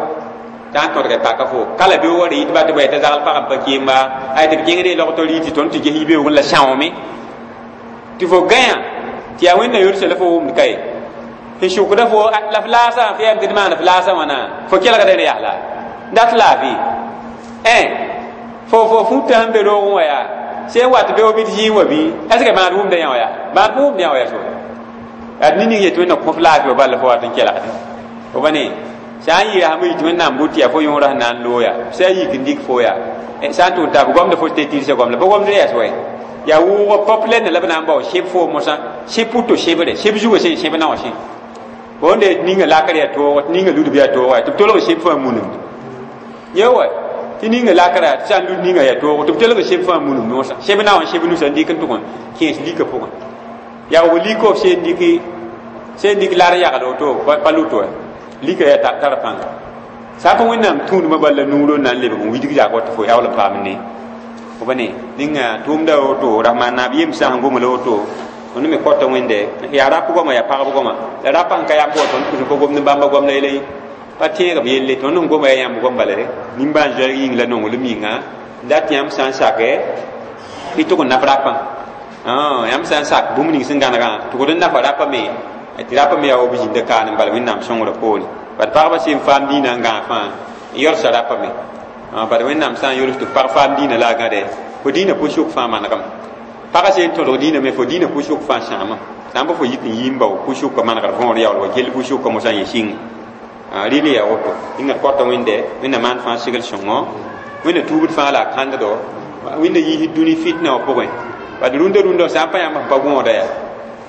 sã n tõdga y paka fo kala beoogã rɩ tɩ ba tɩ bʋ t'a zagl pagã n pa kẽemba ay tɩ b kẽngd y logto rɩ tɩ tõnd tɩ ges yibeoogẽ la sãoome tɩ fo gãyã tɩ yaa wẽnna yolsa la fo wʋmd ka ye sẽn sʋkda fo la f laasã f yam tɩ d maan f laasã wãna fo kelgda d yaasla dat laafɩ fo fo fũta sẽn be roogẽ wã yaa sẽn wat beoog bɩ d zĩig wã bɩ est ce que maad wʋmda yã wã yaa maad pa wʋmd yã wã yaa so ad ning yetɩ wẽnna kõ f laafɩ wa bala fo wat n kelgde fo pa ne sã n yɩ rasmã yitɩ wẽnnaam bʋ tɩ yaa fo yõora sẽn na n loog yaa sã n yik n dɩk fo yaa sã n tʋʋn taa gomda fo tɩ tɩrsa gomda pa gomd yɛs wa yaa wʋʋgã populaire la b na n bao sẽb fo mosã sẽb pʋto sẽbre sẽb zugã sẽn sẽb na wã sẽ wonde ninga lakr yaa toog tɩ ninga ludb yaa toog tɩ b tolg sẽb fãa munemd ye wa tɩ ninga lakra tɩ sã n lud ninga yaa toog tɩ b tolg sẽb fãa munem mosã sẽb na wã sẽb nusa n dɩk n tʋg n kẽes lika pʋgẽ yaoog liko sẽn dɩk sẽn dɩk lar yagl woto pa lʋt wa lika yaa tar pãnga sã n pa wẽnnaam tũudmã bal la nuurã n na n lebg n widg zak wa tɩ fo yaool n paam ne Fo ne ninga tʋʋmda woto rasmaan naab yem sã n gomla woto tõnd me kota wẽnde yaa rap goama yaa pagb goama la rapa n ka yãmb wa tõnd pʋs n pa gomd n bãmba goam la yɛla ye pa tẽeg b yelle tõnd n goma yaa yãmb goam bala re nimbãan zoɛɛg yĩng la nonglem yĩnga dat yãmb sã n sake y tʋg n naf rapã yãmb sã n sak bũmb ning sẽn gãnegã tʋgd n nafa rapã me tɩ rapã me yaa wa b zĩnda kaan n bala wẽnnaam sõngrã poore bad pagba sẽn faam dĩinã n gãag fãa n yɔlsa rapã me bad wẽnnaam sã n yols tɩ pag faam dĩinã la a gãde fo dĩinã pʋsʋk fãa manegame pagã sẽn tõdg dĩinã me fo dĩinã pʋsʋk fãa sãama sã n pa fo yik n yii n bao pʋsʋka manegr võor yaool wa kell pʋsʋka mosã yẽ sɩng rɩl yaa woto yĩnga kɔta wẽnde wẽnna maan fãa segl sõngo wẽnna tuubd fãa la a kãnddo wẽnna yiisd dũni fitna wã pʋgẽ bad rũndã rũndã sã n pa yãmb sẽn pa gõoda yaa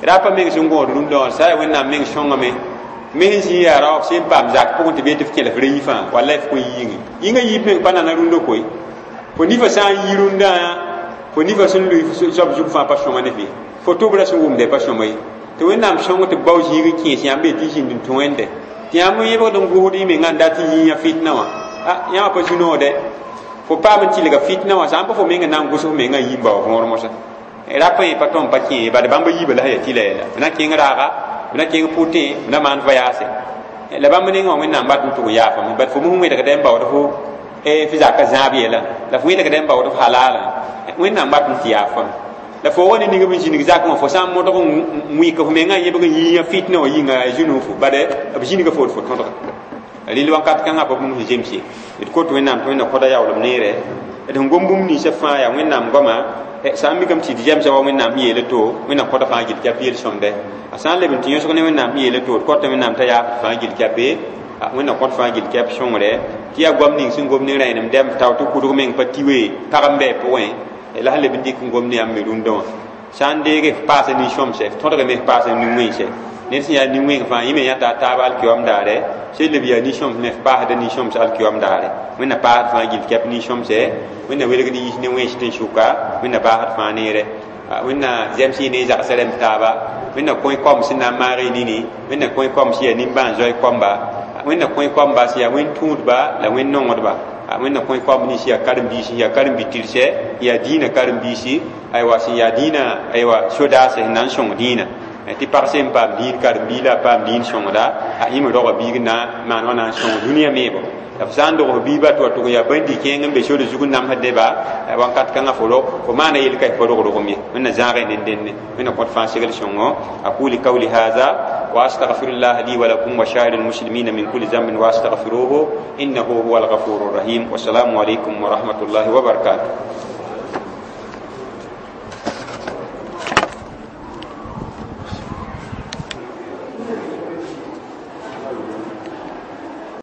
rapa meng sẽn gõod rũndã wã sã yaa wẽnnaam meng sõngame mes n zĩ yaa raoog sẽn paam zak pʋgẽ tɩ bee tɩ f kẽl f ra yi fãa walla f kõn yɩɩngẽ yĩngã yiib meng pa nana rũndã koe fo nifa sã n yi rũndã fo nifa sẽn lʋɩ soab zug fãa pa sõma ne fɩ fo tʋbrã sẽn wʋmde pa sõma ye tɩ wẽnnaam sõng tɩ b bao zĩig n kẽes yãmb be tɩ zĩnd n tũ wẽnde tɩ yãmb n yẽbgd n gʋsd y mengã n dat n yĩyã fitna wã a yãmb pa zu-noode fo paam n tɩlga fitna wã sã n pa fo meng n na n gʋs f mengã n yi n bao võor mosã rap yẽ pa tõm pa kẽ bad bãmb yiibã la sẽn yaa tɩla yɛla b na kẽng raaga b na kẽng pʋtẽ b na maan voyaase la bãmb nengã wã wẽnnaam bat n tʋg n yaafame bad fo mos wẽdgdɛ n baood fo f zaka zãab yɛla la fo wẽdgdɛ n baood f halaalã wẽnnaam bat n tɩ yaafame la fo wa ne ning b zĩnig zakẽ wã fo sã n modg n wɩk f mengã n yẽbg n yĩyã fitna wã yĩnga a zũ fo bad b zĩniga food fo tõdga rɩl wakat kãngã pa bũmb sẽn zems ye d kot wẽnnaam tɩ wẽnna kõda yaoolem neere d sẽn gom bũmb ninsã fãa yaa wẽnnaam goama sã n mikame tɩ d zemsa wa wẽnnaam sẽn yeela to wẽnnaam kõda fãa gil kɛp yel-sõmde a sã n leb n tɩ yõsg ne wẽnnaam sẽn yeela to d kõta wẽnnaam t'a yaafd fãa gil kɛpe wẽnnaam kõt fãa gil kɛp sõngre tɩ yaa goam ning sẽn gom ne rẽenem dɛm tao tɩ kʋdg meng pa tiwe pag n bɩ pʋgẽ la sẽn leb n dɩk n gom ne yãmb me rũndã wã sã n deege f paasa nin-sõmsɛ f tõdgame f paasa nin-wẽnse ned sẽn yaa nin-wẽng fãa yẽ me yãta a taab alkiyoam daare sẽn leb yaa nin-sõms me f paasda nin-sõms alkiyoam daare wẽnna paasd fãa gil kɛp nin-sõmsɛ wẽnna welgd yiis ne wẽns tɩ n sʋka wẽnna baasd fãa neere wẽnna zems yɩ ne zagsã rẽmb taaba wẽnna kõe kom sẽn na n maag y nini wẽnna kõe kom sẽn yaa nimbãan-zoe koamba wẽnna kõe koamba sẽn yaa wẽn-tũudba la wẽn-nongdba wẽnna kõe koamb nins yaa karen-biisi yaa karen-bi-tɩrsɛ yaa dĩinã karen-biisi aywa sẽn yaa dĩinã aywa sodaasɛ sẽn na n sõng dĩinã tɩ pag sẽn paam dĩin karen-bii la a paam dĩin sõngda a yẽ me roga biig na maan wã na n sõng dũniyã meebo la f sã n dog f biiba tɩ wa tʋg yaa bãndi kẽeng n be sori zug n namsd neba wãnkat kãngã fo rog fo maana yel ka f pa rog rogem ye wẽnna zãagẽ ned dẽnne wẽnna kõt fãa segl sõngo aqulu qawli hadha wa astaghfirullah li wa lakum wa sa'iril muslimina min kulli dhanbin wa astaghfiruhu innahu huwal ghafurur rahim wa assalamu alaykum wa rahmatullahi wa barakatuh.